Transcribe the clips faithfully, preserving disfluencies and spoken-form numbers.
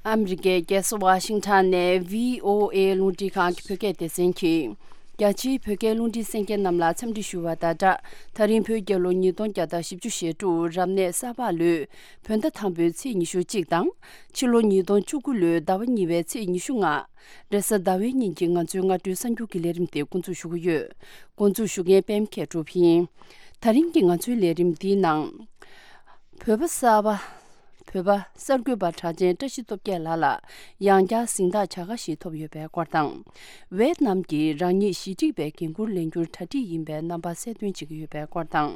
ཨ་མི་རི་ཀའི་རྒྱལ་ས་ཝ་ཤིང་ཊོན་ནས་བྷི་ཨོ་ཨེ་རླུང་འཕྲིན་ཁང་གི་བོད་སྐད་སྡེ་ཚན་གྱིས། རྒྱ་ཆེའི་བོད་སྐད་རླུང་འཕྲིན་གསན་མཁན་རྣམས་ལ་འཚམས་འདྲི་ཞུ་བ་དང་སྦྲགས། ད་རིང་བོད་རྒྱལ་ལོ་ཉིས་སྟོང་བརྒྱ་དང་བཞི་བཅུ་ཞེ་དྲུག་རབ་གནས་གསར་པ་ལོའི་བོད་ཟླ་དང་པོའི་ཚེས་ཉི་ཤུ་གཅིག་དང་། ཕྱི་ལོ་ཉིས་སྟོང་བཅུ་དགུ་ལོའི་ཟླ་བ་གཉིས་པའི་ཚེས་ཉི་ཤུ་ལྔ། རེས་གཟའ་ཟླ་བའི་ཉིན་གྱི་ང་ཚོའི་སྔ་དྲོའི་གསར་འགྱུར་གྱི་ལས་རིམ་དེ་འགོ་འཛུགས་ཞུ་གི་ཡོད། འགོ་འཛུགས་ཞུ་མཁན་པད་མ་མཁས་གྲུབ་ཡིན། ད་རིང་གི་ང་ཚོའི་ལས་རིམ་འདིའི་ནང་། བོད་པ་གསར་པ། བོད་པ་གསར་འགོད་པ་གྲགས་ཅན་བཀྲ་ཤིས་སྟོབས་རྒྱལ་ལགས་ལ་ཡང་བསྐྱར་གཟེངས་རྟགས་བྱ་དགའ་ཞིག་ཐོབ་ཡོད་པའི་སྐོར་དང་། ཝེ་ཏི་ནམ་གྱིས་རང་ཉིད་ཞི་འགྲིག་པའི་འགན་འཁུར་ལེན་རྒྱུར་གྲ་སྒྲིག་ཡིན་པའི་རྣམ་པ་གསལ་སྟོན་བྱེད་ཀྱི་ཡོད་པའི་སྐོར་དང་།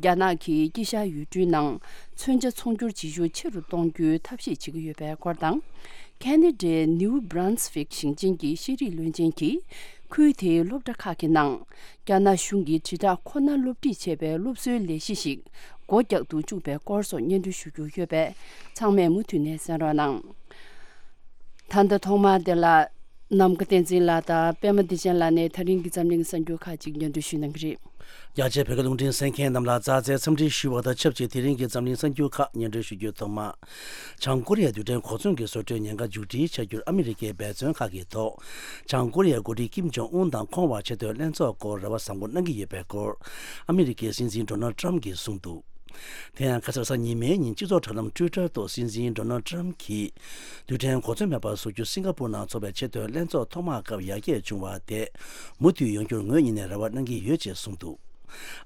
རྒྱ་ནག་གིས་དཀྱིལ་ཤར་ཡུལ་གྲུའི་ནང་མཚོན་ཆ་ཚོང་སྒྱུར་བྱེད་ཤུགས་ཆེ་རུ་གཏོང་རྒྱུའི་ཐབས་ཤེས་བྱེད་ཀྱི་ཡོད་པའི་སྐོར་དང་། ཁེ་ན་ཌའི་ནིའུ་བྷི་རན་སི་ཝིག་ཞིང་ཆེན་གྱི་ཤེས་རིག་བློན་ཆེན་གྱིས། ཁུལ་དེའི་སློབ་གྲྭ་ཁག་གི་ནང་། རྒྱ་ནག་གཞུང་གིས་དྲིལ་བསྒྲགས་ཁོ་ནར་སློབ་ཁྲིད་བྱས་པའི་སློབ་གསོའི་ལས་གཞི་ཞིག་སྒོ་རྒྱག་ཏུ་བཅུག་པའི་སྐོར་སོགས་སྙན་སྒྲོན་ཞུ་རྒྱུ་ཡོད་པས། ཚང་མས་མུ་མཐུད་ནས་གསན་རོགས་གནང་། ད་ལྟ་ཐོག་མར་དེ་ལ། ནམ་མཁའ་བསྟན་འཛིན་ལགས་དང་པད་མ་བདེ་ཆེན་ལགས་ནས་ད་རིང་གི་འཛམ་གླིང་གསར་འགྱུར་ཁག་ཅིག་སྙན་སྒྲོན་ཞུ་གནང་གི་རེད། རྒྱ་ཆེའི་བོད་སྐད་རླུང་འཕྲིན་གསན་མཁན་རྣམས་ལ་རྩ་རྩེའི་འཚམས་འདྲི་ཞུ་བ་དང་ཆབས་ཅིག་དེ་རིང་གི་འཛམ་གླིང་གསར་འགྱུར་ཁག་སྙན་སྒྲོན་ཞུ་རྒྱུའི་ཐོག་མ། བྱང་ཀོ་རི་ཡའི་རྡུལ་ཕྲན་གོ་མཚོན་གྱི་བཟོ་སྐྲུན་ཉེན་ཁ་མཇུག་སྒྲིལ་བྱ་རྒྱུར་ཨ་མི་རི་ཀས་འབད་བརྩོན་ཁག་གི་ཐོག་བྱང་ཀོ་རི་ཡའི་འགོ་ཁྲིད་ཀིམ་ཇོང་ཨུན་དང་ཁོང་བར་ཆེས་མཐོའི་ལྷན་ཚོགས་སྐོར་རེ་བ་བཟང་པོ་གནང་གི་ཡོད་པའི་སྐོར། ཨ་མི་རི་ཀའི་སྲིད་འཛིན་ཌོ་ནལ་ཊམ་གྱིས་གསུངས་འདུག་དེ་ཡང་ཁ་སང་གཟའ་ཉི་མའི་ཉིན་སྤྱི་ཚོགས་དྲ་ལམ་ཊུའི་ཊར་ཐོག་སྲིད་འཛིན་ཌོ་ནལ་ཊམ་གྱིས། རྡུལ་ཕྲན་གོ་མཚོན་མེད་པ་བཟོ་རྒྱུ་སིང་ག་པུར་ནང་འཚོགས་པའི་ཆེས་མཐོའི་ལྷན་ཚོགས་ཐོག་མའི་སྐབས་ཡར་རྒྱས་བྱུང་བ་དེ་མུ་མཐུད་ཡོང་རྒྱུར་ངོས་གཉིས་ནས་རེ་བ་གནང་གི་ཡོད་ཅེས་གསུངས་འདུག་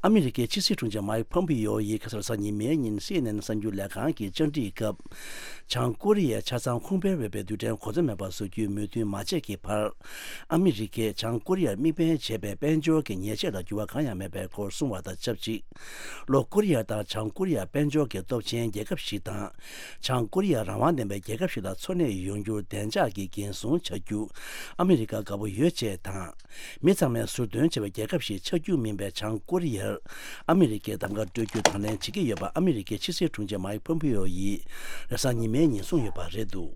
ཨ་མི་རི་ཀའི་ཕྱི་སྲིད་དྲུང་ཆེ་མའིག་ཕོམ་པི་ཡོ་ཡིས་ཁ་སང་གཟའ་ཉི་མའི་ཉིན་སི་ཨེན་ཨེན་གསར་འགྱུར་ལས་ཁང་གི་བཅར་འདྲིའི་སྐབས། བྱང་ཀོ་རི་ཡའི་ཆ་ཚང་ཁུངས་སྤེལ་འོས་པའི་རྡུལ་ཕྲན་གོ་མཚོན་མེད་པ་བཟོ་རྒྱུའི་མོས་མཐུན་མ་བྱས་ཀྱི་བར། ཨ་མི་རི་ཀས་བྱང་ཀོ་རི་ཡར་དམིགས་འབེན་བྱས་པའི་དཔལ་འབྱོར་གྱི་ཉེས་ཆད་ལ་འགྱུར་བ་གང་ཡང་མེད་པའི་སྐོར་གསུངས་བ་དང་ཆབས་ཅིག་ལྷོ་ཀོ་རི་ཡ་དང་བྱང་ཀོ་རི་ཡ་དཔལ་འབྱོར་གྱི་སྟོབས་ཆེན་རྒྱལ་ཁབ་ཞིག་དང་། བྱང་ཀོ་རི་ཡ་རང་དབང་ལྡན་པའི་རྒྱལ་ཁབ་ཞིག་ལ་འཚོ་གནས་ཡོང་རྒྱུར་བདེ་འཇགས་ཀྱི་འགན་སྲུང་བྱ་རྒྱུ་ཨ་མི་རི་ཀ་དགའ་པོ་ཡོད་ཅེས་དང་། མི་ཚང་མས་ཟུར་འདོན་བྱས་པའི་རྒྱལ་ཁབ་ཞིག་ཆགས་རྒྱུ་མིན་པའི་བྱང་ཀོ་རི་ཡར་ཨ་མི་རི་ཀས་གདམ་ག་སྤྲོད་རྒྱུ་དང་ལེན་བྱེད་ཀྱི་ཡོད་པ་ཨ་མི་རི་ཀའི་ཕྱི་སྲིད་དྲུང་ཆེ་མའིག་ཕོམ་པི་ཡོ་ཡིས་རེས་གཟའ་ཉི་མའི་ཉིན་གསུངས་ཡོད་པ་རེད་འདུག་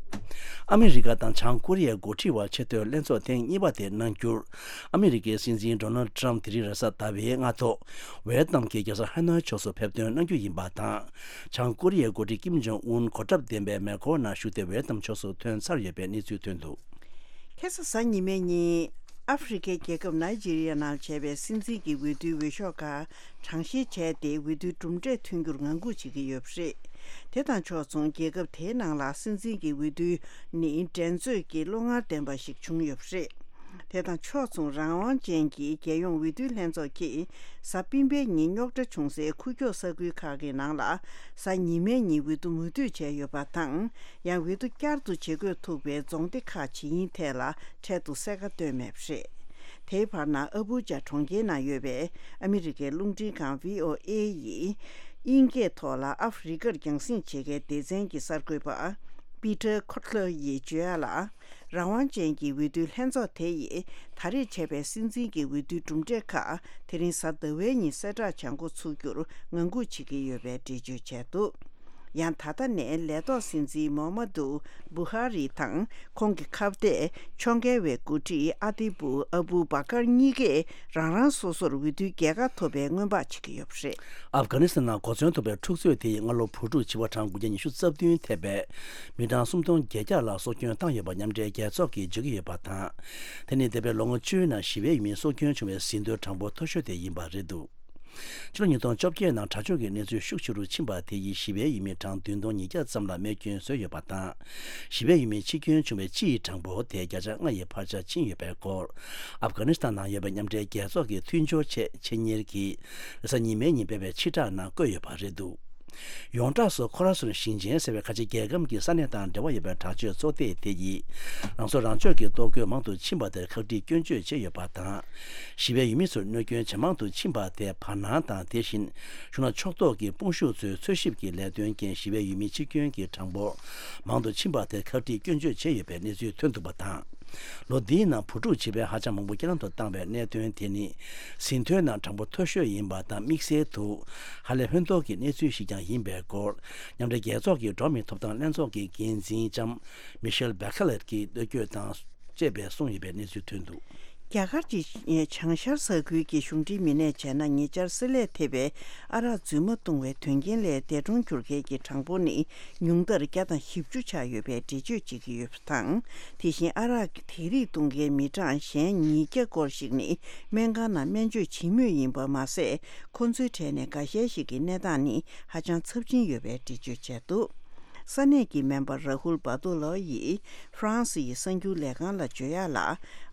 ཨ་མི་རི་ཀ་དང་བྱང་ཀོ་རི་ཡའི་འགོ་ཁྲིད་དབར་ཆེས་མཐོའི་ལྷན་ཚོགས་ཐེངས་གཉིས་པ་དེ་གནང་རྒྱུར། ཨ་མི་རི་ཀའི་སྲིད་འཛིན་ཌོ་ནལ་ཊམ་དེ་རིང་རེས་གཟའ་ཟླ་བའི་སྔ་ཐོག་ཝེ་ཏི་ནམ་གྱི་རྒྱལ་ས་ཧ་ནོའི་ཕྱོགས་སུ་ཕེབས་ཐོན་གནང་རྒྱུ་ཡིན་པ་དང་། བྱང་ཀོ་རི་ཡའི་འགོ་ཁྲིད་ཀིམ་ཇོང་ཨུན་གོ་ཁྲབ་ལྡན་པའི་མེ་འཁོར་ནང་བཞུགས་ཏེ་ཝེ་ཏི་ནམ་ཕྱོགས་སུ་ཐོན་ཚར་ཡོད་པའི་གནས་ཚུལ་ཐོན་འདུག་ཁ་སང་གཟའ་ཉི་མའི་ཉིན། ཨ་ཧྥེ་རི་ཁའི་རྒྱལ་ཁབ་ནཱི་ཇི་རི་ཡ་ནང་བྱས་པའི་སྲིད་འཛིན་གྱི་འོས་བསྡུའི་འོས་ཤོག་ཁག་གྲངས་བཤེར་བྱས་ཏེ། འོས་བསྡུའི་གྲུབ་འབྲས་ཐོན་རྒྱུར་ངང་སྒུག་བྱེད་ཀྱི་ཡོད་པ་རེད། དེ་དང་ཕྱོགས་མཚུངས། རྒྱལ་ཁབ་དེའི་ནང་ལ་སྲིད་འཛིན་གྱི་འོས་བསྡུ་ནི་འགྲན་རྩོད་ཀྱི་བློ་ངར་ལྡན་པ་ཞིག་བྱུང་ཡོད་པ་རེད། དེ་དང་ཕྱོགས་མཚུངས། རང་དབང་ཅན་གྱི་རྒྱལ་ཡོངས་འོས་བསྡུའི་ལྷན་ཚོགས་ཀྱིས་གཟའ་སྤེན་པའི་ཉིན་རྙོག་དྲ་བྱུང་སའི་ཁུག་ཀྱོག་ས་ཁུལ་ཁག་གི་ནང་ལ་གཟའ་ཉི་མའི་ཉིན་འོས་བསྡུ་མུ་མཐུད་བྱས་ཡོད་པ་དང་། ཡང་འོས་བསྡུ་བསྐྱར་དུ་བྱེད་དགོས་ཐུག་པའི་རྫོང་སྡེ་ཁག་ཇི་ཡིན་ཐད་ལ་འཕྲལ་དུ་གསལ་ཁ་བཏོན་མེད་པ་རེད། དེའི་བར་ན་ཨ་བྷུ་ཇ་གྲོང་ཁྱེར་ནང་ཡོད་པའི་ཨ་མི་རི་ཀའི་རླུང་འཕྲིན་ཁང་བྷི་ཨོ་ཨེ་ཡིས་དབྱིན་སྐད་ཐོག་ལ་ཨ་ཧྥེ་རི་ཁར་རྒྱང་སྲིང་བྱེད་མཁན་སྡེ་ཚན་གྱི་གསར་འགོད་པ་པི་ཏར་ཁོ་ཊ་ལར་ཡིས་བརྗོད་ཡ་ལ། རང་དབང་ཅན་གྱི་འོས་བསྡུའི་ལྷན་ཚོགས་དེ་ཡིས་ད་རེས་བྱས་པའི་སྲིད་འཛིན་གྱི་འོས་བསྡུའི་གྲུབ་འབྲས་ཁག་དེ་རིང་གཟའ་ཟླ་བའི་ཉིན་གསལ་བསྒྲགས་བྱ་འགོ་ཚུགས་རྒྱུར་ངང་སྒུག་བྱེད་ཀྱི་ཡོད་པའི་འགྲེལ་བརྗོད་བྱས་འདུག་ཡང་ད་ལྟ་ནས་ལས་ཐོག་སྲིད་འཛིན་མོ་ཧ་མ་ཏུ་བུ་ཧ་རི་དང་ཁོང་གི་ཁ་གཏད་ཕྱོགས་འགལ་བའི་འགོ་ཁྲིད་ཨ་ཏི་བུ་ཨ་བུ་བ་ཀར་གཉིས་ཀས་རང་རང་སོ་སོར་འོས་བསྡུའི་རྒྱལ་ཁ་ཐོབ་པའི་སྔོན་དཔག་བྱེད་ཀྱི་ཡོད་པ་རེད། ཨབ་གྷ་ནི་སི་ཐན་ནང་གོ་མཚོན་ཐོགས་པའི་འཁྲུག་རྩོད་དེ་ཡིས་སྔ་ལོ་བོད་ཕྲུག་བྱེ་བ་གྲངས་དགུ་བརྒྱ་ཉི་ཤུ་རྩ་བདུན་ཐེ་བའི་མི་གྲངས་སུམ་སྟོང་བརྒྱད་བརྒྱ་ལ་སྲོག་སྐྱོན་བཏང་ཡོད་པ་མཉམ་འབྲེལ་རྒྱལ་ཚོགས་ཀྱིས་བརྗོད་ཀྱི་ཡོད་པ་དང་། དེ་ནི་འདས་པའི་ལོ་ངོ་བཅུའི་ནང་ཞི་བའི་ཡུལ་མིའི་སྲོག་སྐྱོན་བྱུང་བའི་ཟིན་ཐོའི་གྲངས་འབོར་མཐོ་ཤོས་དེ་ཡིན་པ་རེད་འདུག་ཕྱི་ལོ་ཉིས་སྟོང་བཅོ་བརྒྱད་ནང་དྲག་སྤྱོད་ཀྱི་གནས་ཚུལ་ཤུགས་ཆེ་རུ་ཕྱིན་པ་དེ་ཡིས་ཞི་བའི་ཡུལ་མི་གྲངས་བདུན་སྟོང་ཉིས་བརྒྱ་ཙམ་ལ་རྨས་སྐྱོན་བཟོས་ཡོད་པ་དང་། ཞི་བའི་ཡུལ་མི་འཆི་སྐྱོན་བྱུང་བའི་སྤྱིའི་གྲངས་འབོར་དེ་བརྒྱ་ཆ་ལྔ་ཡི་ཕར་ཆེར་ཕྱིན་ཡོད་པའི་སྐོར། ཨབ་གྷ་ནི་སི་ཐན་ནང་ཡོད་པའི་མཉམ་འབྲེལ་རྒྱལ་ཚོགས་ཀྱི་མཐུན་སྦྱོར་ཆེད་ཆེད་གཉེར་གྱིས་རེས་གཟའ་ཉི་མའི་ཉིན་སྤེལ་བའི་ཕྱིར་བསྒྲགས་ནང་བཀོད་ཡོད་པ་རེད་འདུག་ཡོངས་གྲགས་སུ་ཁོ་ར་སོན་ཞིང་ཆེན་ཟེར་བའི་ཁ་ཆེ་རྒྱལ་ཁམས་ཀྱི་ས་གནས་དང་འབྲེལ་བ་ཡོད་པའི་དྲག་སྤྱོད་ཚོགས་སྡེ་དེ་ཡིས་རང་སྲོག་རང་གཅོད་ཀྱི་གཏོར་རྒོལ་མང་དུ་ཕྱིན་པ་དེར་ཁག་དཀྲིས་སྐྱོན་བརྗོད་བྱས་ཡོད་པ་དང་། ཞི་བའི་ཡུལ་མི་ཚོར་གནོད་སྐྱོན་ཇེ་མང་དུ་ཕྱིན་པ་དེ་བར་སྣང་དང་། དེ་བཞིན་གཞུང་ལ་ཕྱོགས་གཏོགས་ཀྱི་དཔུང་ཤུགས་ཚོའི་འཚོལ་ཞིབ་ཀྱི་ལས་དོན་རྐྱེན་ཞི་བའི་ཡུལ་མི་འཆི་སྐྱོན་གྱི་གྲངས་འབོར་མང་དུ་ཕྱིན་པ་དེར་ཁག་དཀྲིས་སྐྱོན་བརྗོད་བྱས་ཡོད་པའི་གནས་ཚུལ་ཐོན་འདུག་པ་དང་། ལོ་འདིའི་ནང་བུ་ཕྲུག་བྱིས་པའི་ཧ་ཅང་མང་པོ་རྐྱེན་ལམ་དུ་བཏང་བའི་གནད་དོན་དེ་ནི་ཟིན་ཐོའི་ནང་གྲངས་འབོར་མཐོ་ཤོས་ཡིན་པ་དང་། དམིགས་བསལ་དུ་ཧ་ལས་ཕན་ཐོགས་ཀྱི་གནས་ཚུལ་ཞིག་ཀྱང་ཡིན་པའི་སྐོར། མཉམ་འབྲེལ་རྒྱལ་ཚོགས་ཀྱི་འགྲོ་བ་མིའི་ཐོབ་ཐང་ལྷན་ཚོགས་ཀྱི་འགན་འཛིན་ལྕམ་མི་ཤེལ་བྷེ་ཁེ་ལེད་ཀྱིས་གནོད་སྐྱོན་དང་བཅས་པའི་གསུངས་ཡོད་པའི་གནས་ཚུལ་ཐོན་འདུག་རྒྱ་གར་གྱི་བྱང་ཤར་ས་ཁུལ་གྱི་གཞུང་འབྲེལ་མི་སྣས་བྱས་ན། ཉེ་ཆར་བསྲེ་ལྷད་ཐེབས་པའི་ཨ་རག་རྫུན་མ་བཏུང་བའི་དོན་རྐྱེན་ལས་འདས་གྲོངས་གྱུར་མཁན་གྱི་གྲངས་འབོར་ནི་ཉུང་མཐར་བརྒྱ་དང་བཞི་བཅུ་ཆགས་ཡོད་པའི་འགྲེལ་བརྗོད་བྱེད་ཀྱི་ཡོད་པ་དང་། དེ་བཞིན་ཨ་རག་དེ་རིགས་བཏུང་མཁན་མི་གྲངས་གཞན་ཉིས་བརྒྱ་སྐོར་ཞིག་ནི་སྨན་ཁང་ནང་སྨན་བཅོས་བྱེད་མུས་ཡིན་པ་མ་ཟད། ཁོ་ཚོའི་གྲས་ནས་འགའ་ཤས་ཤིག་གི་གནས་སྟངས་ནི་ཧ་ཅང་ཚབས་ཆེན་ཡོད་པའི་འགྲེལ་བརྗོད་བྱས་འདུག་ས་གནས་ཀྱི་སྨན་པ་ར་ཧུལ་བ་ཏོ་ལོ་ཡིས་ཧྥ་རན་སི་ཡི་གསར་འགྱུར་ལས་ཁང་ལ་བརྗོད་ཡག་ལ།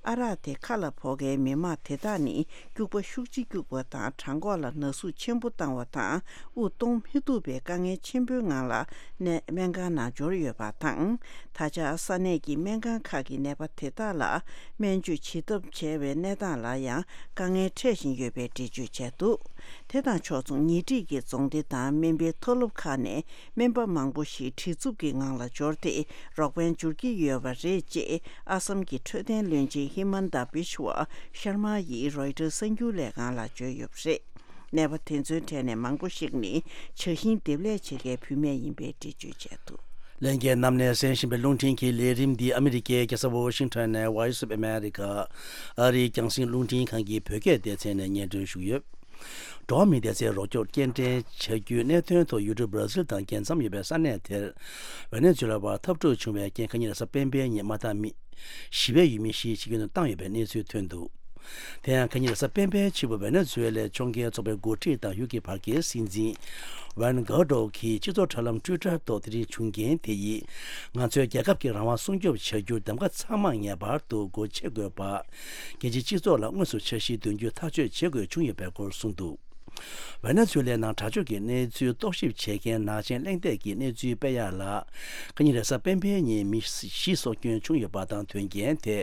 ཨ་རག་དེ་ཁ་ལ་ཕོག་མཁན་མི་མང་དེ་དག་ནི་སྐྱུག་པ་ཤུགས་ཆེ་སྐྱུག་པ་དང་། བྲང་ཁོག་ལ་ན་ཟུག་ཆེན་པོ་བཏང་བ་དང་། དབུགས་གཏོང་མི་ཐུབ་པའི་དཀའ་ངལ་ཆེན་པོའི་ངང་ལ་ནས་སྨན་ཁང་ནང་འབྱོར་ཡོད་པ་དང་། ད་ཆ་ས་གནས་ཀྱི་སྨན་ཁང་ཁག་གི་ནད་པ་དེ་དག་ལ་སྨན་བཅོས་བྱེད་ཐབས་བྱས་པའི་གནས་སྟངས་ལ་ཡང་དཀའ་ངལ་འཕྲད་བཞིན་ཡོད་པའི་འགྲེལ་བརྗོད་བྱས་འདུག་དེ་དང་ཕྱོགས་མཚུངས། ཉེ་འཁྲིས་ཀྱི་རྫོང་སྡེ་དང་སྨན་པའི་མཐོ་སློབ་ཁག་ནས་སྨན་པ་མང་པོ་ཞིག་བྲེལ་འཚུབ་ཀྱི་ངང་ལ་འབྱོར་ཏེ་རོགས་ཕན་སྦྱོར་གྱི་ཡོད་པ་རེད། ཅེས་ཨ་སམ་གྱི་འཕྲོད་བསྟེན་བློན་ཆེན་ཧི་མན་ད་བི་ཤ་ཝ་ཤར་མ་ཡིས་རོའི་ཊར་གསར་འགྱུར་ལས་ཁང་ལ་བརྗོད་ཡོད་པ་རེད། ནད་པ་དེ་ཚོའི་གྲས་ནས་མང་པོ་ཞིག་ནི་ཇ་ཤིང་འདེབས་ལས་བྱེད་མཁན་བུད་མེད་ཡིན་པའི་འགྲེལ་བརྗོད་བྱས་འདུག་ལྷན་རྒྱས་རྣམས་ནས་གསན་བཞིན་པའི་རླུང་འཕྲིན་གྱི་ལས་རིམ་འདི་ཨ་མི་རི་ཀའི་རྒྱལ་ས་ཝོ་ཤིང་ཊོན་ནས་Voice of America ཨ་རིའི་རྒྱང་སྲིང་རླུང་འཕྲིན་ཁང་གི་བོད་སྐད་སྡེ་ཚན་ནས་སྙན་སྒྲོན་ཞུས་ཡོད། འགྲོ་བ་མིའི་བདེ་རྩའི་རོགས་སྐྱོར་སྐྱེལ་འདྲེན་བྱ་རྒྱུའི་གནད་དོན་ཐོག་ཡུལ་གྲུ་བྷར་ཛིལ་དང་རྒྱལ་མཚམས་ཡོད་པའི་ས་གནས་དེར་ཝེ་ནེ་ཛུ་ལ་བར་འཐབ་འཁྲུག་བྱུང་བའི་རྐྱེན། ཁ་ཉིན་རེས་གཟའ་སྤེན་པའི་ཉིན་མ་དག་མི་ཞི་བའི་ཡུལ་མི་བཞི་འཆི་སྐྱོན་དུ་བཏང་ཡོད་པའི་གནས་ཚུལ་ཐོན་འདུག་དེ་ཡང་ཁ་ཉིན་རེས་གཟའ་སྤེན་པའི་ཕྱི་པོ་ཝེ་ནེ་ཛུ་ཝེ་ལའི་ཕྱོགས་འགལ་ཚོགས་པའི་འགོ་ཁྲིད་དང་ཡུལ་གྱི་བར་བརྒལ་སྲིད་འཛིན་ཝན་གྷ་ཌོ་གིས་སྤྱི་ཚོགས་དྲ་ལམ་ཊུའི་ཊར་ཐོག་དེ་རིང་བྱུང་རྐྱེན་དེ་ཡིས་ང་ཚོའི་རྒྱལ་ཁབ་ཀྱི་རང་དབང་སྲུང་སྐྱོབ་བྱ་རྒྱུར་གདམ་ག་ཚང་མ་ངེས་པར་དུ་སྒོ་ཕྱེ་དགོས་པ། རྒྱལ་སྤྱིའི་སྤྱི་ཚོགས་ལ་དངོས་སུ་འཆར་གཞི་འདོན་རྒྱུ་ཐག་གཅོད་བྱེད་དགོས་བྱུང་ཡོད་པའི་སྐོར་གསུངས་འདུག་ཝེ་ནེ་ཛུ་ལའི་ནང་དྲག་སྤྱོད་ཀྱི་གནས་ཚུལ་རྟོག་ཞིབ་བྱེད་མཁན་ནག་ཅན་གླེང་སྟེགས་ཀྱི་གནས་ཚུལ་སྤེལ་ཡག་ལ། ཁ་ཉིན་རེས་གཟའ་སྤེན་པའི་ཉིན་མི་བཞི་སྲོག་སྐྱོན་བྱུང་ཡོད་པ་དང་། དོན་རྐྱེན་དེ་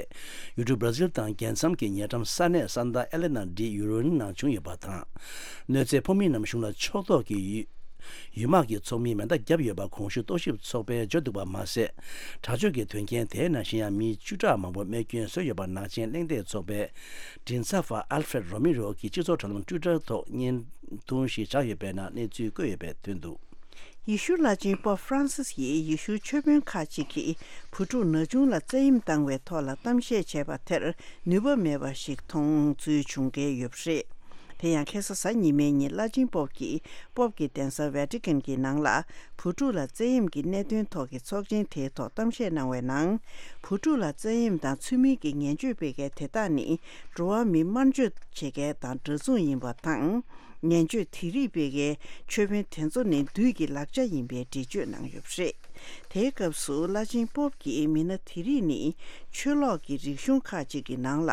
ཡུལ་གྲུ་བྷར་ཛིལ་དང་རྒྱལ་མཚམས་ཀྱི་ཉེ་འགྲམ་ས་གནས་སན་ཏཱ་ཨེ་ལེ་ན་ཌི་ཡུ་རོན་ནང་བྱུང་ཡོད་པ་དང་། གནོད་འཚེ་ཕོག་མི་རྣམས་གཞུང་ལ་ཕྱོགས་གཏོགས་ཀྱི་ཡུལ་ཡུལ་དམག་གི་ཚོགས་མིས་མེ་མདའ་བརྒྱབ་ཡོད་པ་གོང་ཞུས་རྟོག་ཞིབ་ཚོགས་པས་བརྗོད་འདུག་པ་མ་ཟད། དྲག་སྤྱོད་ཀྱི་དོན་རྐྱེན་དེའི་ནང་བཞིན་ཡང་མི་བཅུ་ཕྲག་མང་པོ་རྨས་སྐྱོན་བཟོས་ཡོད་པ་ནག་ཅན་གླེང་སྟེགས་ཚོགས་པའི་མགྲིན་ཚབ་པ་ཨལ་ཧྥེད་རོ་མི་རོ་གིས་སྤྱི་ཚོགས་དྲ་ལམ་ཊུའི་ཊར་ཐོག་བརྙན་ཐུང་ཞིག་བཞག་ཡོད་པའི་ནང་གནས་ཚུལ་བཀོད་ཡོད་པ་ཐོན་འདུག་ཡེ་ཤུ་བླ་ཆེན་པོབ་ཧྥ་རན་སིས་ཡིས་ཡེ་ཤུའི་ཆོས་དཔོན་ཁག་ཅིག་གིས་བུ་ཕྲུག་ན་ཆུང་ལ་བཙན་གཡེམ་བཏང་བའི་ཐོག་ལ་གཏམ་བཤད་བྱས་པ་དེར་ནུས་པ་མེད་པ་ཞིག་མཐོང་ཚུལ་བྱུང་གི་ཡོད་པ་རེད། དེ་ཡང་ཁ་སང་གཟའ་ཉི་མའི་ཉིན་བླ་ཆེན་པོབ་ཀྱིས་པོབ་ཀྱི་གདན་ས་ཝེ་ཏི་ཀན་གྱི་ནང་ལ་བུ་ཕྲུག་ལ་བཙན་གཡེམ་གྱི་གནད་དོན་ཐོག་གི་ཚོགས་ཆེན་དེའི་ཐོག་གཏམ་བཤད་གནང་བའི་ནང་། བུ་ཕྲུག་ལ་བཙན་གཡེམ་དང་ཚུལ་མིན་གྱི་ངན་སྤྱོད་སྤེལ་མཁན་དེ་དག་ནི་འགྲོ་བ་མི་དམར་མཆོད་བྱེད་མཁན་དང་འདྲ་མཚུངས་ཡིན་པ་དང་། ངན་སྤྱོད་དེ་རིགས་སྤེལ་མཁན་ཆོས་དཔོན་དེ་ཚོ་ནི་བདུད་ཀྱི་ལག་ཆ་ཡིན་པའི་འགྲེལ་བརྗོད་གནང་ཡོད་པ་རེད། དེའི་སྐབས་སུ་བླ་ཆེན་པོབ་ཀྱིས་མི་སྣ་དེ་རིགས་ནི་ཆོས་ལོག་གི་རིག་གཞུང་ཁག་ཅིག་གི་ནང་ལ་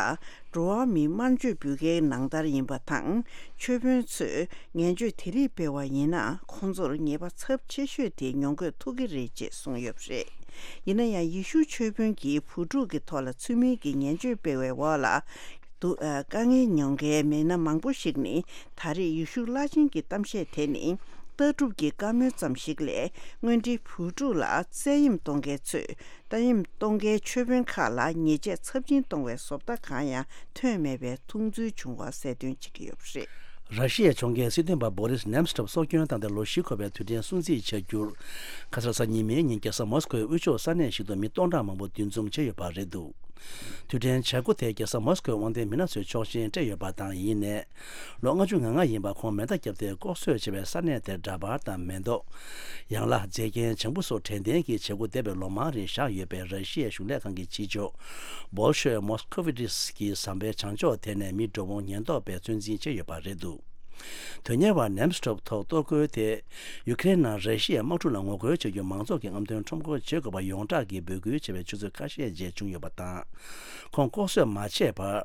འགྲོ་བ་མིའི་དམར་མཆོད་འབུལ་མཁན་ནང་ལྟར་ཡིན་པ་དང་། ཆོས་དཔོན་ཚོས་ངན་སྤྱོད་དེ་རིགས་སྤེལ་བ་ཡིན་ན་ཁོང་ཚོར་ཉེས་པ་ཚབས་ཆེ་ཤོས་དེ་མྱོང་གོ་ཐུབ་ཀྱི་རེད་ཅེས་གསུངས་ཡོད་པ་རེད། ཡིན་ན་ཡང་ཡེ་ཤུ་ཆོས་དཔོན་གྱིས་བུ་ཕྲུག་གི་ཐོག་ལ་ཚུལ་མིན་གྱི་ངན་སྤྱོད་སྤེལ་བའི་འོག་ལ། དུ་ཨ་དཀའ་ངལ་མྱོང་མཁན་མི་སྣ་མང་པོ་ཞིག་ནི་ད་རེས་ཡེ་ཤུ་བླ་ཆེན་གྱི་གཏམ་བཤད་དེ་ནི་ལྟ་གྲུབ་ཀྱི་བཀའ་མོལ་ཙམ་ཞིག་ལས། དངོས་འབྲེལ་བུ་ཕྲུག་ལ་བཙན་གཡེམ་གཏོང་མཁན་ཚོས་བཙན་གཡེམ་གཏོང་མཁན་ཆོས་དཔོན་ཁག་ལ་ཉེས་ཆད་ཚབས་ཆེན་གཏོང་བའི་བཟོ་ལྟ་གང་ཡང་ཐོན་མེད་པའི་མཐོང་ཚུལ་བྱུང་བ་གསལ་སྟོན་བྱེད་ཀྱི་ཡོད་པ་རེད། ར་ཤི་ཡའི་ཕྱོགས་འགལ་སྲིད་དོན་པ་བྷོ་རིས་ནེམ་སི་ཊོབ་སྲོག་སྐྱོན་བཏང་སྟེ་ལོ་བཞི་འཁོར་བའི་དུས་དྲན་སྲུང་བརྩི་བྱ་རྒྱུར། ཁ་སང་གཟའ་ཉི་མའི་ཉིན་རྒྱལ་ས་མོ་སི་ཀོའི་དབུས་ཕྱོགས་ས་གནས་ཤིག་ཏུ་མི་སྟོང་ཕྲག་མང་པོ་འདུ་འཛོམས་བྱས་ཡོད་པ་རེད་འདུག་དུས་དྲན་བྱ་སྒོ་དེ་རྒྱལ་ས་མོ་སི་ཀོའི་དབང་ལྡན་མི་སྣ་ཚོའི་ཆོག་མཆན་སྤྲད་ཡོད་པ་དང་། ཡིན་ནའི། ལོ་ལྔ་བཅུ་ང་ལྔ་ཡིན་པ་ཁོང་མེ་མདའ་བརྒྱབ་སྟེ་ལྐོག་གསོད་བྱས་པའི་ས་གནས་དེར་འདྲ་པར་དང་མེ་ཏོག་ཡང་ལ་མཛེས་རྒྱན་བྱང་བུ་སོགས་དྲན་རྟེན་གྱི་བྱེད་སྒོ་འདས་པའི་ལོ་མང་རིང་བཞག་ཡོད་པའི་ར་ཤི་ཡའི་གཞུང་ལས་ཁང་གི་ཕྱི་ཕྱོགས་བོལ་ཤོའི་མོ་སི་ཁོ་ཝི་ཏིས་ཀྱི་ཟམ་པའི་བྱང་ཕྱོགས་དེ་ནས་མི་འགྲོ་འོང་ཉེན་རྟོག་པས་ཚོད་འཛིན་བྱས་ཡོད་པ་རེད་འདུག་དོན་གཉེར་བ་ནེམ་སི་ཊོབ་ཐོག་གཏོར་རྒོལ་དེ་ཡུ་ཁེ་རེན་ནང་ར་ཤི་ཡའི་དམག་འཁྲུག་ལ་ངོ་རྒོལ་བྱ་རྒྱུ་མང་ཚོགས་ཀྱི་རྔམ་སྟོན་ཁྲོམ་སྐོར་བྱེད་དགོས་པ་ཡོངས་གྲགས་ཀྱིས་འབོད་སྐུལ་བྱས་པའི་ཆུ་ཚོད་ཁ་ཤས་རྗེས་བྱུང་ཡོད་པ་དང་། ཁོང་ལྐོག་གསོད་མ་བྱས་བར་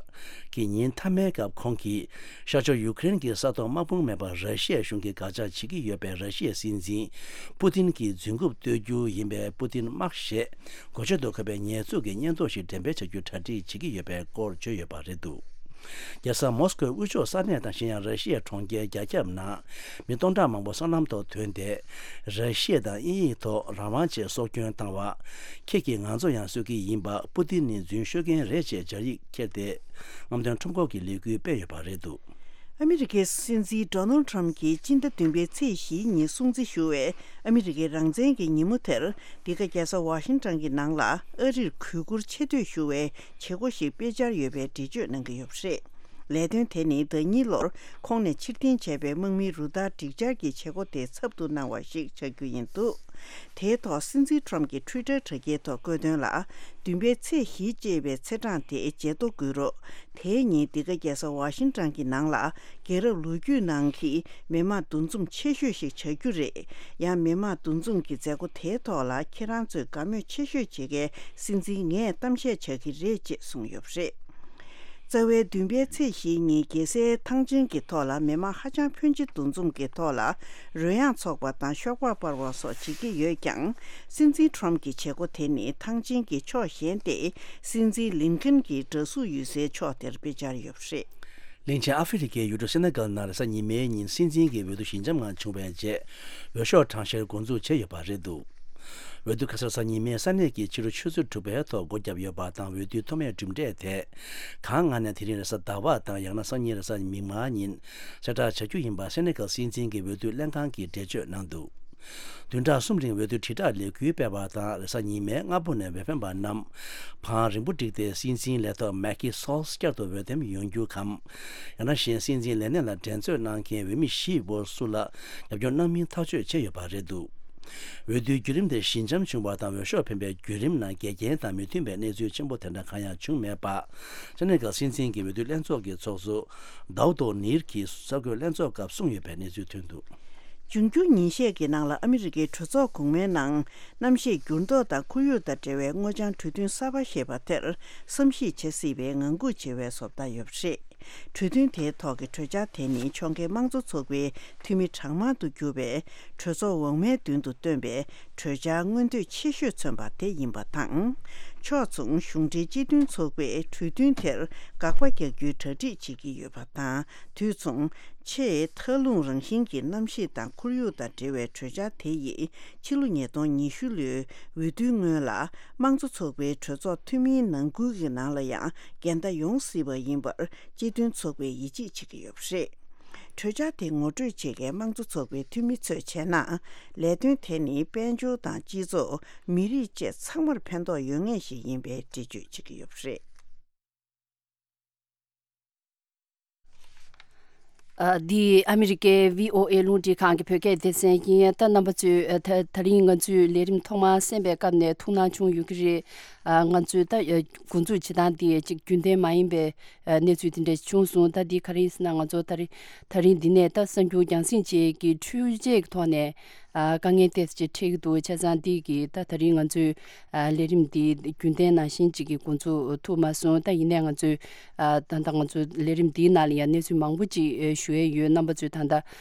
གྱི་ཉིན་མཐའ་མའི་སྐབས་ཁོང་གིས་ཤར་ཕྱོགས་ཡུ་ཁེ་རེན་གྱི་ས་ཐོག་དམག་དཔུང་མེད་པར་ར་ཤི་ཡའི་གཞུང་གིས་དགག་བྱ་བྱེད་ཀྱི་ཡོད་པའི་ར་ཤི་ཡའི་སྲིད་འཛིན་པུ་ཏིན་གྱི་རྫུན་རྐུབ་གཏོད་རྒྱུ་ཡིན་པའི་པུ་ཏིན་དམག་ཞེས་གོ་ཆོད་དུ་འཁོད་པའི་ཉེས་འཛུགས་ཀྱི་སྙན་ཐོ་ཞིག་འགྲེམས་སྤེལ་བྱ་རྒྱུའི་གྲ་སྒྲིག་བྱེད་ཀྱི་ཡོད་པའི་སྐོར་བརྗོད་ཡོད་པ་རེད་འདུག་རྒྱལ་ས་མོ་སི་ཀོའི་དབུས་ཕྱོགས་ས་གནས་དང་། གཞན་ཡང་ར་ཤི་ཡའི་གྲོང་ཁྱེར་རྒྱ་ཁྱབ་ནང་མི་སྟོང་ཕྲག་མང་པོ་སྲང་ལམ་ཐོག་ཐོན་ཏེ། ར་ཤི་ཡ་དང་དབྱིན་ཡིག་ཐོག་རང་དབང་ཆེད་སྲོག་སྐྱོན་བཏང་བ། ཁྱེད་ཀྱིས་ང་ཚོ་ཡང་གསོད་ཀྱི་ཡིན་པ། པུ་ཏིན་ནི་རྫུན་ཤོད་མཁན་རེད་ཅེས་སྦྱར་ཡིག་ཁྱེར་ཏེ། རྔམ་སྟོན་ཁྲོམ་སྐོར་གྱི་ལས་འགུལ་སྤེལ་ཡོད་པ་རེད་འདུག་ཨ་མི་རི་ཀའི་སྲིད་འཛིན་ཌོ་ནལ་ཊམ་གྱིས་སྤྱི་ཟླ་བདུན་པའི་ཚེས་བཞིའི་ཉིན་སྲུང་བརྩི་ཞུ་བའི་ཨ་མི་རི་ཀའི་རང་བཙན་གྱི་ཉིན་མོ་དེར། འདི་ག་རྒྱལ་ས་ཝ་ཤིང་ཊོན་གྱི་ནང་ལ་ཨ་རིར་གུས་བཀུར་ཆེ་བསྟོད་ཞུ་བའི་བྱེད་སྒོ་ཞིག་སྤེལ་འཆར་ཡོད་པའི་འགྲེལ་བརྗོད་གནང་གི་ཡོད་པ་རེད། ལས་དོན་དེ་ནི་ཟླ་གཉིས་ལོར་ཁོང་ནས་ཕྱིར་འཐེན་བྱས་པའི་དམག་མིའི་རུ་སྟར་སྒྲིག་འཆར་གྱི་བྱེད་སྒོ་དེ་ཚབ་ཏུ་གནང་བ་ཞིག་ཆགས་རྒྱུ་ཡིན་འདུག་དེའི་ཐོག་སྲིད་འཛིན་ཊམ་གྱིས་ཊུའི་ཊར་དྲ་རྒྱའི་ཐོག་བཀོད་དོན་ལ། བདུན་པའི་ཚེས་བཞི་ཅེས་པའི་ཚེས་གྲངས་དེ་བརྗེད་དོ་དགོས་རོགས། དེའི་ཉིན་འདི་ག་རྒྱལ་ས་ཝ་ཤིང་ཊོན་གྱི་ནང་ལ་རྒྱལ་རབས་ལོ་རྒྱུས་ནང་གི་མི་དམངས་འདུ་འཛོམས་ཆེ་ཤོས་ཤིག་ཆགས་རྒྱུ་རེད། ཡང་མི་དམངས་འདུ་འཛོམས་ཀྱི་མཛད་སྒོ་དེའི་ཐོག་ལ་ཁྱེད་རང་ཚོས་དགའ་མོས་ཆེ་ཤོས་བྱེད་མཁན་སྲིད་འཛིན་ངས་གཏམ་བཤད་བྱ་གི་རེད་ཅེས་གསུངས་ཡོད་པ་རེད། རྩ་བའི་བདུན་པའི་ཚེས་བཞིའི་ཉིན་རྒྱལ་སའི་ཐང་ཆེན་གྱི་ཐོག་ལ་མི་དམངས་ཧ་ཅང་ཕོན་ཆེ་འདུ་འཛོམས་ཀྱི་ཐོག་ལ་རོལ་དབྱངས་འཚོགས་པ་དང་ཤོག་སྦག་སྤར་བ་སོགས་བྱེད་ཀྱི་ཡོད་ཀྱང་། སྲིད་འཛིན་ཊམ་གྱི་བྱེད་སྒོ་དེ་ནི་ཐང་ཆེན་གྱི་ཕྱོགས་གཞན་ཏེ། སྲིད་འཛིན་ལིན་ཁན་གྱི་འདྲ་གཟུགས་ཡོད་སའི་ཕྱོགས་དེར་སྤེལ་འཆར་ཡོད་པ་རེད། གླིང་ཆེན་ཨ་ཧྥེ་རི་ཁའི་ཡུལ་གྲུ་སེ་ནེ་གལ་ནང་རེས་གཟའ་ཉི་མའི་ཉིན་སྲིད་འཛིན་གྱི་འོས་བསྡུ་ཞི་འཇམ་ངང་བྱུང་བའི་རྗེས། འོས་ཤོག་གྲངས་བཤེར་འགོ་འཛུགས་བྱས་ཡོད་པ་རེད་འདུག་འོས་བསྡུ་ཁ་སང་རེས་གཟའ་ཉི་མའི་ས་གནས་ཀྱི་ཕྱི་དྲོ་ཆུ་ཚོད་དྲུག་པའི་ཐོག་སྒོ་བརྒྱབ་ཡོད་པ་དང་། འོས་བསྡུའི་ཐོག་མའི་གྲུབ་འབྲས་དེ་གང་སྔ་ནས་དེ་རིང་རེས་གཟའ་ཟླ་བ་དང་ཡང་ན་སང་ཉིན་རེས་གཟའ་མིག་དམར་ཉིན་གསལ་བསྒྲགས་བྱ་རྒྱུ་ཡིན་པ་སེ་ནེ་གལ་སྲིད་འཛིན་གྱི་འོས་བསྡུ་ལྷན་ཁང་གིས་འགྲེལ་བརྗོད་གནང་འདུག་བདུན་ཕྲག་གསུམ་རིང་འོས་བསྡུ་དྲིལ་བསྒྲགས་ལས་འགུལ་སྤེལ་བ་དང་། རེས་གཟའ་ཉི་མའི་སྔ་པོ་ནས་འོས་འཕེན་པ་རྣམས་བང་རིང་པོ་བསྒྲིགས་ཏེ་སྲིད་འཛིན་ལས་ཐོག་མེག་ཀི་སོལ་བསྐྱར་དུ་འོས་འདེམས་ཡོང་རྒྱུ་གམ། ཡང་ན་གཞན་སྲིད་འཛིན་ལས་གནས་ལ་འགྲན་རྩོད་གནང་མཁན་འོས་མི་བཞིའི་སྐོར་སུ་ལ་རྒྱབ་སྐྱོར་གནང་མིན་ཐག་གཅོད་བྱས་ཡོད་པ་རེད་འདུག་འོས་བསྡུའི་བརྒྱུད་རིམ་དེ་ཞི་འཇམ་བྱུང་བ་དང་། འོས་ཤོག་འཕེན་པའི་བརྒྱུད་རིམ་ནང་འགལ་རྐྱེན་དང་མི་མཐུན་པའི་གནས་ཚུལ་ཆེན་པོ་དེ་འདྲ་གང་ཡང་བྱུང་མེད་པ། སེ་ནེ་གལ་སྲིད་འཛིན་གྱི་འོས་བསྡུ་ལྷན་ཚོགས་ཀྱི་ཚོགས་གཙོ་དའུ་ཏོ་ནིར་གྱིས་གསར་འགོད་ལྷན་ཚོགས་སྐབས་གསུངས་ཡོད་པའི་གནས་ཚུལ་ཐོན་འདུག་འབྱུང་འགྱུར་ཉིན་ཤས་ཀྱི་ནང་ལ་ཨ་མི་རི་ཀའི་གྲོས་ཚོགས་གོང་མའི་ནང་གནམ་གཤིས་འགྱུར་ལྡོག་དང་ཁོར་ཡུག་དང་འབྲེལ་བའི་སྔོ་ལྗང་གྲོས་མཐུན་གསར་པ་ཞེས་པ་དེར་བསམ་གཞིག་བྱེད་སྲིད་པའི་ངང་སྒུག་བྱེད་པའི་བཟོ་ལྟ་ཡོད་པ་རེད། གྲོས་མཐུན་དེའི་ཐོག་གི་གྲོས་འཆར་དེ་ནི་ཕྱོགས་འགལ་དམངས་གཙོ་ཚོགས་པའི་འཐུས་མི་གྲངས་མང་དུ་གྱུར་པའི་གྲོས་ཚོགས་འོག་མའི་མདུན་དུ་བཏོན་པའི་གྲོས་འཆར་མངོན་འདོད་ཆེ་ཤོས་མཚོན་པ་དེ་ཡིན་པ་དང་། ཕྱོགས་མཚུངས་གཞུང་འབྲེལ་སྤྱི་མཐུན་ཚོགས་པས་གྲོས་མཐུན་དེར་དགག་པ་རྒྱག་རྒྱུའི་གྲ་སྒྲིག་བྱེད་ཀྱི་ཡོད་པ་དང་། དུས་མཚུངས། ཆེས་མཐའ་ལྷུང་རང་བཞིན་གྱི་གནམ་གཤིས་དང་ཁོར་ཡུག་དང་འབྲེལ་བའི་གྲོས་འཆར་དེ་ཡིས་ཕྱི་ལོ་ཉིས་སྟོང་ཉི་ཤུ་ལོའི་འོས་བསྡུའི་སྔོན་ལ་དམངས་གཙོ་ཚོགས་པའི་གྲོས་ཚོགས་འཐུས་མིའི་ནང་ཁུལ་གྱི་ནང་ལ་ཡང་འགལ་ཟླ་ཡོང་སྲིད་པ་ཡིན་པར་སྤྱི་མཐུན་ཚོགས་པས་ཡིད་ཆེས་བྱེད་ཀྱི་ཡོད་པ་རེད། གྲོས་འཆར་དེ་ངོ་སྤྲོད་བྱེད་མཁན་དམངས་གཙོ་ཚོགས་པའི་འཐུས་མི་ཚོས་བྱས་ན། ལས་དོན་དེ་ནི་དཔལ་འབྱོར་དང་སྤྱི་ཚོགས། མི་རིགས་བཅས་ཚང་མར་ཕན་ཐོགས་ཡོད་ངེས་ཤིག་ཡིན་པའི་འགྲེལ་བརྗོད་བྱེད་ཀྱི་ཡོད་པ་རེད། ཨ། འདི་ཨ་མི་རི་ཀའི་བྷི་ཨོ་ཨེ་རླུང་འཕྲིན་ཁང་གི་བོད་སྐད་སྡེ་ཚན་ཡིན། ད་རྣམ་པ་ཚོས་ཨ། ད་ད་རིང་ང་ཚོའི་ལས་རིམ་ཐོག་མར་གསན་པའི་སྐབས་ནས་ཐུགས་སྣང་བྱུང་ཡོད་ཀྱི་རེད། ཨ། ང་ཚོས་ད་ཨ། འགོ་འཛུགས་བྱེད་སྟངས་འདི་ཅིག་རྒྱུན་ལྡན་མ་ཡིན་པའི་ཨ། གནས་ཚུལ་དེ་འདྲ་བྱུང་སོང་། ད་འདི་ག་རེ་ཡིན་ཟེར་ན། ང་ཚོ་ད་རིང་ད་རིང་འདི་ནས་ད་གསར་འགྱུར་རྒྱང་སྲིང་བཅས་ཀྱི་འཕྲུལ་ཆས་ཀྱི་ཐོག་ནས། ཨ། དཀའ་ངལ་ཏོག་ཙམ་འཕྲད་ཀྱི་འདུག་བྱས་ཙང་འདི་གི་ད་ད་རིང་ང་ཚོའི་ཨ། ལས་རིམ་འདི་རྒྱུན་ལྡན་ནང་བཞིན་ཅིག་གི་འགོ་འཛུགས་ཐུབ་མ་སོང་། ད་ཡིན་ནའི་ང་ཚོའི་ཨ། ད་ལྟ་ང་ཚོའི་ལས་རིམ་འདིའི་ནང་ལ་ཡང་གནས་ཚུལ་མང་པོ་ཅིག་ཨ། ཞུ་ཡས་ཡོད། རྣམ་པ་ཚོས་ད་ལྟ་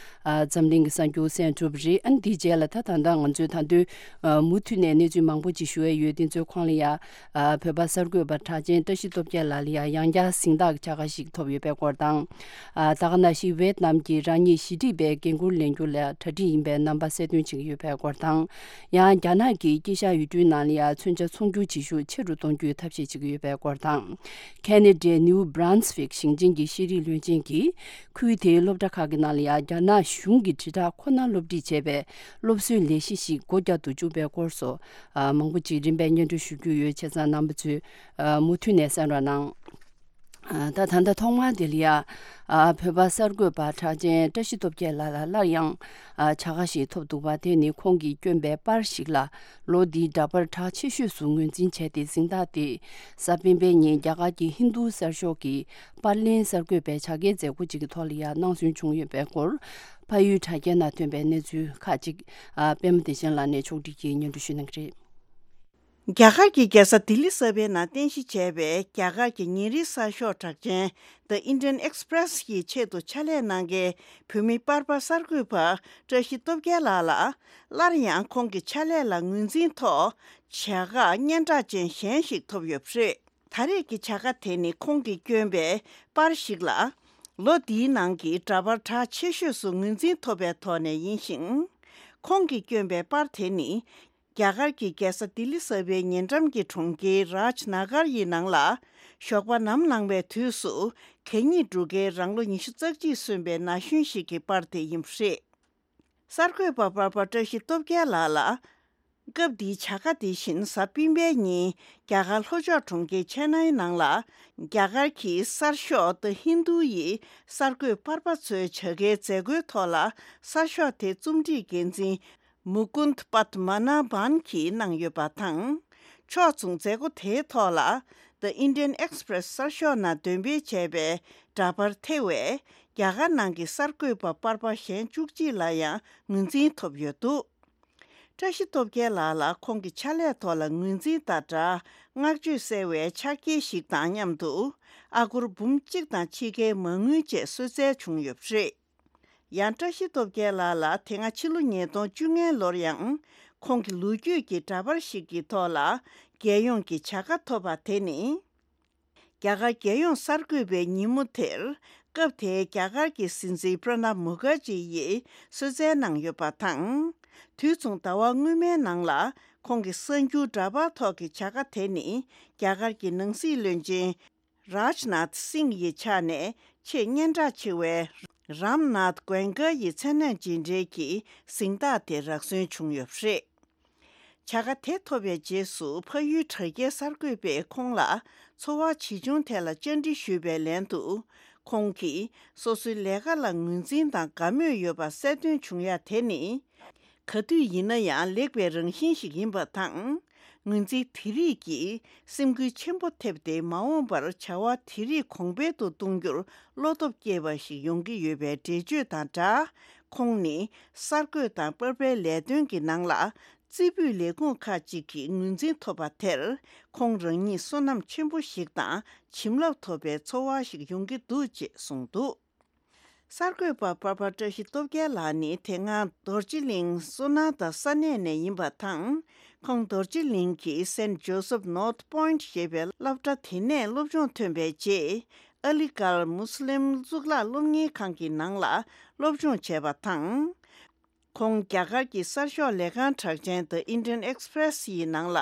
ཨ། འཛམ་གླིང་གི་གསར་འགྱུར་གསན་གྲུབ་རེད། ཨ་ནི་འདིའི་རྗེས་ལ་ད་ད་ལྟ་ང་ཚོས་ད་དུང་ཨ། མུ་མཐུད་ནས་གནས་ཚུལ་མང་པོ་ཅིག་ཞུ་ཡས་ཡོད། དེ་ཚོའི་ཁོངས་ལ་ཡང་། ཨ། བོད་པ་གསར་འགོད་པ་གྲགས་ཅན་བཀྲ་ཤིས་སྟོབས་རྒྱལ་ལགས་ལ་ཡང་ཡང་བསྐྱར་གཟེངས་རྟགས་ཀྱི་བྱ་དགའ་ཞིག་ཐོབ་ཡོད་པའི་སྐོར་དང་། ཨ། ད་ག་ནང་བཞིན་ཝེད་ནམ་གྱི་རང་ཉིད་ཞི་འགྲིག་པའི་འགན་འཁུར་ལེན་རྒྱུ་ལ་གྲ་སྒྲིག་ཡིན་པའི་རྣམ་པ་གསལ་སྟོན་བྱེད་ཀྱི་ཡོད་པའི་སྐོར་དང་། ཡང་རྒྱ་ནག་གིས་དཀྱིལ་ཤར་ཡུལ་གྲུའི་ནང་ལ་ཡང་མཚོན་ཆ་ཚོང་སྒྱུར་བྱེད་ཤུགས་ཆེ་རུ་གཏོང་རྒྱུའི་ཐབས་ཤེས་བྱེད་ཀྱི་ཡོད་པའི་སྐོར་དང་། ཁེ་ན་ཌའི་ནིའུ་བྷ་རན་སི་ཝིག་ཞིང་ཆེན་གྱི་ཤེས་རིག་བློན་ཆེན་གྱིས་ཁུལ་དེའི་སློབ་གྲྭ་ཁག་གི་ནང་ལ་ཡང་རྒྱ་ནག་གཞུང་གི་དྲིལ་བསྒྲགས་ཁོ་ནར་སློབ་ཁྲིད་བྱས་པའི་སློབ་གསོའི་ལས་གཞི་ཞིག་སྒོ་བརྒྱབ་ཏུ་བཅུག་པའི་སྐོར་སོགས། ཨ། མང་པོ་ཅིག་རིམ་པས་སྙན་སྒྲོན་ཞུ་རྒྱུ་ཡོད། བྱས་ཙང་རྣམ་པ་ཚོས་ཨ། མུ་མཐུད་ནས་གསན་རོགས་གནང་། ཨ། ད་ད་ལྟ་ཐོག་མར་དེ་ལ་ཡ། ཨ། བོད་པ་གསར་འགོད་པ་གྲགས་ཅན་བཀྲ་ཤིས་སྟོབས་རྒྱལ་ལགས་ལ་སླར་ཡང་། ཨ། བྱ་དགའ་ཞིག་ཐོབ་འདུག་པ། དེ་ནི་ཁོང་གིས་བསྐྱོན་པའི་པར་ཞིག་ལ་ལོ་འདིའི་འདྲ་པར་གྲགས་ཆེ་ཤོས་སུ་ངོས་འཛིན་བྱས་ཏེ། གཟེངས་རྟགས་དེ་གཟའ་སྤེན་པའི་ཉིན་རྒྱ་གར་གྱི་ཧིན་རྡུ་གསར་ཤོག་གི་པར་ལེན་གསར་འགོད་པའི་བྱ་དགའི་མཛད་སྒོ་ཅིག་གི་ཐོག་ལ་ཡ་གནང་སྲོལ་བྱུང་ཡོད་པའི་སྐོར། ཕ་ཡུལ་དྲ་རྒྱའི་ནང་ཐོན་པའི་གནས་ཚུལ་ཁག་ཅིག་ཨ། པད་མ་བདེ་ཆེན་ལགས་ནས་ཕྱོགས་བསྒྲིགས་ཀྱིས་སྙན་སྒྲོན་ཞུ་གནང་གི་རེད། རྒྱ་གར་གྱི་རྒྱལ་ས་ལྡི་ལི་གསར་པའི་ནང་རྟེན་གཞི་བྱས་པའི་རྒྱ་གར་གྱི་ཉིན་རེའི་གསར་ཤོག་གྲགས་ཅན་The Indian Express ཡི་ཆེད་དུ་ཕྱག་ལས་གནང་མཁན་བོད་མི་པར་པ་གསར་འགོད་པ་བཀྲ་ཤིས་སྟོབས་རྒྱལ་ལགས་ལ། སླར་ཡང་ཁོང་གི་ཕྱག་ལས་ལ་ངོས་འཛིན་ཐོག་བྱ་དགའ་སྙན་གྲགས་ཅན་གཞན་ཞིག་ཐོབ་ཡོད་པ་རེད། ད་རེས་ཀྱི་བྱ་དགའ་དེ་ནི་ཁོང་གིས་བསྐྱོན་པའི་པར་ཞིག་ལ། ལོ་འདིའི་ནང་གི་འདྲ་པར་གྲགས་ཆེ་ཤོས་སུ་ངོས་འཛིན་ཐོབ་པའི་ཐོག་ནས་ཡིན་ཞིང་། ཁོང་གིས་བསྐྱོན་པའི་པར་དེ་ནི། རྒྱ་གར་གྱི་རྒྱལ་ས་ལྡི་ལི་གསར་པའི་ཉེ་འགྲམ་གྱི་གྲོང་ཁྱེར་རཱཇ་ན་གར་ཡི་ནང་ལ། ཞོགས་པ་ནམ་ལངས་པའི་དུས་སུ། གད་སྙིགས་སྒྲུག་མཁན་རང་ལོ་ཉི་ཤུ་རྩ་གཅིག་སོན་པའི་ན་གཞོན་ཞིག་གི་པར་དེ་ཡིན་པ་རེད། གསར་འགོད་པ་པར་པ་བཀྲ་ཤིས་སྟོབས་རྒྱལ་ལགས་ལ། སྐབས་འདིའི་བྱ་དགའ་དེ་བཞིན་གཟའ་སྤེན་པའི་ཉིན་རྒྱ་གར་ལྷོ་ཕྱོགས་གྲོང་ཁྱེར་ཆེ་ནའི་ནང་ལ། རྒྱ་གར་གྱི་གསར་ཤོག་The Hindu ཡིས་གསར་འགོད་པར་པ་ཚོའི་བྱ་དགའི་མཛད་སྒོའི་ཐོག་ལ་གསར་ཤོག་དེ་རྩོམ་སྒྲིག་འགན་འཛིན་མུ་ཀུན་པད་མ་ན་བྷན་གྱིས་གནང་ཡོད་པ་དང་། ཕྱོགས་མཚུངས་མཛད་སྒོ་དེའི་ཐོག་ལ། The Indian Express གསར་ཤོག་ནང་འདོན་སྤེལ་བྱས་པའི་འདྲ་པར་ཐེ་བས། རྒྱ་གར་ནང་གི་གསར་འགོད་པ་པར་པ་གཞན་བཅུ་གཅིག་ལ་ཡང་ངོས་འཛིན་ཐོབ་ཡོད་འདུག་བཀྲ་ཤིས་སྟོབས་རྒྱལ་ལགས་ལ་ཁོང་གི་ཕྱག་ལས་ཐོག་ལ་ངོས་འཛིན་དང་སྦྲགས། བསྔགས་བརྗོད་གསལ་བའི་ཕྱག་འཁྱེར་ཞིག་དང་མཉམ་དུ། ཨ་སྒོར་འབུམ་གཅིག་དང་ཕྱེད་ཀའི་མ་དངུལ་བཅས་གསོལ་སྩལ་བྱུང་ཡོད་པ་རེད། ཡང་བཀྲ་ཤིས་སྟོབས་རྒྱལ་ལགས་ལ་དེ་སྔ་ཕྱི་ལོ་ཉིས་སྟོང་བཅོ་ལྔའི་ལོར་ཡང་ཁོང་གི་ལོ་རྒྱུས་ཀྱི་འདྲ་པར་ཞིག་གི་ཐོག་ལ་རྒྱལ་ཡོངས་ཀྱི་བྱ་དགའ་ཐོབ་པ་དེ་ནི། རྒྱ་གར་རྒྱལ་ཡོངས་གསར་འགོད་པའི་ཉིན་མོ་དེར། སྐབས་དེའི་རྒྱ་གར་གྱི་སྲིད་འཛིན་པྲ་ནབ་མུ་ཁར་ཇི་ཡིས་གསོལ་སྩལ་གནང་ཡོད་པ་དང་། དུས་མཚུངས་ཟླ་བ་སྔོན་མའི་ནང་ལ་ཁོང་གི་གསར་འགྱུར་འདྲ་པར་ཐོག་གི་བྱ་དགའ་དེ་ནི། རྒྱ་གར་གྱི་ནང་སྲིད་བློན་ཆེན་རཱཇ་ནཱཐ་སིང་ཡི་ཕྱག་ནས་ཆེས་སྙན་གྲགས་ཆེ་བའི་རམ་ནཱཐ་གོ་ཨེན་ཀ་ཡི་མཚན་གནས་རྗེས་འབྲེལ་གྱི་གཟེངས་རྟགས་དེ་རག་སོན་བྱུང་ཡོད་པ་རེད། བྱ་དགའ་དེ་ཐོབ་པའི་རྗེས་སུ་ཕ་ཡུལ་དྲ་རྒྱའི་གསར་འགོད་པས་ཁོང་ལ་འཚོ་བ་ཇི་བྱུང་ཐད་ལ་བཅར་འདྲི་ཞུས་པའི་ལན་དུ། ཁོང་གིས་སོ་སོའི་ལས་ཀ་ལ་ངོས་འཛིན་དང་དགའ་མོས་ཡོད་པ་གསལ་སྟོན་བྱུང་ཡ་དེ་ནི། ག་དུས་ཡིན་ན་ཡང་ལེགས་པའི་རང་བཞིན་ཞིག་ཡིན་པ་དང་། ངོས་འཛིན་དེ་རིགས་ཀྱིས་སེམས་འགུལ་ཆེན་པོ་ཐེབས་ཏེ། མ་འོངས་པར་བྱ་བ་དེ་རིགས་གོང་འཕེལ་དུ་གཏོང་རྒྱུར་བློ་སྟོབས་སྐྱེས་པ་ཞིག་ཡོང་གི་ཡོད་པའི་འགྲེལ་བརྗོད་དང་སྦྲགས། ཁོང་ནི་གསར་འགོད་དང་པར་པའི་ལས་དོན་གྱི་ནང་ལ། རྩེ་ཕུད་ལས་ཁུངས་ཁག་ཅིག་གིས་ངོས་འཛིན་ཐོབ་པ་དེར། ཁོང་རང་ཉིད་བསོད་ནམས་ཆེན་པོ་ཞིག་དང་བྱིན་རླབས་ཐོབ་པའི་ཚོར་བ་ཞིག་ཡོང་གི་འདུག་ཅེས་གསུངས་འདུག་གསར་འགོད་པ་པར་པ་བཀྲ་ཤིས་སྟོབས་རྒྱལ་ལགས་ནི་དེ་སྔ་རྡོ་རྗེ་གླིང་སོ་ན་ད་ས་གནས་ནས་ཡིན་པ་དང་། ཁོང་རྡོ་རྗེ་གླིང་གི་Saint Joseph North Point ཞེས་པའི་སློབ་གྲྭ་དེ་ནས་སློབ་སྦྱོང་ཐོན་པའི་རྗེས། ཨ་ལི་གྷར་མུ་སི་ལིམ་གཙུག་ལག་སློབ་གཉེར་ཁང་གི་ནང་ལ་སློབ་སྦྱོང་བྱས་པ་དང་། ཁོང་རྒྱ་གར་གྱི་གསར་ཤོག་ལས་ཁང་གྲགས་ཅན་The Indian Express ཡི་ནང་ལ་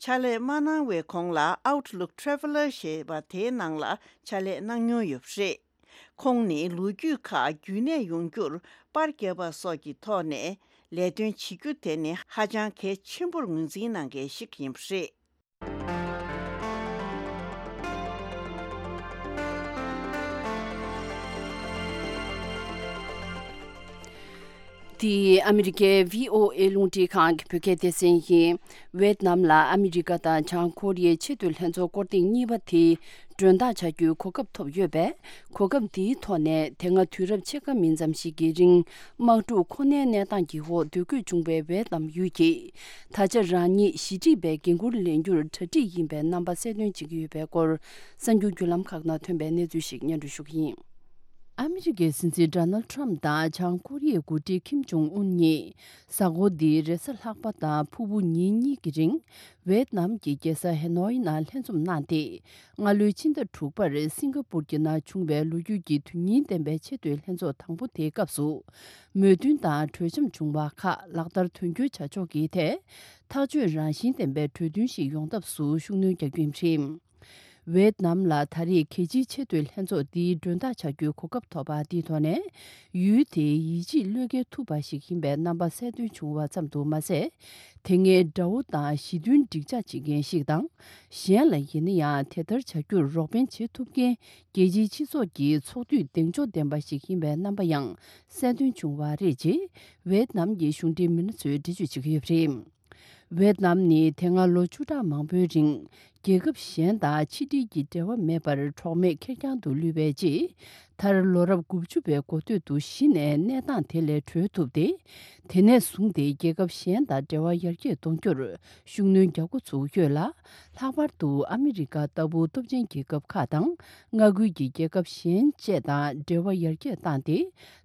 ཕྱག་ལས་མ་གནང་བའི་གོང་ལ་Outlook Traveler ཞེས་པ་དེའི་ནང་ལ་ཕྱག་ལས་གནང་མྱོང་ཡོད་པ་རེད། ཁོང་ནི་ལོ་རྒྱུས་ཁག་རྒྱུན་གནས་ཡོང་རྒྱུར་པར་བརྒྱབ་པ་སོགས་ཀྱི་ཐོག་ནས་ལས་དོན་བྱེད་རྒྱུ་དེ་ནི་ཧ་ཅང་གལ་ཆེན་པོར་ངོས་འཛིན་གནང་མཁན་ཞིག་ཡིན་པ་རེད། འདི་ཨ་མི་རི་ཀའི་བྷི་ཨོ་ཨེ་རླུང་འཕྲིན་ཁང་གི་བོད་སྐད་སྡེ་ཚན་ཡིན། ཝེད་ནམ་ལ་ཨ་མི་རི་ཀ་དང་བྱང་ཀོ་རི་ཡའི་ཆེས་མཐོའི་ལྷན་ཚོགས་སྐོར་ཐེངས་གཉིས་པ་དེ་མགྲོན་བདག་བྱ་རྒྱུའི་གོ་སྐབས་ཐོབ་ཡོད་པས། གོ་སྐབས་འདིའི་ཐོག་ནས་དེ་སྔ་དུས་རབས་ཕྱེད་ཀ་མིན་ཙམ་ཞིག་གི་རིང་དམག་འཁྲུག་ཁོ་ནའི་གནས་སྟངས་ཀྱི་འོག་སྡོད་དགོས་བྱུང་བའི་ཝེད་ནམ་ཡུལ་གྱིས། ད་ཆ་རང་ཉིད་ཞི་འགྲིག་པའི་འགན་འཁུར་ལེན་རྒྱུར་གྲ་སྒྲིག་ཡིན་པའི་རྣམ་པ་གསལ་སྟོན་བྱེད་ཀྱི་ཡོད་པའི་སྐོར། གསར་འགྱུར་བརྒྱུད་ལམ་ཁག་ནང་ཐོན་པའི་གནས་ཚུལ་ཞིག་སྙན་སྒྲོན་ཞུ་གི་ཡིན། ཨ་མི་རི་ཀའི་སྲིད་འཛིན་ཌོ་ནལ་ཊམ་དང་བྱང་ཀོ་རི་ཡའི་འགོ་ཁྲིད་ཁིམ་ཇོང་ཨུན་གཉིས། གཟའ་འཁོར་འདིའི་རེས་གཟའ་ལྷག་པ་དང་ཕུར་བུ་ཉིན་གཉིས་ཀྱི་རིང་། ཝེད་ནམ་གྱི་རྒྱལ་ས་ཧེ་ནོའི་ནང་ལྷན་འཛོམས་གནང་སྟེ། སྔ་ལོའི་ཕྱི་ཟླ་དྲུག་པར་སིང་ག་པུར་གྱི་ནང་བྱུང་བའི་ལོ་རྒྱུས་ཀྱི་དོན་སྙིང་ལྡན་པའི་ཆེས་མཐོའི་ལྷན་ཚོགས་དང་པོ་དེའི་སྐབས་སུ། མོས་མཐུན་དང་གྲོས་འཆམ་བྱུང་བ་ཁག་ལག་བསྟར་དོན་འཁྱོལ་བྱ་ཕྱོགས་ཀྱི་ཐད། ཐག་གཅོད་རང་བཞིན་ལྡན་པའི་གྲོས་མཐུན་ཞིག་ཡོང་ཐབས་སུ་ཤུགས་སྣོན་རྒྱག་རྒྱུ་ཡིན་པ་རེད། ཝེད་ནམ་ལ་ད་རེས་རྒྱལ་སྤྱིའི་ཆེས་མཐོའི་ལྷན་ཚོགས་འདིའི་མགྲོན་བདག་བྱ་རྒྱུའི་གོ་སྐབས་ཐོབ་པ་འདིའི་ཐོག་ནས། ཡུལ་དེའི་ཡིད་ཆེས་བློས་འགེལ་ཐུབ་པ་ཞིག་ཡིན་པའི་རྣམ་པ་གསལ་སྟོན་བྱུང་བ་ཙམ་དུ་མ་ཟད། དེ་སྔའི་དགྲ་བོ་དང་ཞི་མཐུན་འགྲིག་འཇགས་བྱེད་མཁན་ཞིག་དང་། གཞན་ལ་ཡིན་ན་ཡང་དེ་ལྟར་བྱ་རྒྱུར་རོགས་ཕན་བྱེད་ཐུབ་མཁན་རྒྱལ་སྤྱིའི་སྤྱི་ཚོགས་ཀྱི་ཚོགས་འཐུས་གདེང་འཇོག་ལྡན་པ་ཞིག་ཡིན་པའི་རྣམ་པ་ཡང་གསལ་སྟོན་བྱུང་བ་རེད། ཅེས་ཝེད་ནམ་གྱི་གཞུང་འབྲེལ་མི་སྣ་ཚོས་འགྲེལ་བརྗོད་བྱེད་ཀྱི་ཡོད་པ་རེད། ཝེད་ནམ་ནི་དེ་སྔ་ལོ་བཅུ་ཕྲག་མང་པོའི་རིང་། རྒྱལ་ཁབ་གཞན་དང་ཕྱི་འབྲེལ་གྱི་འབྲེལ་བ་མེད་པར་གྲོགས་མེད་ཁེར་རྐྱང་དུ་ལུས་པའི་རྗེས། མཐར་ལོ་རབས་དགུ་བཅུ་པའི་འགོ་སྟོད་དུ་གཞི་ནས་གནས་སྟངས་དེ་ལས་གྲོལ་ཐུབ་སྟེ། དེ་ནས་བཟུང་སྟེ་རྒྱལ་ཁབ་གཞན་དང་འབྲེལ་བ་ཡར་རྒྱས་གཏོང་རྒྱུར་ཤུགས་སྣོན་རྒྱག་འགོ་ཚུགས་ཡོད་ལ། ལྷག་པར་དུ་ཨ་མི་རི་ཀ་ལྟ་བུ་སྟོབས་ཆེན་རྒྱལ་ཁབ་ཁག་དང་མངའ་ཁུལ་གྱི་རྒྱལ་ཁབ་གཞན་བཅས་དང་འབྲེལ་བ་ཡར་རྒྱས་བཏང་སྟེ།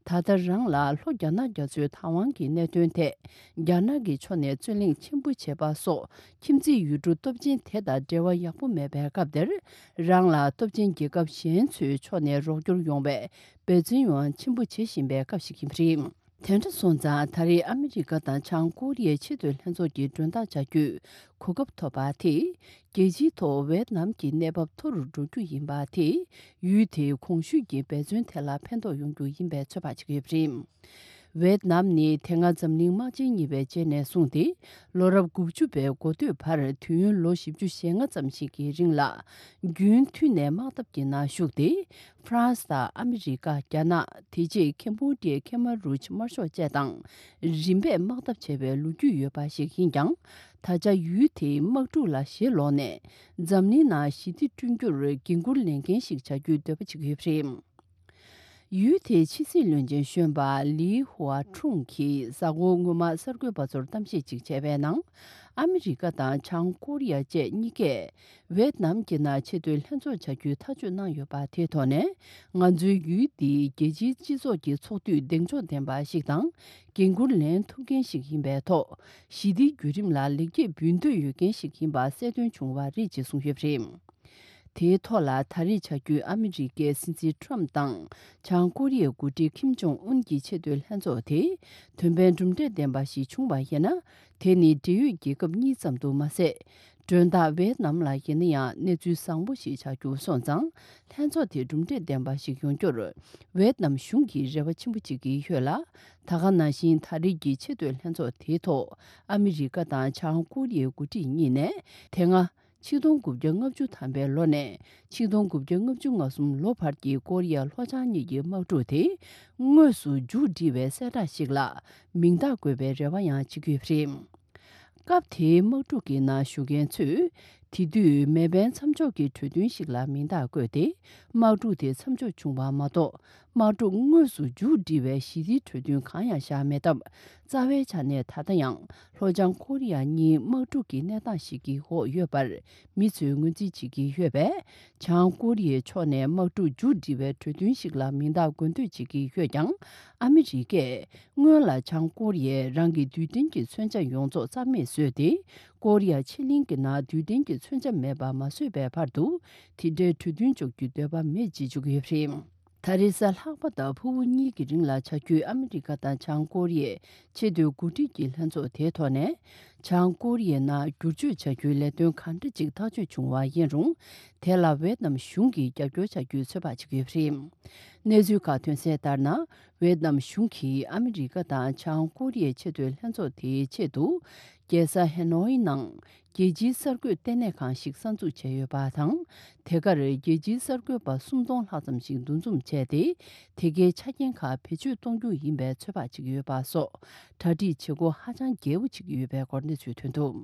ད་ལྟ་རང་ལ་ལྷོ་རྒྱ་ནག་རྒྱ་མཚོའི་བདག་དབང་གི་གནད་དོན་ཐད། རྒྱ་ནག་གི་ཕྱོགས་ནས་རྩོད་གླེང་ཆེན་པོ་བྱས་པ་སོགས། ཁྱིམ་མཚེས་ཡུལ་གྲུ་སྟོབས་ཆེན་དེ་དང་འབྲེལ་བ་ཡག་པོ་མེད་པའི་སྐབས་དེར། རང་ལ་སྟོབས་ཆེན་རྒྱལ་ཁབ་གཞན་ཚོའི་ཕྱོགས་ནས་རོགས་སྐྱོར་ཡོང་བའི་འབད་བརྩོན་ཡང་ཆེན་པོ་བྱེད་བཞིན་པའི་སྐབས་ཤིག་ཡིན་པ་རེད། དེ་འདྲ་སོང་ཙང་ད་རེས་ཨ་མི་རི་ཀ་དང་བྱང་ཀོ་རི་ཡའི་ཆེས་མཐོའི་ལྷན་ཚོགས་ཀྱི་མགྲོན་བདག་བྱ་རྒྱུའི་གོ་སྐབས་ཐོབ་པ་དེས་རྒྱལ་སྤྱིའི་ཐོག་ཝེད་ནམ་གྱི་གནས་བབ་མཐོ་རུ་འགྲོ་རྒྱུ་ཡིན་པ་དེས་ཡུལ་དེའི་གོང་ཞུས་ཀྱི་འབད་བརྩོན་དེ་ལ་ཕན་ཐོགས་ཡོང་རྒྱུ་ཡིན་པའི་ཚོད་དཔག་བྱེད་ཀྱི་ཡོད་པ་རེད། ཝེད་ནམ་ནི་དེ་སྔ་འཛམ་གླིང་དམག་ཆེན་གཉིས་པའི་རྗེས་ནས་བཟུང་སྟེ་ལོ་རབས་དགུ་བཅུ་པའི་འགོ་སྟོད་བར་དུས་ཡུན་ལོ་བཞི་བཅུ་ཞེ་ལྔ་ཙམ་ཞིག་གི་རིང་ལ་རྒྱུན་མཐུད་ནས་དམག་འཐབ་ཀྱི་ནང་ཞུགས་ཏེ། ཧྥ་རན་སི་དང་ཨ་མི་རི་ཀ། རྒྱ་ནག་དེ་རྗེས་ཁེམ་བྷོ་ཌི་ཡའི་ཁེ་མ་རུཇ་དམར་ཤོག་བཅས་དང་རིམ་པས་དམག་འཐབ་བྱས་པའི་ལོ་རྒྱུས་ཡོད་པ་ཞིག་ཡིན་ཀྱང་། ད་ཆ་ཡུལ་དེའི་དམག་འཁྲུག་ལ་ཞེ་ལོག་ནས་འཛམ་གླིང་ནང་ཞི་བདེ་བསྐྲུན་རྒྱུར་འགན་འཁུར་ལེན་མཁན་ཞིག་བྱ་རྒྱུའི་འདོད་པ་བྱེད་ཀྱི་ཡོད་པ་རེད། ཡུལ་དེའི་ཕྱི་སྲིད་བློན་ཆེན་གཞོན་པ་ལི་ཧུའ་ཁྲུང་གིས་གཟའ་འཁོར་སྔོན་མ་གསར་འགོད་པ་ཚོར་གཏམ་བཤད་ཅིག་བྱས་པའི་ནང་། ཨ་མི་རི་ཀ་དང་བྱང་ཀོ་རི་ཡ་བཅས་གཉིས་ཀས་ཝེད་ནམ་གྱི་ནང་ཆེས་མཐོའི་ལྷན་ཚོགས་བྱ་རྒྱུའི་ཐག་གཅོད་གནང་ཡོད་པ་དེའི་ཐོག་ནས། ང་ཚོའི་ཡུལ་འདི་རྒྱལ་སྤྱིའི་སྤྱི་ཚོགས་ཀྱི་ཚོགས་འདུས་གདེང་འཇོག་ལྡན་པ་ཞིག་དང་། འགན་འཁུར་ལེན་ཐུབ་མཁན་ཞིག་ཡིན་པའི་ཐོག་ཞི་བདེའི་བརྒྱུད་རིམ་ལ་ལེགས་སྐྱེས་འབུལ་འདོད་ཡོད་མཁན་ཞིག་ཡིན་པ་གསལ་སྟོན་བྱུང་བ་རེད་ཅེས་གསུངས་ཡོད་པ་རེད། དེའི་ཐོག་ལ་ད་རེས་བྱ་རྒྱུའི་ཨ་མི་རི་ཀའི་སྲིད་འཛིན་ཁྲོམ་དང་བྱང་ཀོ་རི་ཡའི་འགོ་ཁྲིད་ཁིམ་ཇོང་ཨུན་གྱི་ཆེས་མཐོའི་ལྷན་ཚོགས་དེ་དོན་ཕན་གྲུབ་འབྲས་ལྡན་པ་ཞིག་བྱུང་བ་ཡིན་ན། དེ་ནི་འབྲེལ་ཡོད་རྒྱལ་ཁབ་གཉིས་ཙམ་དུ་མ་ཟད། མགྲོན་བདག་ཝེད་ནམ་ལ་ཡིན་ན་ཡང་གནས་ཚུལ་བཟང་པོ་ཞིག་ཆགས་རྒྱུ་སོང་ཙང་། ལྷན་ཚོགས་དེ་གྲུབ་འབྲས་ལྡན་པ་ཞིག་ཡོང་རྒྱུར་ཝེད་ནམ་གཞུང་གིས་རེ་བ་ཆེན་པོ་བྱེད་ཀྱི་ཡོད་ལ། ད་ག་ནང་བཞིན་ད་རེས་ཀྱི་ཆེས་མཐོའི་ལྷན་ཚོགས་དེའི་ཐོག་ཨ་མི་རི་ཀ་དང་བྱང་ཀོ་རི་ཡའི་འགོ་ཁྲིད་གཉིས་ནས་དེ་སྔ། ཆིག་སྟོང་དགུ་བརྒྱ་ལྔ་བཅུ་ཐམ་པའི་ལོ་ནས་ཆིག་སྟོང་དགུ་བརྒྱ་ལྔ་བཅུ་ང་གསུམ་ལོ་བར་གྱི་ཀོ་རི་ཡ་ལྷོ་བྱང་གཉིས་ཀྱི་དམག་འཁྲུག་དེ་དངོས་སུ་མཇུག་སྒྲིལ་བའི་གསལ་བསྒྲགས་ཤིག་ལ་མིང་རྟགས་བཀོད་པའི་རེ་བ་ཡང་བྱེད་ཀྱི་ཡོད་པ་རེད། སྐབས་དེའི་དམག་འཁྲུག་གི་ནང་ཞུགས་མཁན་ཚོས་དེ་དུས་མེ་འཕེན་མཚམས་འཇོག་གི་གྲོས་མཐུན་ཞིག་ལ་མིང་རྟགས་བཀོད་དེ། དམག་འཁྲུག་དེ་མཚམས་འཇོག་བྱུང་བ་མ་གཏོགས། དམག་འཁྲུག་དངོས་སུ་མཇུག་སྒྲིལ་བའི་ཞི་བདེའི་གྲོས་མཐུན་གང་ཡང་བཞག་མེད་སྟབས། རྩ་བའི་ཆ་ནས་ད་ལྟ་ཡང་ལྷོ་བྱང་ཀོ་རི་ཡ་གཉིས་དམག་འཁྲུག་གི་གནས་སྟངས་ཤིག་གི་འོག་ཡོད་པར་མི་ཚོས་ངོས་འཛིན་བྱེད་ཀྱི་ཡོད་པས། བྱང་ཀོ་རི་ཡའི་ཕྱོགས་ནས་དམག་འཁྲུག་མཇུག་སྒྲིལ་བའི་གྲོས་མཐུན་ཞིག་ལ་མིང་རྟགས་འགོད་འདོད་བྱེད་ཀྱི་ཡོད་ཀྱང་། ཨ་མི་རི་ཀས་སྔོན་ལ་བྱང་ཀོ་རི་ཡས་རང་གི་རྡུལ་ཕྲན་གྱི་མཚོན་ཆ་ཡོངས་རྫོགས་རྩ་མེད་བཟོས་ཏེ། ཀོ་རི་ཡ་ཕྱེད་གླིང་གི་ནང་རྡུལ་ཕྲན་གྱི་མཚོན་ཆ་མེད་པ་མ་བཟོས་པའི་བར་དུ། དེ་འདྲའི་གྲོས་མཐུན་འཇོག་རྒྱུའི་འདོད་པ་མེད་ཅེས་བརྗོད་ཀྱི་ཡོད་པ་རེད། ད་རེས་གཟའ་ལྷག་པ་དང་ཕུར་བུ་གཉིས་ཀྱི་རིང་ལ་བྱ་རྒྱུའི་ཨ་མི་རི་ཀ་དང་བྱང་ཀོ་རི་ཡའི་ཆེས་མཐོའི་འགོ་ཁྲིད་ཀྱི་ལྷན་ཚོགས་དེའི་ཐོག་ནས། བྱང་ཀོ་རི་ཡའི་ནང་བསྒྱུར་བཅོས་བྱ་རྒྱུའི་ལས་དོན་གང་འདྲ་ཅིག་ཐག་གཅོད་བྱུང་བ་ཡིན་རུང་། དེ་ལ་ཝེད་ནམ་གཞུང་གིས་རྒྱབ་སྐྱོར་བྱ་རྒྱུའི་ཚོད་དཔག་བྱེད་ཀྱི་ཡོད་པ་རེད། གནས་ཚུལ་ཁག་ཐོན་གསལ་ལྟར་ན། ཝེད་ནམ་གཞུང་གིས་ཨ་མི་རི་ཀ་དང་བྱང་ཀོ་རི་ཡའི་ཆེས་མཐོའི་ལྷན་ཚོགས་དེའི་ཆེད་དུ། རྒྱལ་ས་ཧེ་ནོའི་ནང་རྒྱལ་སྤྱིའི་གསར་འགོད་ལྟེ་གནས་ཁང་ཞིག་གསར་འཛུགས་བྱས་ཡོད་པ་དང་། དེ་གར་རྒྱལ་སྤྱིའི་གསར་འགོད་པ་སུམ་སྟོང་ལྷག་ཙམ་ཞིག་འདུ་འཛོམས་བྱས་ཏེ། དེ་གའི་ཆ་རྐྱེན་ཁག་བེད་སྤྱོད་གཏོང་རྒྱུ་ཡིན་པའི་ཚོད་དཔག་བྱེད་ཀྱི་ཡོད་པ་སོགས། གྲ་སྒྲིག་བྱེད་སྒོ་ཧ་ཅང་རྒྱས་པོ་བྱེད་ཀྱི་ཡོད་པའི་སྐོར་གནས་ཚུལ་ཐོན་འདུག་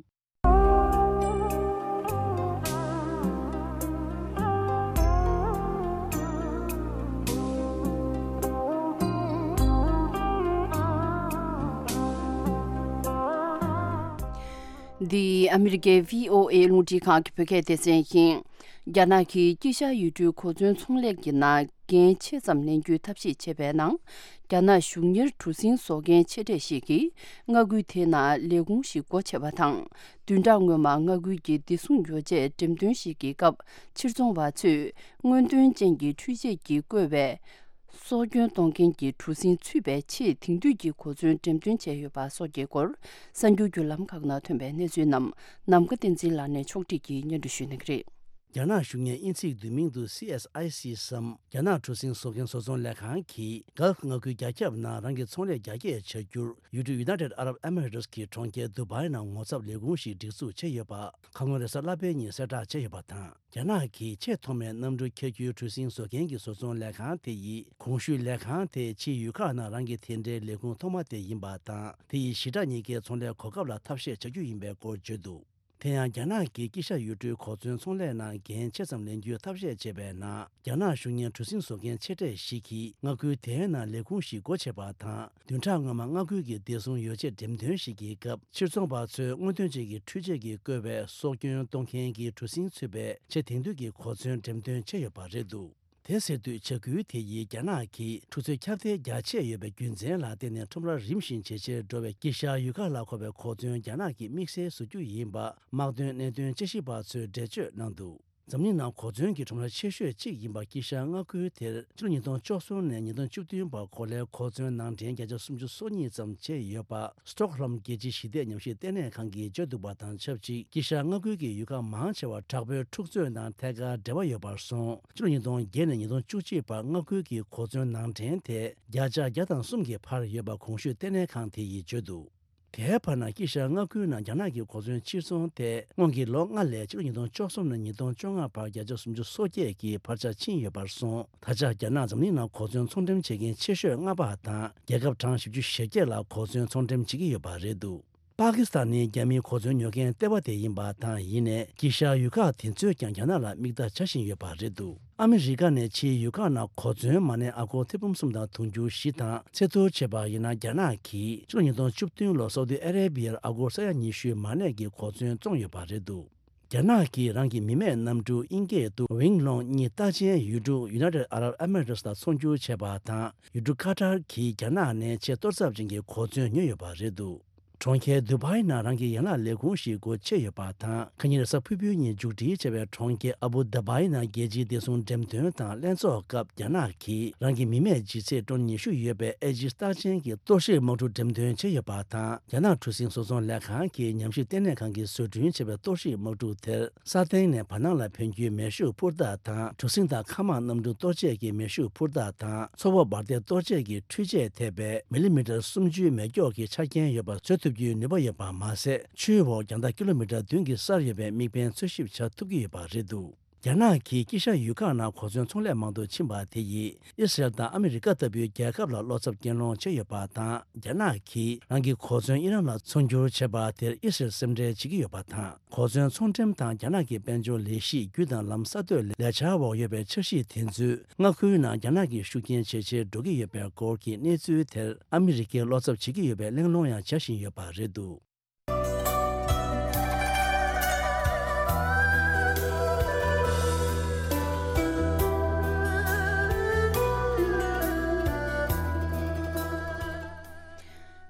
འདི་ཨ་མི་རི་ཀའི་བྷི་ཨོ་ཨེ་རླུང་འཕྲིན་ཁང་གི་བོད་སྐད་སྡེ་ཚན་ཡིན། རྒྱ་ནག་གིས་དཀྱིལ་ཤར་ཡུལ་གྲུའི་གོ་མཚོན་ཚོང་ལས་ཀྱི་ནང་འགན་ཆེ་ཙམ་ལེན་རྒྱུའི་ཐབས་ཤེས་བྱས་པའི་ནང་། རྒྱ་ནག་གཞུང་གཉེར་གྲུ་གཟིངས་བཟོ་མཁན་ཆེ་གྲས་ཤིག་གིས་མངའ་ཁུལ་དེའི་ནང་ལས་ཁུངས་ཤིག་སྒོ་ཕྱེ་བ་དང་། བདུན་ཕྲག་སྔོན་མ་མངའ་ཁུལ་གྱི་བདེ་སྲུང་ཡོ་བྱད་འགྲེམས་སྟོན་ཞིག་གི་སྐབས། ཕྱིར་ཚོང་བ་ཚོས་སྔོན་ཐོན་ཅན་གྱི་འཕྲུལ་ཆས་ཀྱིས་བརྐོས་པའི་སྲོག་སྐྱོན་གཏོང་མཁན་གྱི་གྲུ་གཟིངས་ཚུད་པའི་ཆེས་དེང་དུས་ཀྱི་གོ་མཚོན་འགྲེམས་སྟོན་བྱས་ཡོད་པ་སོགས་ཀྱི་སྐོར། གསར་འགྱུར་བརྒྱུད་ལམ་ཁག་ནང་ཐོན་པའི་གནས་ཚུལ་རྣམས་ནམ་མཁའ་བསྟན་འཛིན་ལགས་ནས་ཕྱོགས་སྒྲིག་གིས་སྙན་སྒྲོན་ཞུ་གནང་གི་རེད། རྒྱ་ནག་གཞུང་གཉེར་དབྱིན་ཚིག་བསྡུས་མིང་དུ་སི་ཨེས་ཨའི་སི་སམ། རྒྱ་ནག་གྲུ་གཟིངས་བཟོ་མཁན་བཟོ་ཚོང་ལས་ཁང་གིས་གྷལཕ་མངའ་ཁུལ་རྒྱ་ཁྱབ་ནང་རང་གི་ཚོང་ལས་རྒྱ་སྐྱེད་བྱ་རྒྱུར་ཡུལ་གྲུ་United Arab Emirates གི་གྲོང་ཁྱེར་དུ་བྷའི་ནང་ངོ་ཚབ་ལས་ཁུངས་ཤིག་སྒྲིག་འཛུགས་བྱས་ཡོད་པ། ཁ་སྔོན་རེས་གཟའ་ལྷག་པའི་ཉིན་གསལ་བསྒྲགས་བྱས་ཡོད་པ་དང་། རྒྱ་ནག་གིས་ཆེས་ཐོག་མའི་གནམ་གྲུ་འཁྱེར་རྒྱུའི་གྲུ་གཟིངས་བཟོ་མཁན་གྱི་བཟོ་ཚོང་ལས་ཁང་དེ་ཡིས། གོང་ཞུས་ལས་ཁང་དེ་ཕྱིའི་ཡུལ་ཁག་ནང་རང་གི་དེ་འདྲའི་ལས་ཁུངས་ཐོག་མ་དེ་ཡིན་པ་དང་། དེ་ཡིས་ཞི་དྲག་གཉིས་ཀའི་ཚོང་ལས་གོ་སྐབས་ལ་ཐབས་ཤེས་བྱ་རྒྱུ་ཡིན་པའི་སྐོར་བརྗོད་འདུག་དེ་ཡང་རྒྱ་ནག་གིས་དཀྱིལ་ཤར་ཡུལ་གྲུའི་གོ་མཚོན་ཚོང་ལས་ནང་འགན་ཆེ་ཙམ་ལེན་རྒྱུའི་ཐབས་ཤེས་བྱས་པའི་ནང་། རྒྱ་ནག་གཞུང་གཉེར་གྲུ་གཟིངས་བཟོ་མཁན་ཆེ་གྲས་ཤིག་གིས་མངའ་ཁུལ་དེའི་ནང་ལས་ཁུངས་ཤིག་སྒོ་ཕྱེ་བ་དང་། བདུན་ཕྲག་སྔོན་མ་མངའ་ཁུལ་གྱི་བདེ་སྲུང་ཡོ་བྱད་འགྲེམས་སྟོན་ཞིག་གི་སྐབས། ཕྱིར་ཚོང་བ་ཚོས་སྔོན་ཐོན་ཅན་གྱི་འཕྲུལ་ཆས་ཀྱིས་བརྐོས་པའི་སྲོག་སྐྱོན་གཏོང་མཁན་གྱི་གྲུ་གཟིངས་ཚུད་པའི་ཆེས་དེང་དུས་ཀྱི་གོ་མཚོན་འགྲེམས་སྟོན་བྱས་ཡོད་པ་རེད་འདུག་དེ་ཟེར་དུས་བྱ་འགུལ་དེ་ཡིས་རྒྱ་ནག་གིས་ཁྲུ་ཚོད་ཁྱབ་གདལ་རྒྱ་ཆེ་ཡོད་པའི་རྒྱུ་མཚན་ལ་བརྟེན་ནས་ཁྲོམ་ར་རིམ་བཞིན་ཇེ་ཆེར་འགྲོ་བའི་དཀྱིལ་ཤར་ཡུལ་ཁག་ལ་མཁོ་བའི་གོ་མཚོན་རྒྱ་ནག་གིས་དམིགས་བསལ་བཟོ་རྒྱུ་ཡིན་པ་དམག་དོན་གནད་དོན་དཔྱད་ཞིབ་པ་ཚོས་འགྲེལ་བརྗོད་གནང་འདུག་འཛམ་གླིང་ནང་གོ་མཚོན་གྱི་ཁྲོམ་ར་ཆེ་ཤོས་གཅིག་ཡིན་པ་དཀྱིལ་ཤར་མངའ་ཁུལ་དེར་ཕྱི་ལོ་ཉིས་སྟོང་བཅུ་གསུམ་ནས་ཉིས་སྟོང་བཅུ་བདུན་བར་གོ་ལའི་གོ་མཚོན་ནང་འདྲེན་བརྒྱ་ཆ་སུམ་ཅུ་སོ་གཉིས་ཙམ་བྱས་ཡོད་པ། སི་ཊོག་ཧོལམ་རྒྱལ་སྤྱིའི་ཞི་བདེ་ཉམས་ཞིབ་ལྟེ་གནས་ཁང་གིས་བརྗོད་འདུག་པ་དང་ཆབས་ཅིག་དཀྱིལ་ཤར་མངའ་ཁུལ་གྱི་ཡུལ་ཁག་མང་ཆེ་བ་དྲག་པོའི་འཁྲུག་རྩོད་དང་ཐད་ཀར་འབྲེལ་བ་ཡོད་པར་སོང་། ཕྱི་ལོ་ཉིས་སྟོང་བརྒྱད་ནས་ཉིས་སྟོང་བཅུ་གཅིག་བར་མངའ་ཁུལ་གྱི་གོ་མཚོན་ནང་འདྲེན་དེ་བརྒྱ་ཆ་བརྒྱ་དང་གསུམ་གྱིས་འཕར་ཡོད་པ་གོང་ཞུས་ལྟེ་གནས་ཁང་དེ་ཡིས་བརྗོད་འདུག་དེའི་བར་ན་དཀྱིལ་ཤར་མངའ་ཁུལ་ནང་རྒྱ་ནག་གི་གོ་མཚོན་ཕྱིར་ཚོང་དེ་སྔོན་གྱི་ལོ་ལྔ་ལས་ཕྱི་ལོ་ཉིས་སྟོང་བཅུ་གསུམ་ནས་ཉིས་སྟོང་བཅོ་ལྔ་བར་བརྒྱ་ཆ་སུམ་ཅུ་སོ་བརྒྱད་ཀྱིས་འཕར་ཆ་ཕྱིན་ཡོད་པར་སོང་། ད་ཆ་རྒྱ་ནག་འཛམ་གླིང་ནང་གོ་མཚོན་ཚོང་འགྲེམས་བྱེད་མཁན་ཆེ་ཤོས་ལྔ་པ་དང་རྒྱལ་ཁབ་གྲངས་བཞི་བཅུ་ཞེ་བརྒྱད་ལ་གོ་མཚོན་ཚོང་འགྲེམས་བྱེད་ཀྱི་ཡོད་པ་རེད་འདུག་པ་ཀི་སི་ཐན་ནི་རྒྱ་མིའི་གོ་མཚོན་ཉོ་མཁན་ལྟེ་བ་དེ་ཡིན་པ་དང་། ཡིན་ནའི་དཀྱིལ་ཤར་ཡུལ་ཁག་དེ་ཚོས་ཀྱང་རྒྱ་ནག་ལ་མིག་ལྟ་བྱ་བཞིན་ཡོད་པ་རེད་འདུག་ཨ་མི་རི་ཀ་ནས་ཕྱིའི་ཡུལ་ཁག་ནང་གོ་མཚོན་མ་གནས་ཨ་སྒོར་ཐེར་འབུམ་གསུམ་དང་དུང་ཕྱུར་བཞི་དང་ཚད་མཐོར་བྱས་པ་ཡིན་ན། རྒྱ་ནག་གིས་ཕྱི་ལོ་ཉིས་སྟོང་བཅུ་བདུན་ལོར་སའུ་ཏི་ཨ་རེ་བྷི་ཡར་ཨ་སྒོར་ས་ཡ་ཉི་ཤུའི་མ་གནས་ཀྱི་གོ་མཚོན་བཙོངས་ཡོད་པ་རེད་འདུག་རྒྱ་ནག་གིས་རང་གི་མི་མེད་གནམ་གྲུ་དབྱིན་སྐད་དུ་ཝིང་ལོང་གཉིས་རྟགས་ཅན་ཡུལ་གྲུ་United Arab Emirates ལ་ཚོང་སྒྱུར་བྱས་པ་དང་། ཡུལ་གྲུ་ཀ་ཏར་གྱིས་རྒྱ་ནག་ནས་ཆེས་གཏོར་ཚབས་ཅན་གྱི་གོ་མཚོན་ཉོས་ཡོད་པ་རེད་འདུག་གྲོང་ཁྱེར་དུ་བྷའི་ནང་རང་གི་ཡན་ལག་ལས་ཁུངས་ཤིག་སྒོ་ཕྱེ་ཡོད་པ་དང་། ཁ་ཉིན་རེས་གཟའ་ཕུར་བུའི་ཉིན་མཇུག་སྒྲིལ་བྱས་པའི་གྲོང་ཁྱེར་ཨ་བུ་དཱ་བྷའི་ནང་རྒྱལ་སྤྱིའི་བདེ་སྲུང་འགྲེམས་སྟོན་དང་ལྷན་ཚོགས་སྐབས། རྒྱ་ནག་གིས་རང་གི་མི་མེད་ལྗིད་ཚད་ཊོན་ཉི་ཤུ་ཡོད་པའི་ཨེ་ཇི་སི་རྟགས་ཅན་གྱི་གཏོར་བཤིག་དམག་གྲུ་འགྲེམས་སྟོན་བྱས་ཡོད་པ་དང་། རྒྱ་ནག་གྲུ་གཟིངས་བཟོ་ཚོང་ལས་ཁང་གིས་ཉམས་ཞིབ་ལྟེ་གནས་ཁང་གིས་བཟོ་སྐྲུན་བྱས་པའི་གཏོར་བཤིག་དམག་གྲུ་དེར། ས་སྟེང་ནས་བར་སྣང་ལ་ཕན་རྒྱུའི་མེ་ཤུགས་འཕུར་མདའ་དང་། གྲུ་གཟིངས་དང་མཁའ་དམག་གནམ་གྲུ་གཏོར་བྱེད་ཀྱི་མེ་ཤུགས་འཕུར་མདའ་དང་། མཚོ་བོད་འབར་མདེལ་གཏོར་བྱེད་ཀྱི་འཕྲུལ་ཆས་ཐེབས་པའི་མི་ལི་མི་ཊར་སུམ་ཅུའི་མེ་སྒྱོགས་ཀྱི་ཆ་རྐྱེན་ཡོད་པ་བཟོ་ཐུབ་རྒྱུའི་ནུས་པ་ཡོད་པ་མ་ཟད། ཆུའི་འོག་རྒྱང་ཐག་ཀི་ལོ་མི་ཊར་བདུན་གྱི་སར་ཡོད་པའི་དམིགས་འབེན་འཚོལ་ཞིབ་བྱ་ཐུབ་ཀྱི་ཡོད་པ་རེད་འདུག་རྒྱ་ནག་གིས་དཀྱིལ་ཤར་ཡུལ་ཁག་ནང་གོ་མཚོན་ཚོང་ལས་མང་དུ་ཕྱིན་པ་དེ་ཡིས། ཨི་སི་རལ་དང་ཨ་མི་རི་ཀ་ལྟ་བུའི་རྒྱལ་ཁབ་ལ་བློ་འཚབ་སྐྱེད་སློང་བྱས་ཡོད་པ་དང་། རྒྱ་ནག་གིས་རང་གི་གོ་མཚོན་ཨི་རན་ལ་ཚོང་སྒྱུར་བྱས་པ་དེར་ཨི་སི་རལ་སེམས་ཁྲལ་བྱེད་ཀྱི་ཡོད་པ་དང་། གོ་མཚོན་ཚོང་འགྲེམས་དང་རྒྱ་ནག་གི་དཔལ་འབྱོར་ལས་གཞི་རྒྱུ་དང་ལམ་གསར་གཏོད་ལས་འཆར་འོག་ཡོད་པའི་འཆར་གཞི་དེ་ཚོས་མངའ་ཁུལ་ནང་རྒྱ་ནག་གི་ཤུགས་རྐྱེན་ཇེ་ཆེར་འགྲོ་གི་ཡོད་པའི་སྐོར་གྱི་གནས་ཚུལ་དེར་ཨ་མི་རི་ཀས་བློ་འཚབ་བྱེད་ཀྱི་ཡོད་པའི་གླེང་སློང་ཡང་བྱ་བཞིན་ཡོད་པ་རེད་འདུག་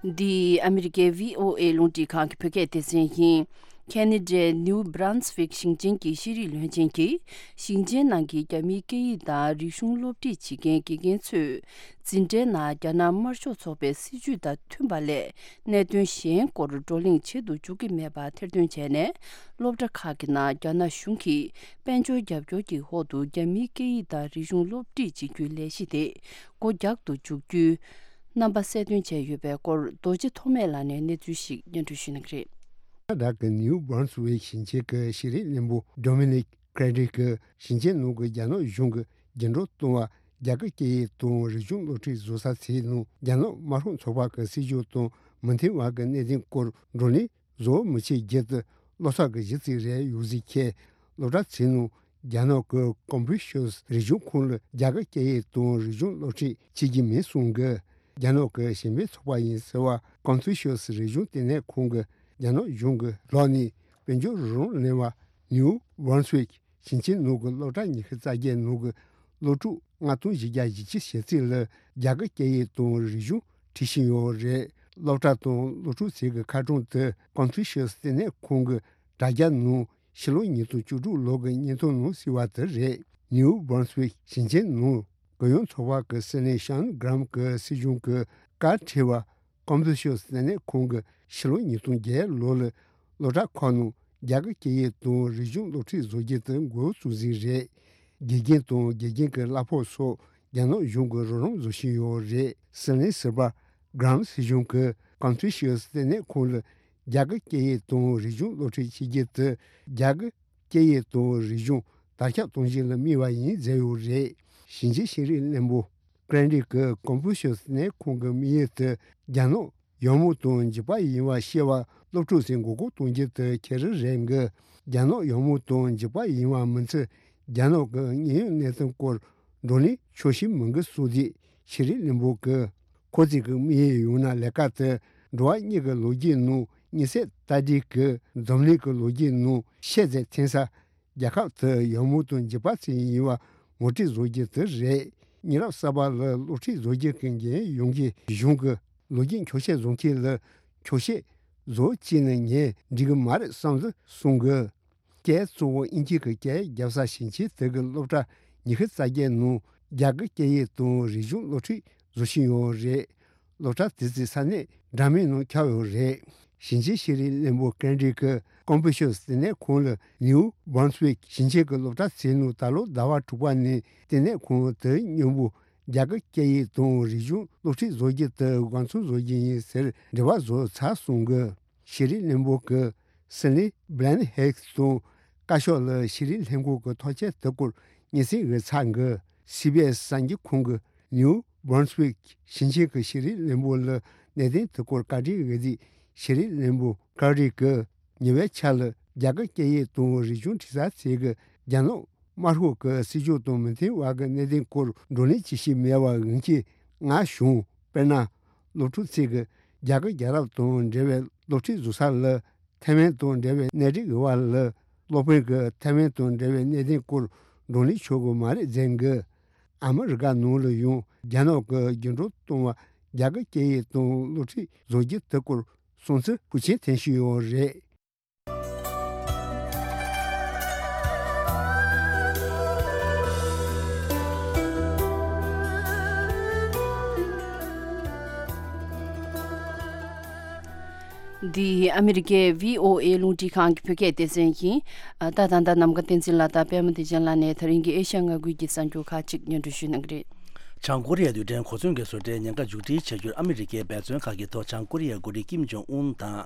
འདི་ཨ་མི་རི་ཀའི་བྷི་ཨོ་ཨེ་རླུང་འཕྲིན་ཁང་གི་བོད་སྐད་སྡེ་ཚན་ཡིན། ཁེ་ན་ཌའི་ནིའུ་སྦྲན་སི་ཝིག་ཞིང་ཆེན་གྱི་ཤེས་རིག་བློན་ཆེན་གྱིས་ཞིང་ཆེན་ནང་གི་རྒྱ་མིའི་སྐད་ཡིག་དང་རིག་གཞུང་སློབ་ཁྲིད་བྱེད་མཁན་དགེ་རྒན་ཚོས། འཛིན་གྲྭའི་ནང་རྒྱ་ནག་དམར་ཤོག་ཚོགས་པའི་སྲིད་བྱུས་དང་མཐུན་པ་ལས་གནད་དོན་གཞན་སྐོར་བགྲོ་གླེང་བྱེད་དུ་འཇུག་གི་མེད་པ་ཐེར་འདོན་བྱས་ནས། སློབ་གྲྭ་ཁག་གི་ནང་རྒྱ་ནག་གཞུང་གིས་དཔལ་འབྱོར་རྒྱབ་སྐྱོར་གྱི་འོག་ཏུ་རྒྱ་མིའི་སྐད་ཡིག་དང་རིག་གཞུང་སློབ་ཁྲིད་བྱེད་རྒྱུའི་ལས་གཞི་དེ་སྒོ་རྒྱག་ཏུ་འཇུག་རྒྱུའི་རྣམ་པ་གསལ་སྟོན་བྱས་ཡོད་པའི་སྐོར། རྡོ་རྗེ་ཐོགས་མེད་ལགས་ནས་གནས་ཚུལ་ཞིག་སྙན་སྒྲོན་ཞུ་གནང་གི་རེད། ཁ་ན་ཌ་གི་ནིའུ་སྦྲན་སི་ཝིག་ཞིང་ཆེན་གྱི་ཤེས་རིག་བློན་པོ་ཌོ་མི་ནིག་ཀྲེ་ཌི་གིས་ཞིང་ཆེན་ནང་གི་རྒྱ་ནག་གཞུང་གི་འགྱུར་ལྡོག་གཏོང་བ། རྒྱ་གར་སྐད་ཡིག་དང་རིག་གཞུང་སློབ་ཁྲིད་བཟོ་ས་ཚོའི་ནང་རྒྱ་ནག་དམར་ཤོག་ཚོགས་པ་གི་སྲིད་བྱུས་དང་མི་མཐུན་པ་གི་གནད་དོན་སྐོར་བགྲོ་གླེང་བཟོ་མི་བྱེད་རྒྱུ་དེ་བློ་འཚབ་ཀྱི་གཞི་རྩ་རེད། ཡོད་ཟེར་མཁན་སློབ་གྲྭ་ཚོའི་ནང་རྒྱ་ནག་གི་ཀོན་ཕུ་ཤུས་རིག་གཞུང་ཁང་ལ་རྒྱ་གར་སྐད་ཡིག་དང་རིག་གཞུང་སློབ་ཁྲིད་བྱེད་ཀྱི་མེད་གསུང་གི། རྒྱ་ནག་གི་གཞན་ཕན་ཚོགས་པ་ཡིན་ཟེར་བ་ཀོན་ཕུ་ཤུས་རིག་གཞུང་ལྟེ་གནས་ཁང་གིས་རྒྱ་ནག་གཞུང་གི་ལག་ནས་དཔལ་འབྱོར་རོགས་རམ་ལེན་པ་ནིའུ་སྦྲན་སི་ཝིག་ཞིང་ཆེན་ནང་གི་སློབ་གྲྭ་ཉི་ཤུ་རྩ་བརྒྱད་ནང་གི་སློབ་ཕྲུག་ལྔ་སྟོང་བཞི་བརྒྱ་བཞི་བཅུ་ཞེ་གཅིག་ལ་རྒྱ་གར་སྐད་ཡིག་དང་རིག་གཞུང་ཁྲིད་བཞིན་ཡོད་རེད། སློབ་གྲྭ་དང་སློབ་ཕྲུག་ཚོའི་གི་ཁ་གྲངས་དེ་ཀོན་ཕུ་ཤུས་ལྟེ་གནས་ཁང་གི་དྲ་རྒྱ་ནང་ཕྱི་ལོ་ཉིས་སྟོང་བཅུ་དྲུག་ལོ་གི་བརྙན་ཐུང་ནང་གསལ་བ་དེ་རེད། ནིའུ་སྦྲན་སི་ཝིག་ཞིང་ཆེན་ནང་གུ་ཡངས་ཚོགས་པ་གི་སྲིད་བློན་ཤཱན་གྷ་རམ་གྱི་སྲིད་གཞུང་གི་བཀའ་ཁྲིད་པ། ཀོན་ཕུ་ཤུས་ལྟེ་གནས་ཁང་གིས་ཕྱི་ལོ་ཉིས་སྟོང་བརྒྱད་ལོ་ལ་སློབ་གྲྭ་ཁག་ནང་རྒྱ་གར་སྐད་ཡིག་དང་རིག་གཞུང་སློབ་ཁྲིད་བཟོ་རྒྱུ་དེ་འགོ་བཙུགས་ཟིན་རེད། དགེ་རྒན་དང་དགེ་རྒན་གྱི་གླ་ཕོགས་སོགས་རྒྱ་ནག་གཞུང་གིས་རོགས་རམ་བཟོ་བཞིན་ཡོད་རེད། སྲིད་བློན་ཟུར་པ་གྷ་རམ་སྲིད་གཞུང་གིས་ཀོན་ཕུ་ཤུས་ལྟེ་གནས་ཁང་ལ་རྒྱ་གར་སྐད་ཡིག་དང་རིག་གཞུང་སློབ་ཁྲིད་བྱེད་རྒྱུ་དེ་རྒྱ་གར་སྐད་ཡིག་དང་རིག་གཞུང་དར་ཁྱབ་གཏོང་ཆེད་ལ་དམིགས་པ་ཡིན་ཟེར་ཡོད་རེད། ཞིང་ཆེན་ཤེས་རིག་བློན་པོ་ཀྲན་ཌི་གིས་ཀོན་ཕུ་ཤུས་ལྟེ་གནས་ཁང་གི་དམིགས་ཡུལ་དེ་རྒྱ་ནག་ཡག་མོ་དང་འཇིགས་པ་ཡིན་པ་ཤེས་པ་སློབ་ཕྲུག་ཚོས་མགོ་སྐོར་གཏོང་རྒྱུ་དེ་ཁྱེད་རང་རེད་གི། རྒྱ་ནག་ཡག་མོ་དང་འཇིགས་པ་ཡིན་པ་མི་ཚོས་རྒྱ་ནག་གི་དངོས་ཡོད་གནས་སྟངས་སྐོར་བགྲོ་གླེང་ཆོག་ཤེས་མི་འདུག་གསུངས་དུས་ཤེས་རིག་བློན་པོ་གིས་ཁོ་ཚོས་གི་དམིགས་ཡུལ་ཡོད་ན་ལས་ཀ་དེ་འགྲོ་བ་གཉིས་ཀྱི་ལོ་རྒྱུས་ནང་དམིགས་བསལ་ལྟ་འདི་གི་འཛམ་གླིང་གི་ལོ་རྒྱུས་ནང་ཤེས་ཚད་འཐེན་ས། རྒྱལ་ཁབ་དེ་ཡག་མོ་དང་འཇིགས་པ་ཚོ་ཡིན་པ་ངོ་སྤྲོད་བཟོ་རྒྱུ་དེ་རེད། མི་རབས་གསར་པ་ལ་སློབ་ཁྲིད་བཟོ་རྒྱུ་གི་འགན་ཡོང་གི། གཞུང་གི་ལོ་རྒྱུས་འཁྱོག་བཤད་བཟོ་མཁན་ལ་འཁྱོག་བཤད་བཟོ་བྱས་ནས་ངས་འགྲིག་གི་མ་རེད་བསམ་ཟིག་གསུང་གི། སྐད་གཙོ་བོ་དབྱིན་ཇི་གི་སྐད་རྒྱབ་ས་ཞིང་ཆེན་དེ་གི་སློབ་གྲྭ་ཉི་ཤུ་རྩ་བརྒྱད་ནང་རྒྱ་གར་སྐད་ཡིག་དང་རིག་གཞུང་སློབ་ཁྲིད་བཟོ་བཞིན་ཡོད་རེད། སློབ་གྲྭ་དེ་ཚོའི་ས་གནས་འདྲ་མིན་ནང་ཁྱབ་ཡོད་རེད། ཞིང་ཆེན་ཤེས་རིག་བློན་པོ་ཀན་ཌི་གི་ཀོན་ཕུ་ཤུས་ལྟེ་གནས་ཁང་ལ་ནིའུ་བྷོན་སི་ཝིག་ཞིང་ཆེན་གྱི་སློབ་གྲྭ་ཚོའི་ནང་ད་ལོ་ཟླ་བ་དྲུག་པ་ནས་ལྟེ་གནས་ཁང་དེ་མཉམ་པོ་རྒྱ་གར་སྐད་ཡིག་དང་རིག་གཞུང་སློབ་ཁྲིད་བཟོ་རྒྱུ་དེ་དགའ་ཚོར་བཟོ་རྒྱུ་ཡིན་ཟེར་འབྲེལ་བ་བཟོས་ཚར་སོང་གི། ཤེས་རིག་བློན་པོ་གི་སི་ལི་བྷི་ལན་ཧེག་དང་བཀའ་ཤག་ལ་ཤེས་རིག་ལྷན་ཁང་གི་ཐག་བཅད་དེ་སྐོར་སྙན་སེང་ཡོད་ཚར་གི། སི་བི་ཨེས་གསར་འགྱུར་ཁང་གི་ནིའུ་བྷོན་སི་ཝིག་ཞིང་ཆེན་གྱི་ཤེས་རིག་བློན་པོ་ལ་གནད་དོན་དེ་སྐོར་བཀའ་འདྲི་ཡོད་དུས་ཤེས་རིག་བློན་པོ་ཀ་རི་གིས་ཉེ་བའི་ཆར་ལ་རྒྱ་གར་སྐད་ཡིག་དང་རིག་གཞུང་ཁྲིད་ས་ཚོས་གི་རྒྱ་ནག་དམར་ཤོག་གི་སྲིད་ཇུས་དང་མི་མཐུན་པ་གི་གནད་དོན་སྐོར་བགྲོ་གླེང་བྱེད་བཞིན་མེད་པ་ཡིན་གྱི་ང་བྱུང་། དཔེར་ན། སློབ་ཕྲུག་ཚོས་གི་རྒྱ་གར་རྒྱལ་རབས་དང་འབྲེལ་བའི་སློབ་ཁྲིད་བཟོ་ས་ལ་ཐའེ་ཝན་དང་འབྲེལ་བའི་གནས་རིགས་ཡོད་པ་ལ་སློབ་དཔོན་གྱིས་ཐའེ་ཝན་དང་འབྲེལ་བའི་གནད་དོན་སྐོར་བགྲོ་གླེང་བྱེད་དགོས་མ་རེད་ཟེར་གི། ཨ་མི་རི་ཀ་ནང་ལ་ཡང་རྒྱ་ནག་གི་རྒྱུན་འགྲོ་གཏོང་བ་རྒྱ་གར་སྐད་ཡིག་དང་སློབ་ཁྲིད་བཟོ་རྒྱུ་དེ་སྐོར་བསམ་ཚུལ་ཤུགས་ཆེན་འཐེན་བཞིན་ཡོད་རེད། འདི་ཨ་མི་རི་ཀའི་བྷི་ཨོ་ཨེ་རླུང་འཕྲིན་ཁང་གི་བོད་སྐད་སྡེ་ཚན་ཡིན། ད་ད་ལྟ་ནམ་མཁའ་བསྟན་འཛིན་ལགས་དང་པད་མ་བདེ་ཆེན་ལགས་ནས་ད་རིང་གི་ཨེ་ཤ་ཡ་མངའ་ཁུལ་གྱི་གསར་འགྱུར་ཁག་ཅིག་སྙན་སྒྲོན་ཞུ་གནང་གི་རེད། བྱང་ཀོ་རི་ཡའི་རྡུལ་ཕྲན་གོ་མཚོན་གྱི་བཟོ་གྲྭའི་ཉེན་ཁ་མཇུག་སྒྲིལ་བྱ་རྒྱུར་ཨ་མི་རི་ཀའི་འབད་བརྩོན་ཁག་གི་ཐོག་བྱང་ཀོ་རི་ཡའི་འགོ་ཁྲིད་ཀིམ་ཇོང་ཨུན་དང་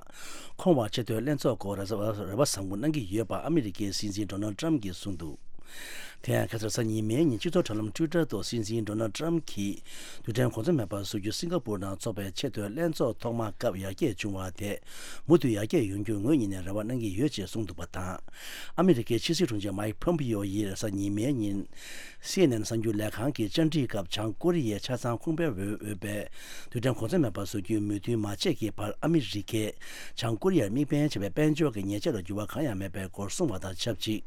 ཁོང་བར་ཆེས་མཐོའི་ལྷན་ཚོགས་སྐོར་རེ་བ་བཟང་པོ་གནང་གི་ཡོད་པ་ཨ་མི་རི་ཀའི་སྲིད་འཛིན་ཌོ་ནལ་ཏྲམ་གྱིས་གསུངས་འདུག། དེ་ཡང་ཁ་སང་གཟའ་ཉི་མའི་ཉིན་སྤྱི་ཚོགས་དྲ་ལམ་ཊུའི་ཊར་ཐོག་སྲིད་འཛིན་ཌོ་ནལ་ཏྲམ་གྱིས་རྡུལ་ཕྲན་གོ་མཚོན་མེད་པར་བཟོ་རྒྱུ་སིང་ག་པུར་ནང་འཚོགས་པའི་ཆེས་མཐོའི་ལྷན་ཚོགས་ཐོག་མ་སྐབས་ཡར་རྒྱས་བྱུང་བ་དེ་མུ་མཐུད་ཡར་རྒྱས་ཡོང་རྒྱུར་ངོས་གཉིས་ནས་རེ་བ་གནང་གི་ཡོད་ཅེས་གསུངས་འདུག་པ་དང་། ཨ་མི་རི་ཀའི་ཕྱི་སྲིད་དྲུང་ཆེ་མའིག་ཕོམ་པིའོ་ཡིས་རེས་གཟའ་ཉི་མའི་ཉིན། སི་ཨེན་ཨེན་གསར་འགྱུར་ལས་ཁང་གི་བཅར་འདྲིའི་སྐབས་བྱང་ཀོ་རི་ཡའི་ཆ་ཚང་ཁུངས་སྤེལ་འོས་འོས་པའི་རྡུལ་ཕྲན་གོ་མཚོན་མེད་པར་བཟོ་རྒྱུའི་མོས་མཐུན་མ་བྱས་ཀྱི་བར་ཨ་མི་རི་ཀས་བྱང་ཀོ་རི་ཡར་དམིགས་འབེན་བྱས་པའི་དཔལ་འབྱོར་གྱི་ཉེས་ཆད་ལ་འགྱུར་བ་གང་ཡང་མེད་པའི་སྐོར་གསུངས་པ་དང་ཆབས་ཅིག།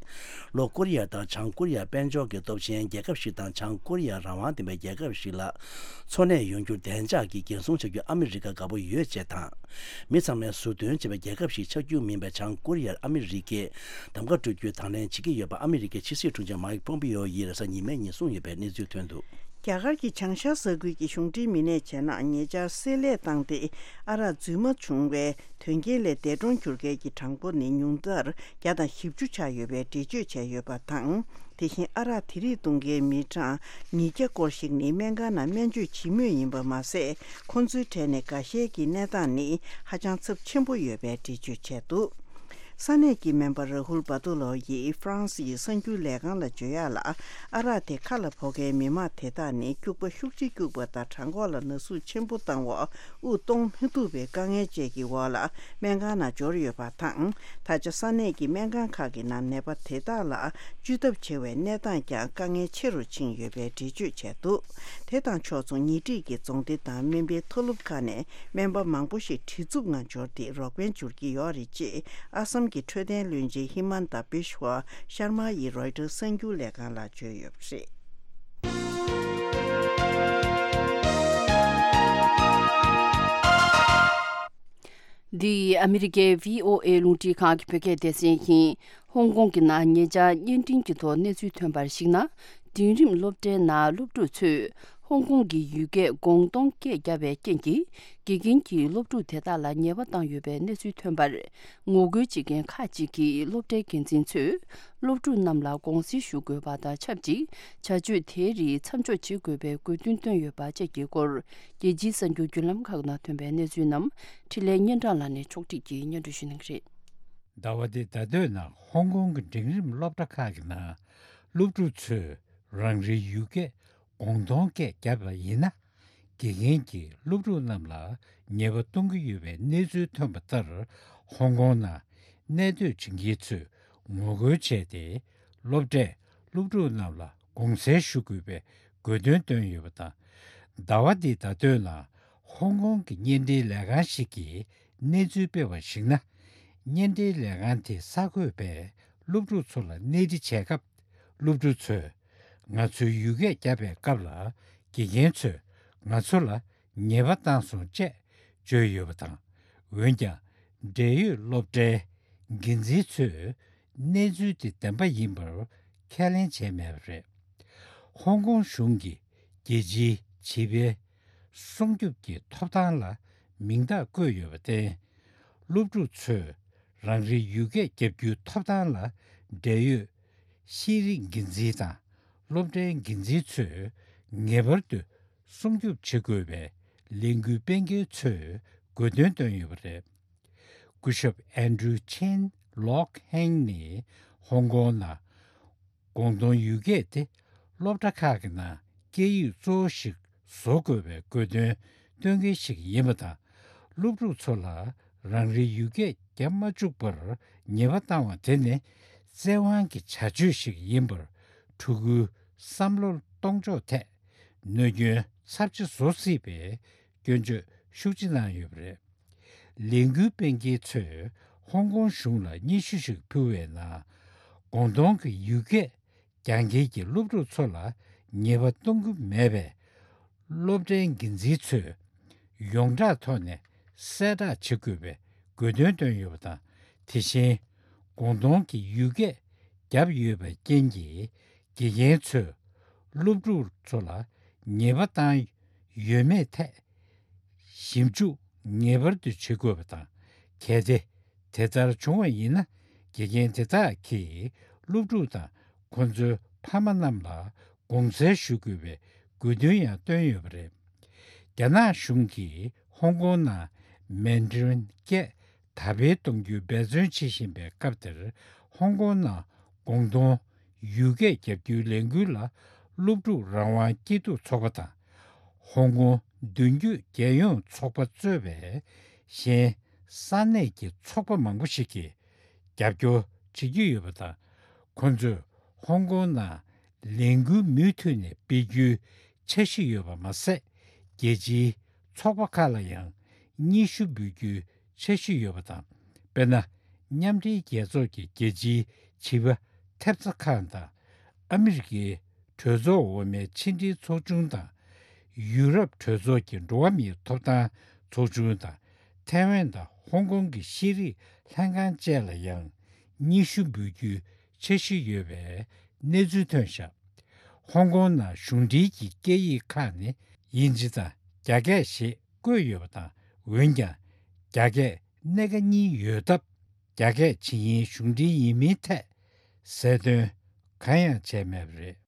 ལྷོ་ཀོ་རི་ཡ་དང་བྱང་ཀོ་རི་ཡ་དཔལ་འབྱོར་གྱི་སྟོབས་ཆེན་རྒྱལ་ཁབ་ཞིག་དང་བྱང་ཀོ་རི་ཡ་རང་དབང་ལྡན་པའི་རྒྱལ་ཁབ་ཞིག་ལ་འཚོ་གནས་ཡོང་རྒྱུར་བདེ་འཇགས་ཀྱི་འགན་སྲུང་བྱ་རྒྱུར་ཨ་མི་རི་ཀ་དགའ་པོ་ཡོད་ཅེས་དང་། མི་ཚང་མས་ཟུར་འདོན་བྱེད་པའི་རྒྱལ་ཁབ་ཞིག་ཆགས་རྒྱུ་མིན་པའི་བྱང་ཀོ་རི་ཡར་ཨ་མི་རི་ཀས་གདམ་ག་སྤྲོད་རྒྱུའི་དང་ལེན་བྱེད་ཀྱི་ཡོད་པ་ཨ་མི་རི་ཀའི་ཕྱི་སྲིད་དྲུང་ཆེ་མའིག་ཕོམ་པིའོ་ཡིས་རེས་གཟའ་ཉི་མའི་ཉིན་གསུངས་ཡོད་པའི་གནས་ཚུལ་ཐོན་འདུག། རྒྱ་གར་གྱི་བྱང་ཤར་ས་ཁུལ་གྱི་གཞུང་འབྲེལ་མི་སྣས་བྱས་ན་ཉེ་ཆར་བསྲེ་ལྷད་བཏང་སྟེ་ཨ་རག་རྫུན་མ་བྱུང་བའི་དོན་རྐྱེན་ལས་འདས་གྲོངས་གྱུར་མཁན་གྱི་གྲངས་འབོར་ནི་ཉུང་མཐར་བརྒྱ་དང་བཞི་བཅུ་ཆགས་ཡོད་པའི་འགྲེལ་བརྗོད་བྱས་ཡོད་པ་དང་། དེ་བཞིན་ཨ་རག་དེ་རིགས་བཏུང་མཁན་མི་གྲངས་ཉིས་བརྒྱ་སྐོར་ཞིག་ནི་སྨན་ཁང་ནང་སྨན་བཅོས་བྱེད་མུས་ཡིན་པ་མ་ཟད། ཁོང་ཚོའི་གྲས་ནས་འགའ་ཤས་ཀྱི་གནས་སྟངས་ནི་ཧ་ཅང་ཚབས་ཆེན་པོ་ཡོད་པའི་འགྲེལ་བརྗོད་བྱས་འདུག། ས་གནས་ཀྱི་སྨན་པ་ར་ཧུལ་བྷ་དུ་ལོ་ཡིས་ཧྥ་རན་སི་ཡི་གསར་འགྱུར་ལས་ཁང་ལ་བརྗོད་ཡག་ལ། ཨ་རག་དེ་ཁ་ལ་ཕོག་མཁན་མི་མང་དེ་དག་ནི་སྐྱུག་པ་ཤུགས་ཆེ་སྐྱུག་པ་དང་བྲང་ཁོག་ལ་ན་ཟུག་ཆེན་པོ་བཏང་བ། དབུགས་གཏོང་མི་ཐུབ་པའི་དཀའ་ངལ་བཅས་ཀྱི་འོག་ལ་སྨན་ཁང་ནང་འབྱོར་ཡོད་པ་དང་། ད་ཆ་ས་གནས་ཀྱི་སྨན་ཁང་ཁག་གི་ནང་ནད་པ་དེ་དག་ལ་བཅོས་ཐབས་བྱེད་པའི་གནས་སྟངས་ཀྱང་དཀའ་ངལ་ཆེ་རུ་ཕྱིན་ཡོད་པའི་འགྲེལ་བརྗོད་བྱས་འདུག། དེ་དང་ཕྱོགས་མཚུངས་ཉེ་འཁྲིས་ཀྱི་རྫོང་སྡེ་དང་སྨན་པའི་མཐོ་སློབ་ཁག་ནས་སྨན་པ་མང་པོ་ཞིག་བྲེལ་འཚུབ་ངང་འབྱོར་ཏེ་རོགས་ཕན་སྦྱོར་གྱི་ཡོད་རེད་ཅེས་ཨ་སམ་གྱི་འཕྲོད་བསྟེན་བློན་ཆེན་ཧི་མན་ད་བི་ཤྭ་ཤར་མ་ཡིས་རོའི་ཊར་གསར་འགྱུར་ལས་ཁང་ལ་བརྗོད་ཡོད་པ་རེད། འདི་ཨ་མི་རི་ཀའི་བྷི་ཨོ་ཨེ་རླུང་འཕྲིན་ཁང་གི་བོད་སྐད་སྡེ་ཚན་ཡིན། ཧོང་ཀོང་གི་ནང་ཉེ་ཆར་བརྙན་འཕྲིན་གྱི་ཐོག་གནས་ཚུལ་ཐོན་པར་གཞིགས་ན། འབྲིང་རིམ་སློབ་གྲྭའི་ནང་སློབ་ཕྲུག་ཚོས་ཧོང་ཀོང་གི་ཡུལ་སྐད་ཀོང་ཏོང་སྐད་བརྒྱབ་པའི་རྐྱེན་གྱིས། དགེ་རྒན་གྱིས་སློབ་ཕྲུག་དེ་དག་ལ་ཉེས་པ་བཏང་ཡོད་པའི་གནས་ཚུལ་ཐོན་པར། ངོ་རྒོལ་བྱེད་མཁན་ཁག་ཅིག་གིས་སློབ་གྲྭའི་འགན་འཛིན་ཚོས་སློབ་ཕྲུག་རྣམས་ལ་དགོངས་སེལ་ཞུ་དགོས་པ་དང་ཆབས་ཅིག་བྱ་སྤྱོད་དེའི་རིགས་མཚམས་འཇོག་བྱེད་དགོས་པའི་དགོས་འདུན་བཏོན་ཡོད་པ་བཅས་ཀྱི་སྐོར། རྒྱལ་སྤྱིའི་གསར་འགྱུར་བརྒྱུད་ལམ་ཁག་ནང་ཐོན་པའི་གནས་ཚུལ་རྣམས་འཕྲིན་ལས་སྙན་གྲགས་ལགས་ནས་ཕྱོགས་སྒྲིག་གིས་སྙན་སྒྲོན་ཞུ་གནང་གི་རེད། ཟླ་བ་འདིའི་ཟླ་སྟོད་ནང་ཧོང་ཀོང་གི་འབྲིང་རིམ་སློབ་གྲྭ་ཁག་གི་ནང་སློབ་ཕྲུག་ཚོས་རང་རེའི་ཡུལ་སྐད་ཀོང་ཏོང་སྐད་བརྒྱབ་པ་ཡིན་ན། དགེ་རྒན་གྱིས་སློབ་ཕྲུག་རྣམས་ལ་ཉེས་པ་གཏོང་གི་ཡོད་པའི་གནས་ཚུལ་ཐོན་པ་ལྟར། ཧོང་ཀོང་ནང་གནས་སྡོད་བྱེད་མཁན་ཚོས་ངོ་རྒོལ་བྱས་ཏེ། སློབ་གྲྭས་སློབ་ཕྲུག་རྣམས་ལ་དགོངས་སེལ་ཞུ་དགོས་པའི་དགོས་འདུན་བཏོན་ཡོད་པ་དང་། ཟླ་བ་འདིའི་ཟླ་སྟོད་ནང་ཧོང་ཀོང་གི་བརྙན་འཕྲིན་ལས་ཁང་ཞིག་གིས་གནས་ཚུལ་སྤེལ་བར་གཞིགས་ན། བརྙན་འཕྲིན་ལས་ཁང་དེའི་གསར་འགོད་པས་སློབ་ཕྲུག་ཚོ་ལ་གནས་འདྲི་བྱས་སྐབས། སློབ་ཕྲུག་ཚོས། ང་ཚོའི་ཡུལ་སྐད་བརྒྱབ་པའི་སྐབས་ལ། དགེ་རྒན་ཚོས་ང་ཚོ་ལ་ཉེས་པ་བཏང་སོང་ཅེས་བརྗོད་ཡོད་པ་དང་། འོན་ཀྱང་། འབྲེལ་ཡོད་སློབ་གྲྭའི་འགན་འཛིན་ཚོས་ གནས་ཚུལ་དེ་བདེན་པ་ཡིན་པར་ཁས་ལེན་བྱས་མེད་པ་རེད། ཧོང་ཀོང་གཞུང་གིས་རྒྱལ་སྤྱིའི་བྱིས་པའི་སྲུང་སྐྱོབ་ཀྱི་ཐོབ་ཐང་ལ་མིང་རྟགས་བཀོད་ཡོད་པར་བརྟེན། སློབ་ཕྲུག་ཚོས་རང་རེའི་ཡུལ་སྐད་རྒྱབ་རྒྱུའི་ཐོབ་ཐང་ལ་འབྲེལ་ཡོད་ཤེས་རིག་འགན་འཛིན་དང་སློབ་གྲྭའི་འགན་འཛིན་ཚོས་ངེས་པར་དུ་སྲུང་སྐྱོབ་བྱེད་དགོས་པའི་ལས་འགུལ་སྤེལ་མཁན་ཚོས་དགོས་འདུན་བཏོན་ཡོད་པ་རེད། སྐུ་ཞབས་ཨན་ཌྲུ་ཆེན་ལོག་ཧེང་ནི་ཧོང་ཀོང་ནང་། ཀོང་ཏུང་ཡུལ་སྐད་དེ་སློབ་གྲྭ་ཁག་གི་ནང་སྐད་ཡིག་གཙོ་བོ་ཞིག་བཟོ་དགོས་པའི་དགོས་འདུན་བཏོན་མཁན་ཞིག་ཡིན་པ་དང་། སློབ་ཕྲུག་ཚོ་ལ་རང་རེའི་ཡུལ་སྐད་རྒྱབ་མ་བཅུག་པར་ཉེས་པ་བཏང་བ་དེ་ནི་བཙན་དབང་གི་བྱ་སྤྱོད་ཞིག་ཡིན་པར་ཕྲུ་གུའི་བསམ་བློར་གཏོང་ཕྱོགས་ཐད་གནོད་སྐྱོན་ཚབས་ཆེ་བཟོ་སྲིད་པའི་སྐྱོན་བརྗོད་ཤུགས་ཆེ་གནང་ཡོད་པ་རེད། ལས་འགུལ་སྤེལ་མཁན་ཚོས་ཧོང་ཀོང་གཞུང་ལ་སྙན་ཞུ་ཞིག་ཕུལ་བའི་ནང་། ཀོང་ཏུང་གི་ཡུལ་སྐད་སྦྱང་མཁན་གྱི་སློབ་ཕྲུག་ཚོ་ལ་ཉེས་པ་གཏོང་གི་མེད་པས། སློབ་གྲྭའི་འགན་འཛིན་ཚོས་ཡོངས་གྲགས་ཐོག་ནས་གསལ་བསྒྲགས་བྱེད་དགོས་པའི་དགོས་འདུན་བཏོན་ཡོད་པ་དང་། དེ་བཞིན་ཀོང་ཏུང་གི་ཡུལ་སྐད་བརྒྱབ་ཡོད་པའི་རྐྱེན་གྱིས། དགེ་རྒན་ཚོས་སློབ་ཕྲུག་ཚོ་ལ་ཉེས་པ་བཏང་ཡོད་མེད་ཐད་ཞིབ་འཇུག་ངེས་པར་དུ་བྱེད་དགོས་པ་དང་། གལ་ཏེ་དེ་ལྟར་བྱུང་བ་ཡིན་ན། དགེ་རྒན་དེ་དག་གིས་སློབ་ཕྲུག་དང་ཁོ་ཚོའི་ཕ་མ་རྣམས་ལ་དགོངས་སེལ་ཞུ་དགོས་པའི་དགོས་འདུན་ཡང་བཏོན་ཡོད་པ་རེད། རྒྱ་ནག་གཞུང་གིས་ཧོང་ཀོང་ནང་མན་ཌ་རིན་སྐད་དར་སྤེལ་གཏོང་རྒྱུའི་འབད་བརྩོན་བྱེད་བཞིན་པའི་སྐབས་དེར། ཧོང་ཀོང་ནང་ཀོང་ཏུང་ཡུལ་སྐད་རྒྱབ་རྒྱུའི་ལས་འགུལ་ལ་སློབ་ཕྲུག་རང་དབང་སྐྱིད་སྡུག་ཚོགས་པ་དང་། ཧོང་ཀོང་མདུན་སྐྱོད་རྒྱལ་ཡོངས་ཚོགས་པ་གཙོས་པའི་གཞན་ས་གནས་ཀྱི་ཚོགས་པ་མང་པོ་ཞིག་གིས་རྒྱབ་སྐྱོར་བྱེད་ཀྱི་ཡོད་པ་དང་། ཁོ་ཚོས་ཧོང་ཀོང་ནང་ལས་འགུལ་མུ་མཐུད་ནས་སྤེལ་རྒྱུའི་འཆར་གཞི་ཡོད་པ་མ་ཟད། རྒྱལ་སྤྱིའི་ཚོགས་པ་ཁག་ལ་ཡང་སྙན་ཞུ་འབུལ་རྒྱུའི་འཆར་གཞི་ཡོད་པ་དང་། དཔེར་ན། མཉམ་འབྲེལ་རྒྱལ་ཚོགས་ཀྱི་རྒྱལ་སྤྱིའི་བྱིས་པ་ཐེབས་རྩ་ཁང་དང་། ཨ་མི་རི་ཀའི་གྲོས་ཚོགས་འོག་མའི་ཕྱི་འབྲེལ་ཚོགས་ཆུང་དང་། ཡུ་རོབ་གྲོས་ཚོགས་ཀྱི་འགྲོ་བ་མིའི་ཐོབ་ཐང་ཚོགས་ཆུང་དང་། ཐའེ་ཝན་དང་ཧོང་ཀོང་གི་ཤེས་རིག་ལྷན་ཁང་བཅས་ལ་ཡང་སྙན་ཞུ་འབུལ་རྒྱུའི་འཆར་གཞི་ཡོད་པའི་གནས་ཚུལ་ཐོན་བཞག་ཧོང་ཀོང་ནང་གཞུང་འབྲེལ་གྱི་སྐད་ཡིག་ཁག་ནི་དབྱིན་ཇི་དང་རྒྱ་སྐད་ཞེས་བཀོད་ཡོད་པ་དང་། འོན་ཀྱང་རྒྱ་སྐད་སྣེ་ཁ་གཉིས་ཡོད་སྟབས། རྒྱ་སྐད་ཇི་སྙེད་གཞུང་འབྲེལ་ཡིན་མིན་ཐད་གསལ་སྟོན་གང་ཡང་བྱས་མེད་པ་རེད།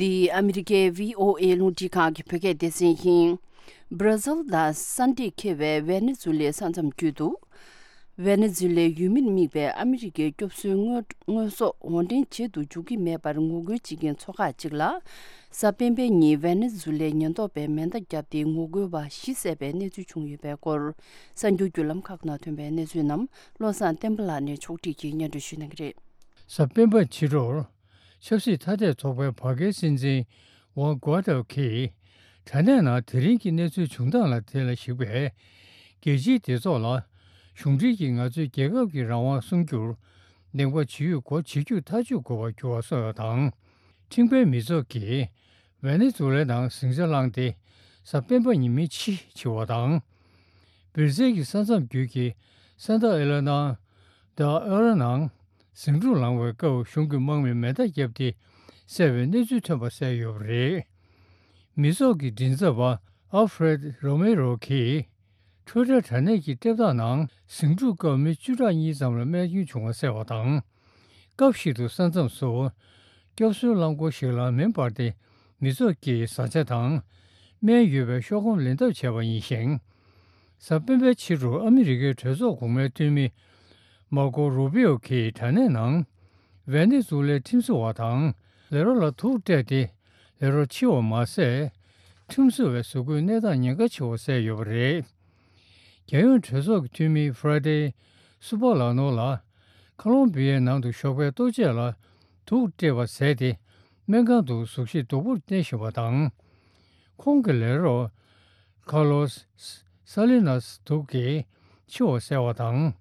འདི་ཨ་མི་རི་ཀའི་བྷི་ཨོ་ཨེ་རླུང་འཕྲིན་ཁང་གི་བོད་སྐད་སྡེ་ཚན་ཡིན། སྦྲ་ཟིལ་དང་ས་འདྲེས་ཁེལ་བའི་ཝེ་ནེ་ཛུ་ལའི་ས་མཚམས་བརྒྱུད་དུ། ཝེ་ནེ་ཛུ་ལའི་ཡུལ་མིར་དམིགས་པའི་ཨ་མི་རི་ཀའི་སྐྱོབ་གསོའི་དངོས་དངོས་ཟོག་འོར་འདྲེན་བྱེད་དུ་འཇུག་གི་མེད་པར་ངོ་རྒོལ་བྱེད་མཁན་ཚོ་ཁག་ཅིག་ལ། གཟའ་སྤེན་པའི་ཉིན་ཝེ་ནེ་ཛུ་ལའི་ཉེན་རྟོག་པས་མེ་མདའ་བརྒྱབ་སྟེ་ངོ་རྒོལ་བ་བཞི་བསད་པའི་གནས་ཚུལ་བྱུང་ཡོད་པའི་སྐོར། གསར་འགྱུར་བརྒྱུད་ལམ་ཁག་ནང་ཐོན་པའི་གནས་ཚུལ་རྣམས་བློ་བཟང་བསྟན་པ་ལགས་ནས་ཕྱོགས་སྒྲིག་གིས་སྙན་སྒྲོན་ཞུ་གནང་གི་རེད། གཟའ་སྤེན་པ་ཕྱི་དྲོར། ཆབ་སྲིད་ཐ་དད་ཚོགས་པའི་བར་བརྒལ་སྲིད་འཛིན་ཝང་གོ་ཏོ་གིས། དྲ་གནས་ནང་དེ་རིང་གི་གནས་ཚུལ་བྱུང་སྟངས་ལ་དེ་ལ་གཞིགས་པས། རྒྱལ་སྤྱིའི་སྡེ་ཚོགས་ལ་གཞུང་འབྲེལ་གྱིས་ང་ཚོའི་རྒྱལ་ཁབ་ཀྱི་རང་དབང་སྲུང་རྒྱུར་གདེང་པ་ཇི་ཡོད་སྒོ་ཇི་བཅུར་ཐག་གཅོད་དགོས་པར་འགྱུར་བ་སོགས་དང་། ཁྲིམས་དཔོན་མི་ཚོགས་ཀྱིས་ཝེ་ནེ་ཛུ་ལའི་ནང་ཟིང་ཆ་བསླངས་ཏེ། གཟའ་སྤེན་པ་ཉིན་མིའི་ཕྱི་འཆི་བ་དང་། སྦིར་ཟེར་གྱི་ས་མཚམས་རྒྱུད་ཀྱི་སན་ཏ་ཨེ་ལ་ནང་། ད་ཨེ་ར་ནང་ཟིང་འཁྲུག་ལངས་པའི་སྐབས་གཞུང་གི་དམག་མིས་མེ་མདའ་བརྒྱབ་སྟེ་བསད་པའི་གནས་ཚུལ་ཐོན་པ་གསལ་ཡོད་པ་རེད། མི་ཚོགས་ཀྱི་མགྲིན་ཚབ་པ་ཨལ་ཧྥེ་རེད་རོ་མེ་རོ་གིས། ཊུ་ཝི་ཊར་དྲ་གནས་ཀྱི་ལྟེབ་གྲས་ནང་ཟིང་འཁྲུག་སྐབས་མི་བཅུ་ཕྲག་གཉིས་ཙམ་ལ་རྨས་སྐྱོན་བྱུང་བ་གསལ་བ་དང་། སྐབས་ཤིག་ཏུ་ས་མཚམས་སུ་སྐྱོབ་གསོའི་རླངས་འཁོར་ཞིག་ལ་མེ་འབར་ཏེ་མི་ཚོགས་ཀྱི་བཟའ་བཅའ་དང་སྨན་ཡོད་པའི་ཤོག་སྒམ་ལེན་ཐབས་བྱས་པ་ཡིན་ཞིང་། གཟའ་སྤེན་པའི་ཕྱི་དྲོར་ཨ་མི་རི་ཀའི་གྲོས་ཚོགས་གོང་མའི་འཐུས་མི་མར་ཀོ་རུ་པིའོ་གིས་དྲ་གནས་ནང་ཝེ་ནེ་ཛུ་ལའི་ཁྲིམས་བཟོ་བ་དང་ལས་རོགས་ལ་དུག་སྤྲད་དེ་ལས་རོགས་འཆི་བ་མ་ཟད། ཁྲིམས་བཟོ་བའི་བཟོ་བཀོད་གནས་སྟངས་ཉེན་ཁ་ཆེ་བ་གསལ་ཡོད་པ་རེད། རྒྱལ་ཡོངས་གྲོས་ཚོགས་ཀྱི་འཐུས་མི་ཧྥ་ར་ཏེ་སུ་པ་ལ་ནོ་ལ་ཁ་ལོམ་བི་ཡའི་ནང་དུ་ཞོགས་པའི་ལྟོ་ཆས་ལ་དུག་སྤྲད་པ་བཟས་ཏེ་སྨན་ཁང་དུ་གཟུགས་གཞི་སྡུག་པོར་གནས་བཞིན་པ་དང་། ཁོང་གི་ལས་རོགས་ཁ་ལོ་ས་ལི་ནཱས་དུག་གིས་འཆི་བ་བཟས་པ་དང་།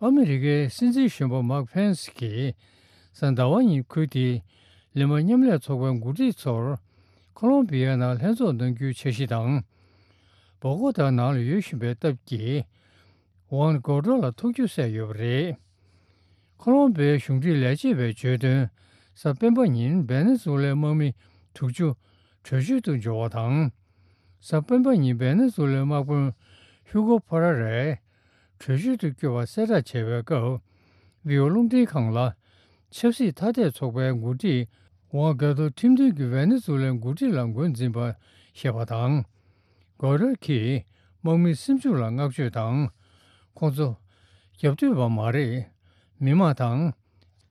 ཨ་མི་རི་ཀའི་སྲིད་འཛིན་གཞོན་པ་མཱིག་ཕེན་སི་གིས་གཟའ་ཟླ་བ་ཉིན་ཁུལ་དེའི་ ལི་མ་མཉམ་ལས་ཚོགས་པའི་འགོ་ཁྲིད་ཚོར་ཁོ་ལོམ་བི་ཡ་ནང་ལྷན་ཚོགས་གནང་རྒྱུའི་འཆར་གཞི་དང་། བོ་གོ་ཏཱ་ནང་ལ་ཡོད་བཞིན་པའི་སྟབས་ཀྱིས། ཝང་གོ་ཏོ་ལ་ཐུག་རྒྱུ་གསལ་ཡོད་པ་རེད། ཁོ་ལོམ་བི་ཡའི་གཞུང་འབྲེལ་ལས་བྱེད་པས་བརྗོད་དོན། གཟའ་སྤེན་པ་ཉིན་ཝེ་ནེ་ཛུ་ལའི་དམག་མི་དྲུག་ཅུ་བྲོས་བྱོལ་དུ་འབྱོར་བ་དང་། གཟའ་སྤེན་པ་ཉིན་ཝེ་ནེ་ཛུ་ལའི་དམག་དཔོན་ཧུ་གོ་ཕ་ར་རེ་བྲོས་བྱོལ་དུ་བསྐྱོད་པ་གསལ་བསྒྲགས་བྱས་པའི་སྐབས། བྷི་ཨོ་རླུང་འཕྲིན་ཁང་ལ་ཆབ་སྲིད་ཐ་དད་ཚོགས་པའི་འགོ་ཁྲིད་ཝང་གོ་ཏོ་ཁྲིམས་མཐུན་གྱི་ཝེ་ནེ་ཛུ་ལའི་འགོ་ཁྲིད་ལ་འགོ་འཛིན་པ་ཞེས་པ་དང་། གོ་རར་གྱིས་དམག་མི་སེམས་ཤུགས་ལ་བསྔགས་བརྗོད་དང་། ཁོང་ཚོ་རྒྱབ་གཏོད་པ་མ་རེད། མི་དམངས་དང་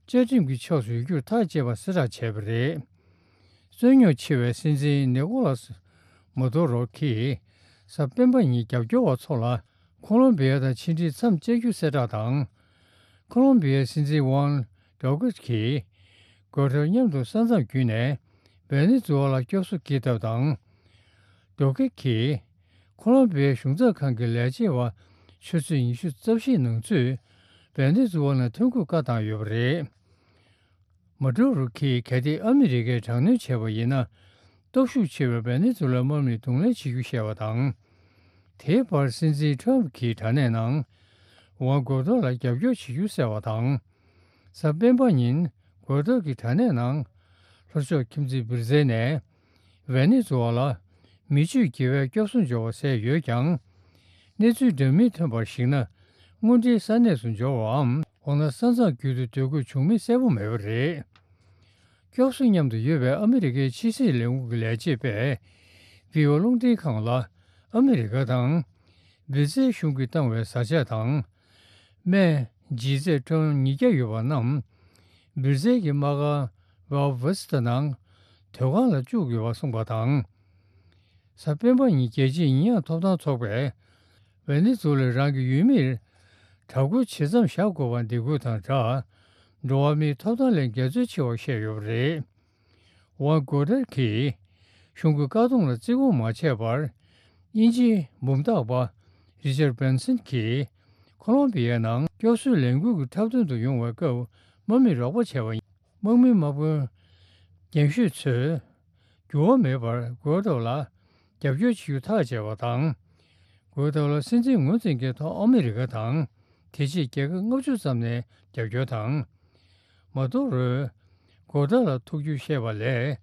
བཅའ་ཁྲིམས་ཀྱི་ཕྱོགས་སུ་ཡོད་རྒྱུར་ཐག་བཅད་པ་གསལ་བསྒྲགས་བྱས་པ་རེད། རྩོད་རྙོག་ཆེ་བའི་སྲིད་འཛིན་ནི་ཀོ་ལ་སི་མ་དུ་རོ་གིས་གཟའ་སྤེན་པ་ཉིན་རྒྱབ་སྐྱོར་བ་ཚོ་ལ་ཁོ་ལོམ་བི་ཡ་དང་ཕྱི་འབྲེལ་མཚམས་བཅད་རྒྱུ་གསལ་བསྒྲགས་དང་། ཁོ་ལོམ་བི་ཡའི་སྲིད་འཛིན་ཝང་ཌོ་ཀེ་གིས་གོ་ཊར་མཉམ་དུ་ས་མཚམས་བརྒྱུད་ནས་ཝེ་ནེ་ཛུ་ཝ་ལ་སྐྱོབ་གསོ་སྐྱེལ་ཐབས་དང་། ཌོ་ཀེ་གིས་ཁོ་ལོམ་བི་ཡའི་གཞུང་ཚབ་ཁང་གི་ལས་བྱེད་པ་ཆུ་ཚོད་ཉི་ཤུ་རྩ་བཞིའི་ནང་ཚུད་ཝེ་ནེ་ཛུ་ཝ་ནང་ཐོན་ཁུངས་བཀའ་བཏང་ཡོད་པ་རེད། མ་ཌུ་རོ་གིས་གལ་ཏེ་ཨ་མི་རི་ཀས་དྲག་གནོན་བྱས་པ་ཡིན་ན། སྟོབས་ཤུགས་ཆེ་བའི་ཝེ་ནེ་ཛུ་ལའི་དམག་མིས་གདོང་ལེན་བྱེད་རྒྱུ་བཤད་པ་དང་། དེའི་བར་སྲིད་འཛིན་ཁྲོམ་གྱིས་དྲ་གནས་ནང་ཝང་གོ་ཏོ་ལ་རྒྱབ་སྐྱོར་བྱེད་རྒྱུ་གསལ་བ་དང་། གཟའ་སྤེན་པ་ཉིན་གོ་ཏོ་གི་དྲ་གནས་ནང་ལྷོ་ཕྱོགས་ཁྱིམ་མཚེས་སྦིར་ཛེལ་ནས་ཝེ་ནེ་ཛུ་ཝ་ལ་མི་སྤྱོད་དགེ་བས་སྐྱོབ་གསོ་འབྱོར་བ་གསལ་ཡོད་ཀྱང་། གནས་ཚུལ་འདྲ་མིན་ཐོན་པར་གཞིགས་ན། དངོས་འབྲེལ་ས་གནས་སུ་འབྱོར་བའམ། འོ་ན་ས་མཚམས་བརྒྱུད་དུ་སྡོད་དགོས་བྱུང་མིན་གསལ་པོ་མེད་པ་རེད། སྐྱོབ་གསོ་མཉམ་དུ་ཡོད་པའི་ཨ་མི་རི་ཀའི་ཕྱི་སྲིད་ལས་ཁུངས་ཀྱི་ལས་བྱེད་པས་བྷི་ཨོ་རླུང་འཕྲིན་ཁང་ལ། ཨ་མི་རི་ཀ་དང་སྦིར་ཛེལ་གཞུང་གིས་བཏང་བའི་བཟའ་ཆས་དང་། སྨན་ལྗིད་ཚད་ཊོན་ཉིས་བརྒྱ་ཡོད་པ་རྣམས་སྦིར་ཛེལ་གྱི་དམག་སྒར་ཝལ་ཝེ་སི་ཏ་ནང་དོས་ཁང་ལ་བཅུག་ཡོད་པ་གསུངས་པ་དང་། གཟའ་སྤེན་པ་ཉིན་རྒྱལ་སྤྱིའི་ཉེས་ཡངས་ཐོབ་ཐང་ཚོགས་པས་ཝེ་ནེ་ཛུ་ལའི་རང་གི་ཡུལ་མིར་དྲག་རྒོལ་བྱེད་མཚམས་བཞག་དགོས་པར་འདེད་འགོད་དང་སྦྲགས། འགྲོ་བ་མིའི་ཐོབ་ཐང་ལས་འགལ་འཛོལ་ཆེ་བ་བཤད་ཡོད་པ་རེད། ཝང་གོ་ཏར་གྱིས་གཞུང་གི་བཀག་སྡོམ་ལ་བརྩི་བཀུར་མ་བྱས་པར། དབྱིན་ཇིའི་འབུམ་རྟགས་པ་རི་ཅར་སྦན་སན་གྱིས་ཁོ་ལོམ་བི་ཡའི་ནང་སྐྱོབ་གསོའི་ལས་འགུལ་གྱི་འཁྲབ་སྟོན་དུ་ཡོང་བའི་སྐབས་དམག་མིས་རོགས་པ་བྱས་པ་ཡིན། དམག་མིའི་དམག་དཔོན་རྒན་ཤོས་ཚོས་འགྱུར་བ་མེད་པར་གོ་ཏོ་ལ་རྒྱབ་སྐྱོར་བྱེད་རྒྱུ་ཐག་བཅད་པ་དང་། གོ་ཏོ་ལ་སྲིད་འཛིན་ངོས་འཛིན་མཁན་ཐོག་ཨ་མི་རི་ཀ་དང་། དེ་རྗེས་རྒྱལ་ཁབ་ལྔ་བཅུ་ཙམ་ནས་རྒྱབ་སྐྱོར་དང་། མ་དུ་རོས་གོ་ཏོ་ལ་ཐུག་རྒྱུ་བཤད་པ་ལས།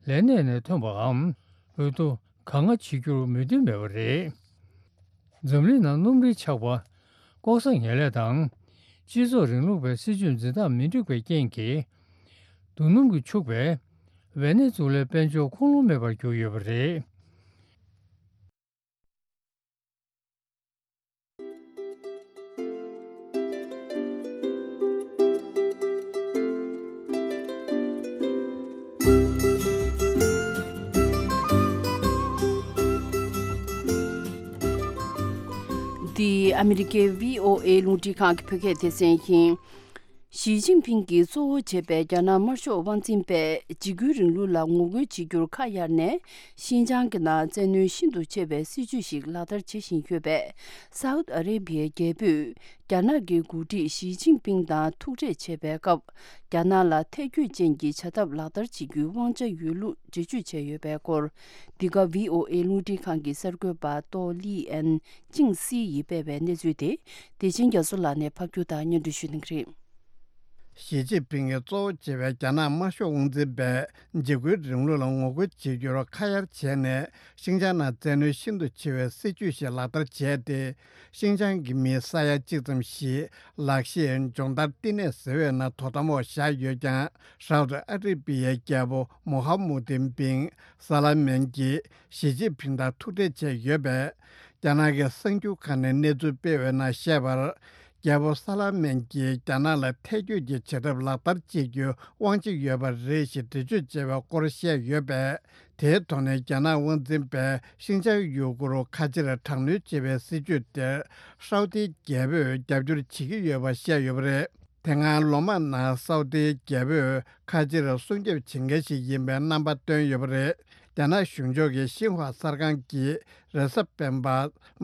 ལས་གནས་ནས་ཐོན་པའམ། འོས་བསྡུ་གང་ང་བྱེད་རྒྱུར་མོས་མཐུན་མེད་པ་རེད། འཛམ་གླིང་ནང་སྣུམ་རིན་ཆག་པ། ལྐོག་ཟ་ངན་ལས་དང་། སྤྱི་ཚོགས་རིང་ལུགས་པའི་སྲིད་ཇུས་འཛིན་སྟངས་མི་འགྲིག་པའི་རྐྱེན་གྱིས། རྡོ་སྣུམ་གྱིས་ཕྱུག་པའི་ཝེ་ནེ་ཛུ་ལའི་དཔལ་འབྱོར་ཁུངས་ལུང་མེད་པར་གྱུར་ཡོད་པ་རེད། འདི་ཨ་མི་རི་ཀའི་བྷི་ཨོ་ཨེ་རླུང་འཕྲིན་ཁང་གི་བོད་སྐད་སྡེ་ཚན་ཡིན། ཞི་ཅིན་ཕིང་གིས་གཙོ་བོ་བྱས་པའི་རྒྱ་ནག་དམར་ཤོག་དབང་འཛིན་པས་འཇིགས་སྐུལ་རིང་ལུགས་ལ་ངོ་རྒོལ་བྱེད་རྒྱུར་ཁ་གཡར་ནས། ཤིན་ཅང་གི་ནང་བཙན་གནོན་ཤིན་ཏུ་ཆེ་བའི་སྲིད་ཇུས་ཤིག་ལག་བསྟར་བྱེད་བཞིན་ཡོད་པས། སའུ་ཏི་ཨ་རེ་བྷི་ཡའི་རྒྱལ་པོས་རྒྱ་ནག་གི་འགོ་ཁྲིད་ཞི་ཅིན་ཕིང་དང་ཐུག་འཕྲད་བྱས་པའི་སྐབས། རྒྱ་ནག་ལ་ཐེ་བྱུས་ཅན་གྱི་བྱ་ཐབས་ལག་བསྟར་བྱེད་རྒྱུའི་དབང་ཆ་ཡོད་ལུགས་འགྲེལ་བརྗོད་བྱས་ཡོད་པའི་སྐོར། འདི་ག་བྷི་ཨོ་ཨེ་རླུང་འཕྲིན་ཁང་གི་གསར་འགོད་པ་ཏོ་ལི་ཨན་ཅིང་སི་ཡིས་སྤེལ་བའི་གནས་ཚུལ་དེ། བདེ་ཆེན་རྒྱ་མཚོ་ལགས་ནས་ཕབ་སྒྱུར་དང་སྙན་སྒྲོན་ཞུ་གནང་གི་རེད། ཞི་ཅིན་ཕིང་གིས་གཙོ་བོ་བྱས་པའི་རྒྱ་ནག་དམར་ཤོག་དབང་འཛིན་པས་འཇིགས་སྐུལ་རིང་ལུགས་ལ་ངོ་རྒོལ་བྱེད་རྒྱུར་ཁ་གཡར་བྱས་ནས། ཤིན་ཅང་ནང་བཙན་གནོན་ཤིན་ཏུ་ཆེ་བའི་སྲིད་ཇུས་ཤིག་ལག་བསྟར་བྱས་ཏེ། ཤིན་ཅང་གི་མི་ས་ཡ་གཅིག་ཙམ་ཞིག་ལག་ཤེས་སྦྱོང་བརྡར་བསྟི་གནས་ཟེར་བའི་ནང་དོ་དམ་འོག་བཞག་ཡོད་ཀྱང་། སའུ་ཏི་ཨ་རི་བི་ཡའི་རྒྱལ་པོ་མོ་ཧ་མུ་ཏིན་བིན་ས་ལ་མན་གྱིས་ཞི་ཅིན་ཕིང་དང་ཐུག་འཕྲད་བྱས་ཡོད་པས། རྒྱ་ནག་གི་གསར་འགྱུར་ཁང་ནས་གནས་ཚུལ་སྤེལ་བའི་ནང་བཤད་པར། རྒྱལ་པོ་ས་ལ་མན་གྱིས་རྒྱ་ནག་ལ་ཐེ་བྱུས་ཀྱི་བྱེད་ཐབས་ལག་བསྟར་བྱེད་རྒྱུའི་དབང་ཆ་ཡོད་པ་རེད་ཞེས་འགྲེལ་བརྗོད་བྱས་པའི་སྐོར་བཤད་ཡོད་པས། དེའི་ཐོག་ནས་རྒྱ་ནག་དབང་འཛིན་པས་ཤིན་ཅང་ཡུ་གུར་ཁ་ཆེར་དྲག་གནོན་བྱེད་པའི་སྲིད་ཇུས་དེར་སའུ་ཏིའི་རྒྱལ་པོས་རྒྱབ་སྐྱོར་བྱེད་ཀྱི་ཡོད་པ་བཤད་ཡོད་པ་རེད། དེ་སྔ་ལོ་མང་ནང་སའུ་ཏིའི་རྒྱལ་པོས་ཁ་ཆེར་སྲུང་སྐྱོབ་བྱེད་མཁན་ཞིག་ཡིན་པའི་རྣམ་པ་བཏོན་ཡོད་པ་རེད། རྒྱ་ནག་གཞུང་ཕྱོགས་ཀྱི་ཤིན་ཧྭ་གསར་ཁང་གིས་རེས་གཟའ་སྤེན་པ་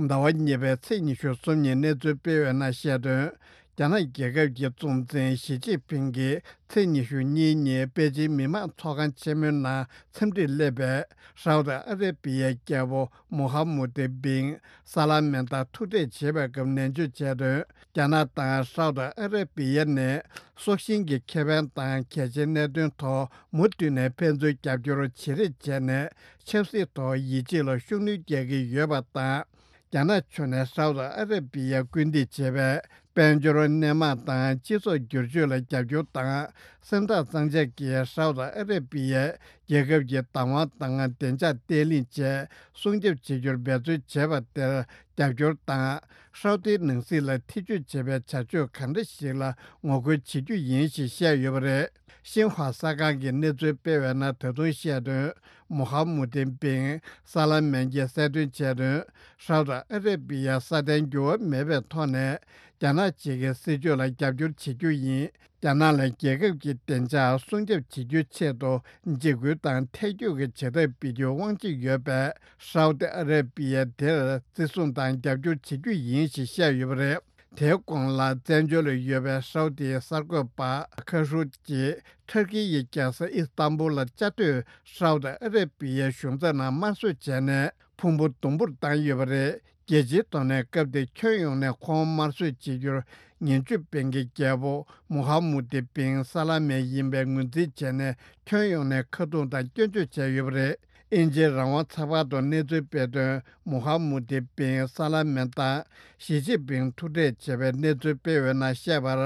ཟླ་བ་གཉིས་པའི་ཚེས་ཉི་ཤུ་གསུམ་ཉིན་གནས་ཚུལ་སྤེལ་བའི་ནང་བཤད་དོན། རྒྱ་ནག་རྒྱལ་ཁབ་ཀྱི་གཙོ་འཛིན་ཞི་ཅིན་ཕིང་གིས་ཚེས་ཉི་ཤུ་གཉིས་ཉིན་པེ་ཅིང་མི་དམངས་ཚོགས་ཁང་ཆེན་མོའི་ནང་འཚམས་འདྲིར་སླེབས་པའི་ཧྲའོ་ཏི་ཨ་རེ་བི་ཡའི་རྒྱལ་པོ་མུ་ཧམ་མུ་ཏི་བིན་ས་ལ་མན་དང་ཐུག་འཕྲད་བྱེད་པའི་སྐབས་ནན་བརྗོད་བྱས་དོན། རྒྱ་ནག་དང་ཧྲའོ་ཏི་ཨ་རེ་བི་ཡ་ནས་སྲོག་ཤིང་གི་ཁེ་ཕན་དང་གལ་ཆེའི་གནད་དོན་ཐོག་མུ་མཐུད་ནས་ཕན་ཚུན་རྒྱབ་སྐྱོར་བྱེད་རེས་བྱས་ནས་ཆབ་སྲིད་ཐོག་ཡིད་ཆེས་ལ་ཤུགས་སྣོན་རྒྱག་གི་ཡོད་པ་དང་། རྒྱ་ནག་ཕྱོགས་ནས་ཧྲའོ་ཏི་ཨ་རེ་བི་ཡར་སྐུལ་འདེད་བྱེད་པའི་དཔལ་འབྱོར་སྣེ་མང་དང་སྤྱི་ཚོགས་བསྒྱུར་བཅོས་ལ་རྒྱབ་སྐྱོར་དང་། སེམས་ཐག་གཙང་བཅད་ཀྱིས་ཧྲའོ་ཏི་ཨ་རེ་བི་ཡའི་རྒྱལ་ཁབ་ཀྱི་བདག་དབང་དང་བདེ་འཇགས་བརྟན་ལྷིང་བཅས་སྲུང་སྐྱོབ་བྱེད་རྒྱུར་འབད་བརྩོན་བྱས་པ་དེར་རྒྱབ་སྐྱོར་དང་། ཧྲའོ་ཏིའི་ནང་སྲིད་ལ་ཐེ་ཇུས་བྱེད་པའི་བྱ་སྤྱོད་གང་འདྲ་ཞིག་ལ་ངོ་རྒོལ་བྱེད་རྒྱུ་ཡིན་ཞེས་བཤད་ཡོད་པ་རེད། ཤིན་ཧྭ་གསར་ཁང་གིས་གནས་ཚུལ་སྤེལ་བའི་ནང་ད་དུང་བཤད་དོན། མུ་ཧམ་མུ་ཏིན་བིན་ས་ལ་མན་གྱིས་གསལ་སྟོན་བྱས་དོན། ཧྲའོ་ཏི་ཨ་རེ་བི་ཡ་སྲ་བརྟན་འགྱུར་བ་མེད་པའི་ཐོག་ནས་རྒྱ་ནག་གཅིག་གི་སྲིད་བྱུས་ལ་རྒྱབ་སྐྱོར་བྱེད་རྒྱུ་ཡིན། རྒྱ་ནག་ལ་རྒྱལ་ཁབ་ཀྱི་བདེ་འཇགས་སྲུང་སྐྱོབ་བྱེད་རྒྱུའི་ཆེད་དུ་འཇིགས་སྐུལ་དང་ཐལ་འགྱུར་གྱི་བྱེད་ཐབས་སྤེལ་རྒྱུའི་དབང་ཆ་ཡོད་པས། ཧྲའོ་ཏི་ཨ་རེ་བི་ཡ་དེར་བརྩི་སྲུང་དང་རྒྱབ་སྐྱོར་བྱེད་རྒྱུ་ཡིན་ཞེས་བཤད་ཡོད་པ་རེད། དེའི་གོང་ལ་བཙན་བྱོལ་ལ་ཡོད་པའི་ཧྲའོ་ཏིའི་གསར་འགོད་པ་ཁ་ཧྲུ་ཅིས་ཐུར་ཁེ་ཡི་རྒྱལ་ས་ཨི་སི་ཏམ་བུལ་ལ་བཅའ་སྡོད་ཧྲའོ་ཏི་ཨ་རེ་བི་ཡའི་གཞུང་ཚབ་ནང་དམར་གསོད་བྱས་ནས་ཕུང་པོ་དུམ་བུར་བཏང་ཡོད་པ་རེད། རྒྱལ་སྤྱིའི་ཐོག་ནས་སྐབས་དེར་ཁྱོན་ཡོངས་ནས་ཁོང་དམར་གསོད་བྱེད་རྒྱུར་ཉེན་བཅོལ་བན་གྱི་རྒྱལ་པོ་མུ་ཧམ་མུ་ཏི་བིན་ས་ལ་མན་ཡིན་པའི་ངོས་འཛིན་བྱས་ནས་ཁྱོན་ཡོངས་ནས་ཁ་རྡུང་དང་སྐྱོན་བརྗོད་བྱས་ཡོད་པ་རེད། དབྱིན་ཇིའི་རང་དབང་ཚགས་པར་དུ་གནས་ཚུལ་སྤེལ་དོན། མུ་ཧམ་མུ་ཏི་བིན་ས་ལ་མན་དང་ཞི་ཅིན་ཕིང་ཐུག་འཕྲད་བྱས་པའི་གནས་ཚུལ་སྤེལ་བའི་ནང་བཤད་པར།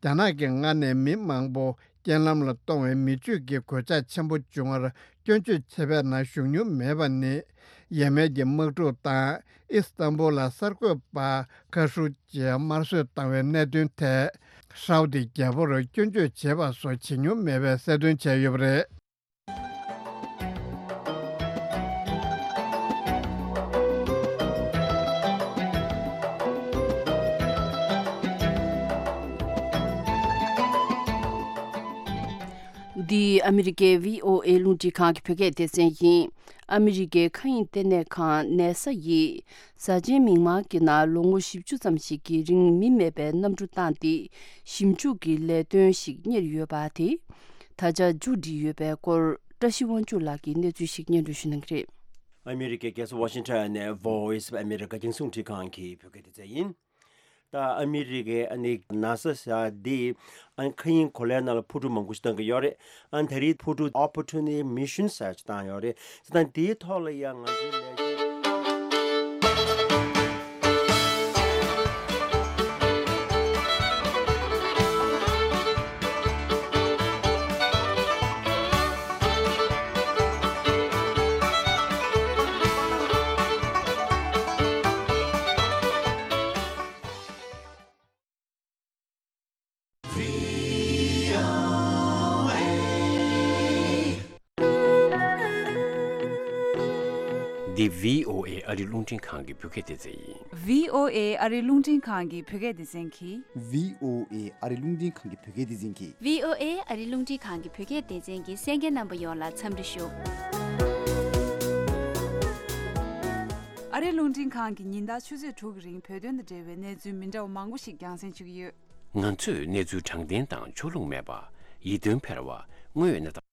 རྒྱ་ནག་གིས་སྔར་ནས་མི་མང་པོ་རྐྱེན་ལམ་ལ་གཏོང་བའི་མི་སྤྱོད་ཀྱི་གོད་ཆག་ཆེན་པོ་བྱུང་བར་སྐྱོན་བརྗོད་བྱས་པའི་ནང་ཞུགས་མྱོང་མེད་པ་ནི། ཡས་མས་ཀྱི་དམག་འཁྲུག་དང་ཨི་སི་ཏམ་བུལ་ལ་གསར་འགོད་པ་ཁ་ཧྲུ་ཅིས་དམར་གསོད་བཏང་བའི་གནད་དོན་ཐད་ཧྲའོ་ཏི་རྒྱལ་པོར་སྐྱོན་བརྗོད་བྱས་པ་སོགས་བྱེད་མྱོང་མེད་པའི་གསལ་སྟོན་བྱས་ཡོད་པ་རེད། འདི་ཨ་མི་རི་ཀའི་བྷི་ཨོ་ཨེ་རླུང་འཕྲིན་ཁང་གི་བོད་སྐད་སྡེ་ཚན་ཡིན། ཨ་མི་རི་ཀའི་མཁའ་དབྱིངས་ལྟེ་གནས་ཁང་ནེ་ས་ཡིས། གཟའ་ཆེན་མིག་དམར་གྱི་ནང་ལོ་ངོ་བཞི་བཅུ་ཙམ་ཞིག་གི་རིང་མི་མེད་པའི་གནམ་གྲུ་བཏང་སྟེ་ཞིབ་འཇུག་གི་ལས་དོན་ཞིག་གཉེར་ཡོད་པ་དེ་ད་ཆ་མཇུག་སྒྲིལ་ཡོད་པའི་སྐོར་བཀྲ་ཤིས་དབང་ཕྱུག་ལགས་ཀྱིས་གནས་ཚུལ་ཞིག་སྙན་སྒྲོན་ཞུ་གནང་གི་རེད། ཨ་མི་རི་ཀའི་རྒྱལ་ས་ཝ་ཤིང་ཊོན་ནས་Voice of America རྒྱང་སྲིང་རླུང་འཕྲིན་ཁང་གི་བོད་སྐད་སྡེ་ཚན་ཡིན། ད་ཨ་མི་རི་ཀའི་ཨ་ནི་ནཱ་ས་ཟེར་ཡ་འདི་ཨ་མཁའ་དབྱིངས་གོ་ལའི་ནང་ལ་འཕུར་གྲུ་མང་པོ་ཞིག་བཏང་གི་ཡོད་རེད། ཨ་ནི་ད་རེས་འཕུར་གྲུ་Opportunity Mission ཟེར་ཡ་ཅིག་བཏང་ཡོད་རེད། ད་འདིའི་ཐོག་ལ་ཡང་ང་ཚོའི་ལས་བྱེད། འདི་བྷི་ཨོ་ཨེ་ཨ་རི་རླུང་འཕྲིན་ཁང་གི་བོད་སྐད་སྡེ་ཚན་ཡིན། བྷི་ཨོ་ཨེ་ཨ་རི་རླུང་འཕྲིན་ཁང་གི་བོད་སྐད་སྡེ་ཚན་གྱིས། བྷི་ཨོ་ཨེ་ཨ་རི་རླུང་འཕྲིན་ཁང་གི་བོད་སྐད་སྡེ་ཚན་གྱིས། བྷི་ཨོ་ཨེ་ཨ་རི་རླུང་འཕྲིན་ཁང་གི་བོད་སྐད་སྡེ་ཚན་གྱི་གསན་མཁན་རྣམ་པ་ཡོངས་ལ་འཚམས་འདྲི་ཞུ། ཨ་རི་རླུང་འཕྲིན་ཁང་གིས་ཉིན་ལྟར་ཆུ་ཚོད་དྲུག་གི་རིང་བོད་དོན་དང་འབྲེལ་བའི་གནས་ཚུལ་མི་འདྲ་བ་མང་པོ་ཞིག་རྒྱང་སྲིང་ཞུ་གི་ཡོད། ང་ཚོས་གནས་ཚུལ་དྲང་བདེན་དང་ཕྱོགས་ལྷུང་མེད་པ། ཡིད་རྟོན་འཕེར་བ། དངོས་ཡོད་གནས་སྟངས།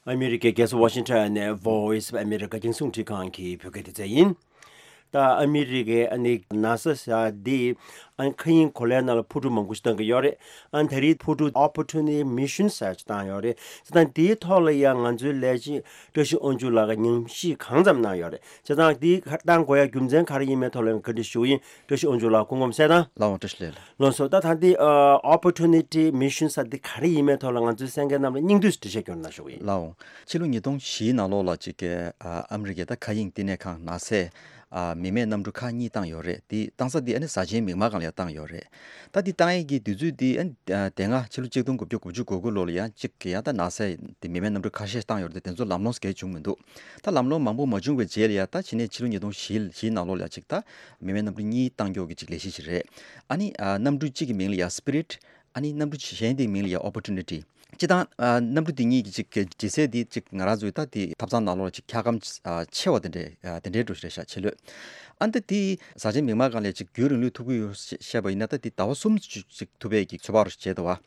ཨ་མི་རི་ཀའི་རྒྱལ་ས་ཝ་ཤིང་ཊོན་ནས་Voice of America རྒྱང་སྲིང་རླུང་འཕྲིན་ཁང་གི་བོད་སྐད་སྡེ་ཚན་ཡིན། ད་ཨ་མི་རི་ཀའི་ཨ་ནི་ནཱ་ས་ཟེར་ཡ་འདི་ཨ་མཁའ་དབྱིངས་གོ་ལའི་ནང་ལ་འཕུར་གྲུ་མང་པོ་ཞིག་བཏང་གི་ཡོད་རེད། ཨ་ནི་ད་རེས་འཕུར་གྲུ་Opportunity Mission ཟེར་ཡ་ཅིག་བཏང་ཡོད་རེད། ད་འདིའི་ཐོག་ལ་ཡང་ང་ཚོའི་ལས་བྱེད་བཀྲ་ཤིས་དབང་ཕྱུག་ལགས་ཀྱིས་ཉམས་ཞིབ་གང་ཙམ་གནང་ཡོད་རེད། བྱས་ཙང་འདི་ག་བཏང་དགོས་ཡ་རྒྱུ་མཚན་ག་རེ་ཡིན་མིན་ཐོག་ལ་ཡང་བཀའ་འདྲི་ཞུ་གི་ཡིན། བཀྲ་ཤིས་དབང་ཕྱུག་ལགས་སྐུ་ཁམས་བཟང་དང་། ལགས་འོང་། བཀྲ་ཤིས་བདེ་ལེགས། ལགས་སོ། ད་ད་འདི་ཨ་Opportunity Mission ཟེར་འདི་ག་རེ་ཡིན་མིན་ཐོག་ལ་ང་ཚོའི་གསན་མཁན་རྣམས་ལ་སྙིང་བསྡུས་འགྲེལ་བཤད་སྐྱོན་གནང་ཞུ་གི་ཡིན། ལགས་འོང་། ཕྱི་ལོ་ཉིས་སྟོང་བཞིའི་ནང་ལོགས་ལ་ཅིག་གི་ཨ་ཨ་མི་རི་ཀའི་ད་མཁའ་དབྱིངས་བསྟི་གནས་ཁང་ནཱ་སས་ཨ་མི་མེད་གནམ་གྲུ་ཁག་གཉིས་བཏང་ཡོད་རེད། དེ་བཏང་ས་དེ་ཨ་ནི་གཟའ་ཆེན་མིག་དམར་སྒང་ལ་ཡ་བཏང་ཡོད་རེད། ད་འདི་བཏང་ཡས་ཀྱི་དུས་ཚོད་འདི་ཨ་ནི་ཨ་དེ་སྔ་ཕྱི་ལོ་ཆིག་སྟོང་དགུ་བརྒྱ་དགུ་བཅུ་གོ་དགུ་ལོ་ལ་ཡ་གཅིག་གི་ཡ་ད་ནཱ་སས་དེ་མི་མེད་གནམ་གྲུ་ཁ་ཤས་བཏང་ཡོད་རེད། དེ་ཚོ་ལམ་ལྷོང་གང་ཡང་བྱུང་མི་འདུག་ད་ལམ་ལྷོང་མང་པོ་མ་བྱུང་བའི་རྗེས་ལ་ཡ་ད་ཕྱི་ནས་ཕྱི་ལོ་ཉིས་སྟོང་བཞི་བཞིའི་ནང་ལོགས་ལ་ཡ་གཅིག་ད་མི་མེད་གནམ་གྲུ་གཉིས་བཏང་ཀྱོག་གི་གཅིག་ལས་གཞི་ཞིག་རེད། ཨ་ནི་ཨ་གནམ་གྲུ་གཅིག་གི་མིང་ལ་ཡ་Spirit། ཨ་ནི་གནམ་གྲུ་གཞན་དེའི་མིང་ལ་ཡ་Opportunity། སྤྱིར་བཏང་ཨ་གནམ་གྲུ་འདི་གཉིས་ཀྱི་ཅིག་ལྗིད་ཚད་འདི་ཅིག་ང་རང་ཚོའི་ད་དེ་ཐབ་ཚང་ནང་ལོགས་ལ་ཅིག་འཁྱག་སྒམ་ཨ་ཆེ་བ་དེ་འདྲའི་ཨ་དེ་འདྲའི་འདྲ་རེད་ཤག་ཆེ་ལོས། ཨ་ནི་ད་དེ་ཟ་ཆེན་མིག་དམར་སྒང་ལ་ཅིག་རྒྱུན་རིང་ལུས་ཐུབ་ཀྱི་ཡོད་བཤད་པ་ཡིན་ན། ད་དེ་ཟླ་བ་གསུམ་ཅིག་ཐུབ་པའི་གི་ཚོད་དཔག་རུ་བྱས་འདུག་བ།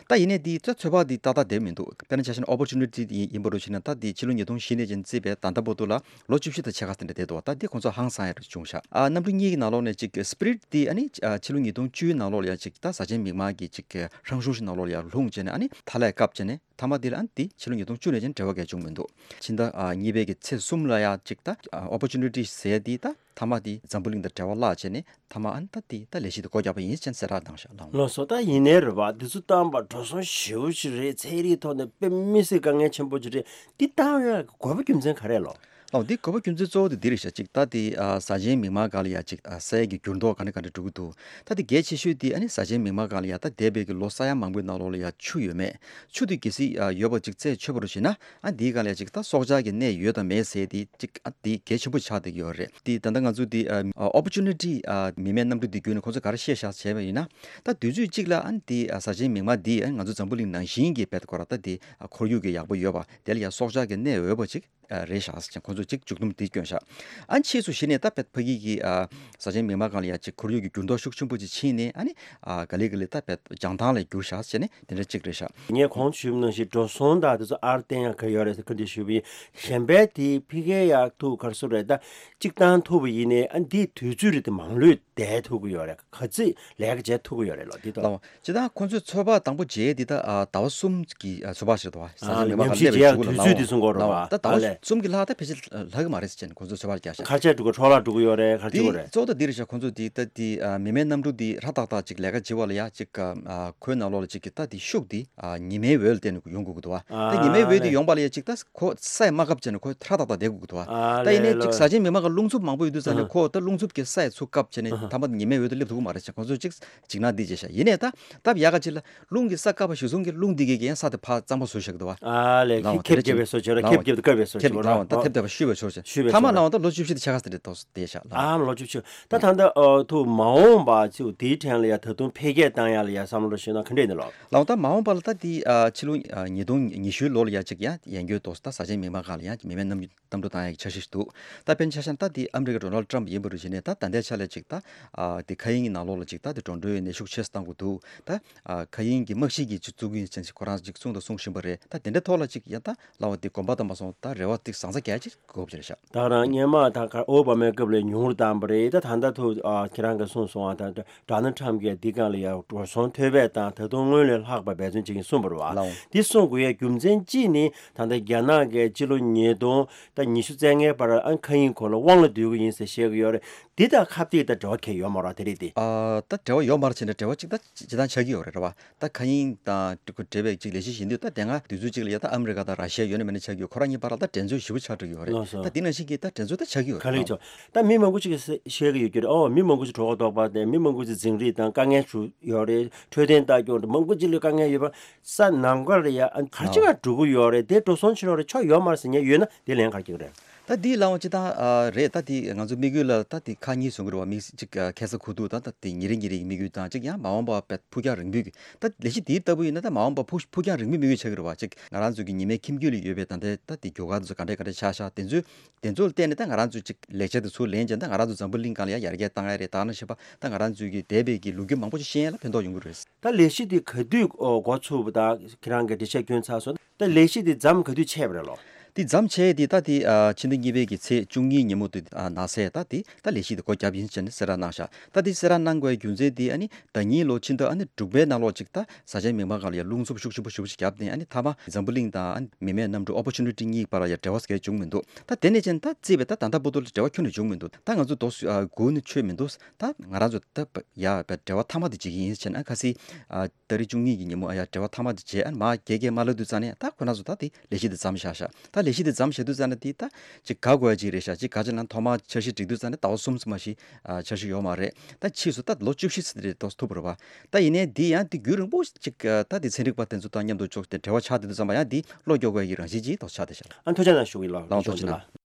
ད་ཡིན་ནའི་དེ་ད་ཚོད་དཔག་དེ་ཏག་ཏག་བསྡད་མི་འདུག་དཔེར་ན་ཆ་བཞག་ན་ཨོ་པོར་ཅུ་ནི་ཊི་དེ་ཡིན་པ་རུ་བྱས་ན། ད་དེ་ཕྱི་ལོ་ཉིས་སྟོང་བཞི་ནས་ཅིག་བརྩིས་པའི་ད་ལྟ་བར་དུ་ལ་ལོ་བཅུ་བཞི་དང་ཕྱེད་ཀ་དེ་འདྲ་བསྡད་འདུག་བ། ད་འདི་ཁོང་ཚོ་ཧང་སང་ཡ་རུ་བྱུང་ཤག་ཨ་གནམ་གྲུ་གཉིས་ཀྱི་ནང་ལོགས་ནས་ཅིག་སི་པི་རིཊ་འདི་ཨ་ནི་ཨ་ཕྱི་ལོ་ཉིས་སྟོང་བཅུའི་ནང་ལོགས་ལ་ཡ་ཅིག་ད་ཟ་ཆེན་མིག་དམར་གྱི་ཅིག་ཧྲང་ཧྲུང་ཞིག་ནང་ལོགས་ལ་ཡ་ལྷུང་བྱས་ནས་ཨ་ནི་མཐའ་ཀླས་བཀབ་བྱས་ནས་མཐའ་མ་འདི་ལ་ཨ་ནི་འདི་ཕྱི་ལོ་ཉིས་སྟོང་བཅུ་ནས་ཅིག་འབྲེལ་བ་གང་ཡང་བྱུང་མི་འདུག་ཕྱི་ཟླ་ཨ་གཉིས་པའི་གི་ཚེས་གསུམ་ལ་ཡ་ཅིག་ད་ཨ་ཨོ་པོར་ཅུ་ནི་ཊི་ཟེར་ཡ་འདི་ད་མཐའ་མ་འདི་འཛམ་བུ་གླིང་དང་འབྲེལ་བ་བརླག་བྱས་ནས་མཐའ་མ་ཨ་ནི་ད་འདི་ད་ལས་གཞི་འདི་སྒོ་བརྒྱབ་པ་ཡིན་ཅེས་གསལ་བསྒྲགས་གནང་ཤག་ལགས། ལགས་སོ། ད་ཡིན་ནའི་རེད་པ། འདི་ཚོ་བཏང་པ་འགྲོ་སོང་ཞེ་པོ་ཅིག་རེད། ཚན་རིག་ཐོག་ནས་དཔེ་མི་སྲིད་དཀའ་ངལ་ཆེན་པོ་ཅིག་རེད། འདི་བཏང་ཡ་དགོས་པ་རྒྱུ་མཚན་ག་རེ་ལོ། ལགས། འདི་དགོས་པ་རྒྱུ་མཚན་གཙོ་བོ་དེ་འདི་རེད་ཤག་ཅིག་ད་དེ་ཨ་ཟ་ཆེན་མིག་དམར་སྒང་ལ་ཡ་ཅིག་ཨ་ས་ཡ་གི་འགྱུར་ལྡོག་ག་འདྲ་ག་འདྲ་འགྲོ་གི་འདུག་ད་དེ་གལ་ཆེ་ཤོས་དེ་ཨ་ནི་ཟ་ཆེན་མིག་དམར་སྒང་ལ་ཡ་ད་འདས་པའི་གི་ལོ་ས་ཡ་མང་པོའི་ནང་ལོགས་ལ་ཡ་ཆུ་ཡོད་མེད། ཆུ་དེ་གལ་སྲིད་ཨ་ཡོད་པ་ཅིག་རྩད་ཆོད་པ་རུ་བྱས་ན། ཨ་འདིའི་སྒང་ལ་ཡ་ཅིག་ད་སྲོག་ཆགས་ཀྱི་གནས་ཡོད་དང་མེད་ཟེར་དེ་ཅིག་ཨ་དེ་གལ་ཆེན་པོ་ཆགས་བསྡད་ཀྱི་ཡོད་རེད། དེ་ད་ལྟ་ང་ཚོ་དེ་ཨ་ཨོ་པོར་ཅུ་ནི་ཊི་ཨ་མི་མེད་གནམ་གྲུ་དེ་བརྒྱུད་ནས་ཁོང་ཚོས་ག་རེ་བཤད་ཤག་བྱས་པ་ཡིན་ན། ད་དུས་ཚོད་གཅིག་ལ་ཨ་ནི་དེ་ཨ་ཟ་ཆེན་མིག་དམར་འདི་ཨ་ང་ཚོ་འཛམ་བུ་གླིང་ནང་བཞིན་གྱི་དཔེ་ཁོ་ར་ད་དེ་ཨ་ཁོར་ཡུག་གི་ཡག་པོ་ཡོད་པ་དེ་ལ་ཡ་སྲོག་ཆགས་ཀྱི་གནས་འོས་པ་ཅིག་ཨ་རེད་ཤག་ཟེར་ཁོང་ཚོས་ཅིག་མཇུག་སྡོམ་དེ་བསྐྱོན་ཤག་ཨ་ཕྱིས་སུ་གཞི་ནས་ད་དཔེ་ཕ་གི་གི་ཨ་ཟ་ཆེན་མིག་དམར་སྒང་ལ་ཡ་ཅིག་ཁོར་ཡུག་གི་འགྱུར་ལྡོག་ཤུགས་ཆེན་པོ་ཅིག་ཕྱིན་ནས། ཨ་ནི་ཨ་ག་ལེ་ག་ལེ་ད་དཔེ་རྒྱང་ཐང་ལ་འགྱུར་ཤག་ཟེར་ནས་དེ་འདྲ་ཅིག་རེད་ཤག་ངས་གོང་དུ་ཞུས་པ་ནང་བཞིན་འགྲོ་སོང་དང་དེ་ཚོ་ཨར་བརྟན་ཡག་ག་ཡོད་རེད་ཟེར་ཁ་འདྲི་ཞུས་པ་ཡིན། གཞན་པའི་དེ་ཕ་གིའི་ཡག་ཐུག་ག་རེ་ཟེར་རེད། ད་གཅིག་བཏང་ཐུབ་པ་ཡིན་ནའི་ཨ་འདིའི་དུས་ཚོད་རེད་དེ་མང་ལོས་བསྡད་ཐུབ་ཀྱི་ཡོད་རེད། ག་ཚོད་ལས་ཀ་བྱེད་ཐུབ་ཀྱི་ཡོད་རེད་ལོ། འདི་ཐོག་ལགས། སྤྱིར་བཏང་ཁོང་ཚོས་ཚོད་དཔག་དང་པོ་བྱས་འདི་ད་ཨ་ཟླ་བ་གསུམ་གྱི་ཨ་ཚོད་དཔག་ཞིག་རེད་འདུག་བ། ཟ་ཨ་ཆེན་མིག་དམར་ཉམས་ཞིབ་བྱེད་ཡག་གི་དུས་ཚོད་འདི་གསུང་གི་ཡོད་རེད་བ། ད་ལྟ་ལོ་ཨ་ལས། གསུམ་གྱི་ལྷག་ད་ཕལ་ཆེར་ལྷག་གི་མ་རེད་ཟེར་བྱས་ནས་ཁོང་ཚོས་ཚོད་དཔག་བརྒྱབ་ཤག་གར་ཆས་འགྲོ་གི་འཕྲོ་བརླག་འགྲོ་གི་ཡོད་རེད། ག་རེ་བྱེད་དགོས་རེད། གཙོ་བོ་ད་འདི་རེད་ཤག་ཁོང་ཚོས་འདི་ད་འདི་ཨ་མི་མེད་གནམ་གྲུ་འདི་ཧྲ་ཏག་ཏག་ཅིག་ལས་ཀ་བྱེད་པ་ལ་ཡ་ཅིག་ཨ་ཁོའི་ནང་ལོགས་ལ་ཅིག་གི་ད་འདི་ཤུགས་འདི་ཨ་ཉི་མའི་འོད་ལ་བརྟེན་ནས་ཡོང་དགོས་ཀྱི་འདུག་བ། ད་ཨ་ཉི་མའི་འོད་འདི་ལས། ཡོང་པ་ལ་ཡ་ཅིག་ད་ཁོ་ས་ཡ་མ་བཀབ་བྱས་ནས་ཁོ་ཧྲ་ཏག་ཏག་བསྡད་དགོས་ཀྱི་འདུག་བ། ཨ་ད་ཡིན་ནའི་ལས་ཅིག་ལོ། ཟ་ཆེན་མིག་དམར་སྒང་རླུང་འཚུབ་མང་པོ་ཡོད་དུས་ཙང་ནས། ཨ་ཁོ་ད་རླུང་འཚུབ་ཀྱི་ས་ཡ་ཚུར་བཀབ་བྱས་ནས་ཨ་ད་མ་ཉི་མའི་འོད་དུ་སླེབས་ཐུབ་ཀྱི་མ་རེད་ཟེར་ཁོང་ཚོས་ཅིག་འཇིགས་སྣང་འདི་བྱས་ཤག་ཡིན་ནའི་ད་སྟབས་ཡག་ག་ཅིག་ལ། རླུང་གི་ས་བཀབ་པ་གཞིར་བཟུང་གི་རླུང་འདི་གིས་ཀྱང་ས་དེ་ཕར་གཙང་མ་བཟོས་བཞག་འདུག་བ། ཨ་ལས། ལའོ་ཁེབས་ཁེབས་རྒྱབ་པའི་བཟོ་བྱས་རོགས། ཁེབས་ཁེབས་ཏེ་བཀབ་པའི་བཟོ་བྱས་རོགས། ལའོ་ད་ཐེབས་ཐེབས་པ་བཤུས་པའི་བཟོ་བྱས། བཤུས་པའི་མཐའ་མ་བཟོ་ལའོ་ད་ལོ་བཅུ་བཞི་དང་ཕྱེད་ཀ་ཙམ་རེ་ཐོག་བསྡད་ཤག་ལའོ། ཨ་ལོ་བཅུ་བཞི། ད་ད་ལྟ་ཨ་ཐུག་མ་འོངས་པ་ཚོ་དེའི་ཕྲན་ལ་ཡ་ད་དུང་འཕེལ་རྒྱས་བཏང་ཡ་ལ་ཡ་བསམ་བློ་ཞིག་ན་ག་འདྲས་ནི་ལོ། ལའོ་ད་མ་འོངས་པ་ལ་ད་དེ་ཨ་ཕྱི་ལོ་ཨ་ཉིས་སྟོང་ཉི་ཤུའི་ལོ་ལ་ཡ་ཅིག་ཡ་ཡན་གྱོད་དོ་ད་ཟ་ཆེན་མིག་དམར་སྒང་ལ་ཡ་མི་མེད་གནམ་གནམ་གྲུ་བཏང་ཡག་གི་འཆར་གཞི་ཞིག་འདུག་ད་དཔེར་ན་ཆ་བཞག་ན་ད་དེ་ཨ་མི་རི་ཀ་ཌོ་ནལ་ཊམ་ཡིན་པ་རུ་བྱས་ནས་ད་ད་ལྟའི་ཆ་ལ་ཅིག་ད་ཨ་དེ་མཁའ་དབྱིངས་ནང་ལོགས་ལ་ཅིག་ད་དེ་འགྲོ་གྲོན་ཡོད་ནས་ཤུགས་ཆེ་ཙམ་བཏང་དགོས་འདུག་ད་ཨ་མཁའ་དབྱིངས་ཀྱི་དམག་ཤིང་གི་ཅིག་བཙུགས་ཀྱི་ཡིན་ཟེར་ཁོ་རང་ཅིག་གསུངས་དང་གསུང་བཞིན་པ་རེད། ད་དེ་འདྲའི་ཐོག་ལ་ཅིག་ཡང་ད་ལའོ་དེ་གོམ་པ་དང་མ་སོང་ད་རེ་བ་དེ་བཟང་ས་གལ་ཆེ་དགོས་པ་རེད་ཤག་ད་རང་སྔོན་མ་ད་ག་ཨོ་བྷ་མའི་སྐབས་ལ་ཉུང་རུ་བཏང་པ་རེད། ད་ད་ལྟ་ཐུག་ཨ་ཁྱེད་རང་གིས་གསུངས་སོང་ཨ། ད་ཌོ་ནལ་ཊམ་གྱིས་འདི་སྒང་ལ་ཡ་འགྲོ་སོང་ཐོལ་པ་དང་ད་དུང་སྔོན་ལས་ལྷག་པ་འབད་བརྩོན་བྱེད་ཀྱིན་གསུངས་པ་རེད་བ། ལའོ། འདི་གསུང་དགོས་ཡ་རྒྱུ་མཚན་གཅིག་ནི་ད་ལྟ་རྒྱ་ནག་གིས་སྤྱི་ལོ་ཉིས་སྟོང་ད་ཉི་ཤུ་རྩ་ལྔའི་བར་ཨ་མཁའ་དབྱིངས་སྐོར་ལ་དབང་ལ་སྡུད་ཀྱི་ཡིན་ཟེར་བཤད་ཀྱི་ཡོད་རེད། འདི་དང་ཁ་གཏད་དང་འབྲེལ་བ་གང་ཡང་ཡོད་མ་རེད་བ། དེ་རིགས་དེ། ཨ་ད་འབྲེལ་བ་ཡོད་མ་རེད་ཟེར་ན་འབྲེལ་བ་གཅིག་ད་སྤྱིར་བཏང་ཆགས་ཀྱི་ཡོད་རེད་བ། ད་མཁའ་དབྱིངས་དང་འབྲེལ་བའི་ཅིག་ལས་གཞི་ཡིན་དུས་ད་དེ་སྔ་དུས་ཚོད་ཅིག་ལ་ཡ་ད་ཨ་མི་རི་ཀ་དང་ར་ཤི་ཡ་ཡོད་ན་མེད་ན་ཆགས་ཀྱི་ཡོད། ཁོ་རང་གཉིས་བར་ལ་ད་འགྲན་རྩོད་ཞེ་པོ་ཆགས་འགྲོ་གི་ཡོད་རེད། ལགས་སོ། ད་འདི་ནང་བཞིན་གྱི་ད་འགྲན་རྩོད་ད་ཆགས་ཀྱི་ཡོད་ག་རེད། ལེགས་ཆོག་ད་མི་མང་པོ་ཅིག་གིས་བཤད་ཀྱི་ཡོད་རྒྱུ་རེད། ཨོ་མི་མང་པོ་ཅིག་གྲོད་ཁོག་ལྟོགས་པ་དང་མི་མང་པོ་ཅིག་འཛིང་རེས་དང་དཀའ་ངལ་ཞིག་ཡོད་རེད། འཕྲོད་བསྟེན་ལྟ་སྐྱོང་དང་མང་པོ་ཅིག་ལ་དཀའ་ངལ་ཡོད་པ། ས་ནམ་མཁའ་ལ་ཡ་ཨ་ག་རེ་བྱེད་ག་འགྲོ་གི་ཡོད་རེད། དེ་འགྲོ་སོང་ཕྱིར་རོགས་རེད། ཆོ་ཡོད་མ་རེད་ཟེར་མཁན་ཡོད་ན་དེ་ལན་ག་རེ་རྒྱག་གི་རེད། ད་འདི་ལའོ་སྤྱིར་བཏང་ཨ་རེད། ད་འདི་ང་ཚོ་དམིགས་ཡུལ་ལ་ད་འདི་ཁག་གཉིས་བཟོ་གི་རེད་བ། མི་གཅིག་ཨ་ཁ་ས་ཁུ་ཐུག་ད་ད་འདི་ཉིན་རེ་ཉིན་རེ་གི་དམིགས་ཡུལ་དང་གཅིག་ཡང་མ་འོངས་པ་ཕུགས་རྒྱང་རིང་པོའི་གི་ད་ལས་གཞི་འདིའི་ལྟ་བུ་ཡིན་ན་ད་མ་འོངས་པ་ཕུགས་ཕུགས་རྒྱང་རིང་པོའི་དམིགས་ཡུལ་ཆགས་ཀྱི་རེད་བ། གཅིག་ང་རང་ཚོ་གི་ཉི་མའི་ཁྱིམ་རྒྱུད་ལ་ཡོད་པའི་ད་ལྟའི་ད་འདི་རྒྱུ་སྐར་དེ་ཚོ་ག་འདྲས་ག་འདྲས་ཆགས་ཤག་དེ་ཚོའི་དེ་ཚོ་ལ་བརྟེན་ནས་ད་ང་རང་ཚོ་གཅིག་ལེགས་ཆ་དེ་ཚུར་ལེན་བྱས་ད་ང་རང་ཚོ་འཛམ་བུ་གླིང་སྒང་ལ་ཡ་ཡར་རྒྱས་བཏང་ཡ་རེད། ད་ནང་བཞིན་པ་ད་ང་རང་ཚོའི་གི་འདས་པའི་གི་ལོ་རྒྱུས་མང་པོ་ཅིག་ཤེས་ཡ་ལ་ཕན་ཐོགས་ཡོང་གི་རེད། ད་ལས་གཞི་འདི་ག་དུས་འགོ་ཚུགས་པ་དང་ཁྱེད་རང་གི་འགྲེལ་བཤད་སྐྱོན་ཚར་སོང་། ད་ལས་གཞི་འདི་མཚམས་ག་དུས་ཆད་པ་རེད་ལོ། འདི་མཚམས་ཆད་དེ་ད་དེ་ཨ་ཕྱི་ཟླ་གཉིས་པའི་གི་ཚེས་བཅུ་གཉིས་ཉིན་མོ་དེ་ཨ་ནང་གསལ་ད་དེ་ད་ལས་གཞི་དེ་སྒོ་བརྒྱབ་ཡིན་ཟེར་ནས་གསལ་བསྒྲགས་གནང་ཤག་ད་དེ་གསལ་བསྒྲགས་གནང་དགོས་པའི་རྒྱུ་མཚན་དེ་ཨ་ནི་ཟླ་ཉིན་ལོ་ཕྱི་ཟླ་ཨ་ནི་དྲུག་པའི་ནང་ལོགས་ཅིག་ད་ཟ་ཆེན་མིག་དམར་སྒང་ལ་ཡ་རླུང་འཚུབ་ཤུགས་ཆེན་པོ་ཞེ་པོ་ཞིག་བརྒྱབ་ནས་ཨ་ནི་མཐའ་མ་འཛམ་བུ་གླིང་དང་ཨ་ནི་མི་མེད་གནམ་གྲུ་ཨོ་པོར་ཅུ་ནི་ཊི་གཉིས་བར་ལ་ཡ་འབྲེལ་བ་གང་ཡང་བྱུང་མི་འདུག་ད་དེ་ནས་ཅན་ད་རྩིས་པའི་ད་ད་ལྟ་བར་དུ་ལ་འབྲེལ་བ་ཁྱོན་ནས་བྱུང་མི་འདུག་ད་ང་ཚོ་དོ་སུ་ཨ་སྒུག་ནས་ཆོད་མི་འདུག་ད་ང་རང་ཚོ་ད་ཡ་འབྲེལ་བ་མཐའ་མ་དེ་བྱེད་ཀྱི་ཡིན་ཟེར་ནས་ཨ་ཁ་སི་ཨ། ཏ་རིག་བཅུ་གཉིས་ཀྱི་ཉིན་མོ་ཨ་ཡ་འབྲེལ་བ་མཐའ་མ་དེ་བྱས། ཨ་ནི་མར་རྒྱལ་རྒྱལ་མ་ལབ་དུས་ཙང་ནས་ད་ཁོ་རང་ཚོ་ད་དེ་ལས་གཞི་དེ་མཚམས་བཞག་ཤག་ད་ལས་གཞི་དེ་མཚམས་བཞག་དུས་ཙང་ནས་དེ་ད་ཅིག་དགའ་དགོས་ཡ་ཅིག་རེད་ཤག་ཅིག་ག་ཅི་ལབ་ན་ཐོག་མར་འཆར་གཞི་སྒྲིག་དུས་ཙང་ནས་ཟླ་བ་གསུམ་ཙམ་མ་ཞིག་ཨ་འཆར་གཞི་ཡོད་མ་རེད། ད་ཕྱིས་སུ་ད་ལོ་བཅུ་བཞི་ཙམ་རེ་ཏོག་ཙམ་ཐུབ་པ་རེད་པ། ད་ཡིན་ནའི་འདི་ཡང་དེ་རྒྱུན་རིང་པོ་ཅིག་ཨ་ད་དེ་ཚན་རིག་པ་དེ་ཚོ་དང་མཉམ་དུ་ཕྱོགས་དེ་འབྲེལ་བ་ཆགས་བསྡད་དུས་ཙམ་པ་ཡང་དེ་བློ་སྐྱོ་དགོས་ཡ་གི་རང་བཞིན་ཅིག་ཏོག་ཙམ་ཆགས་བསྡད་ཤག་ལགས་འོང་ཐུགས་རྗེ་གནང་།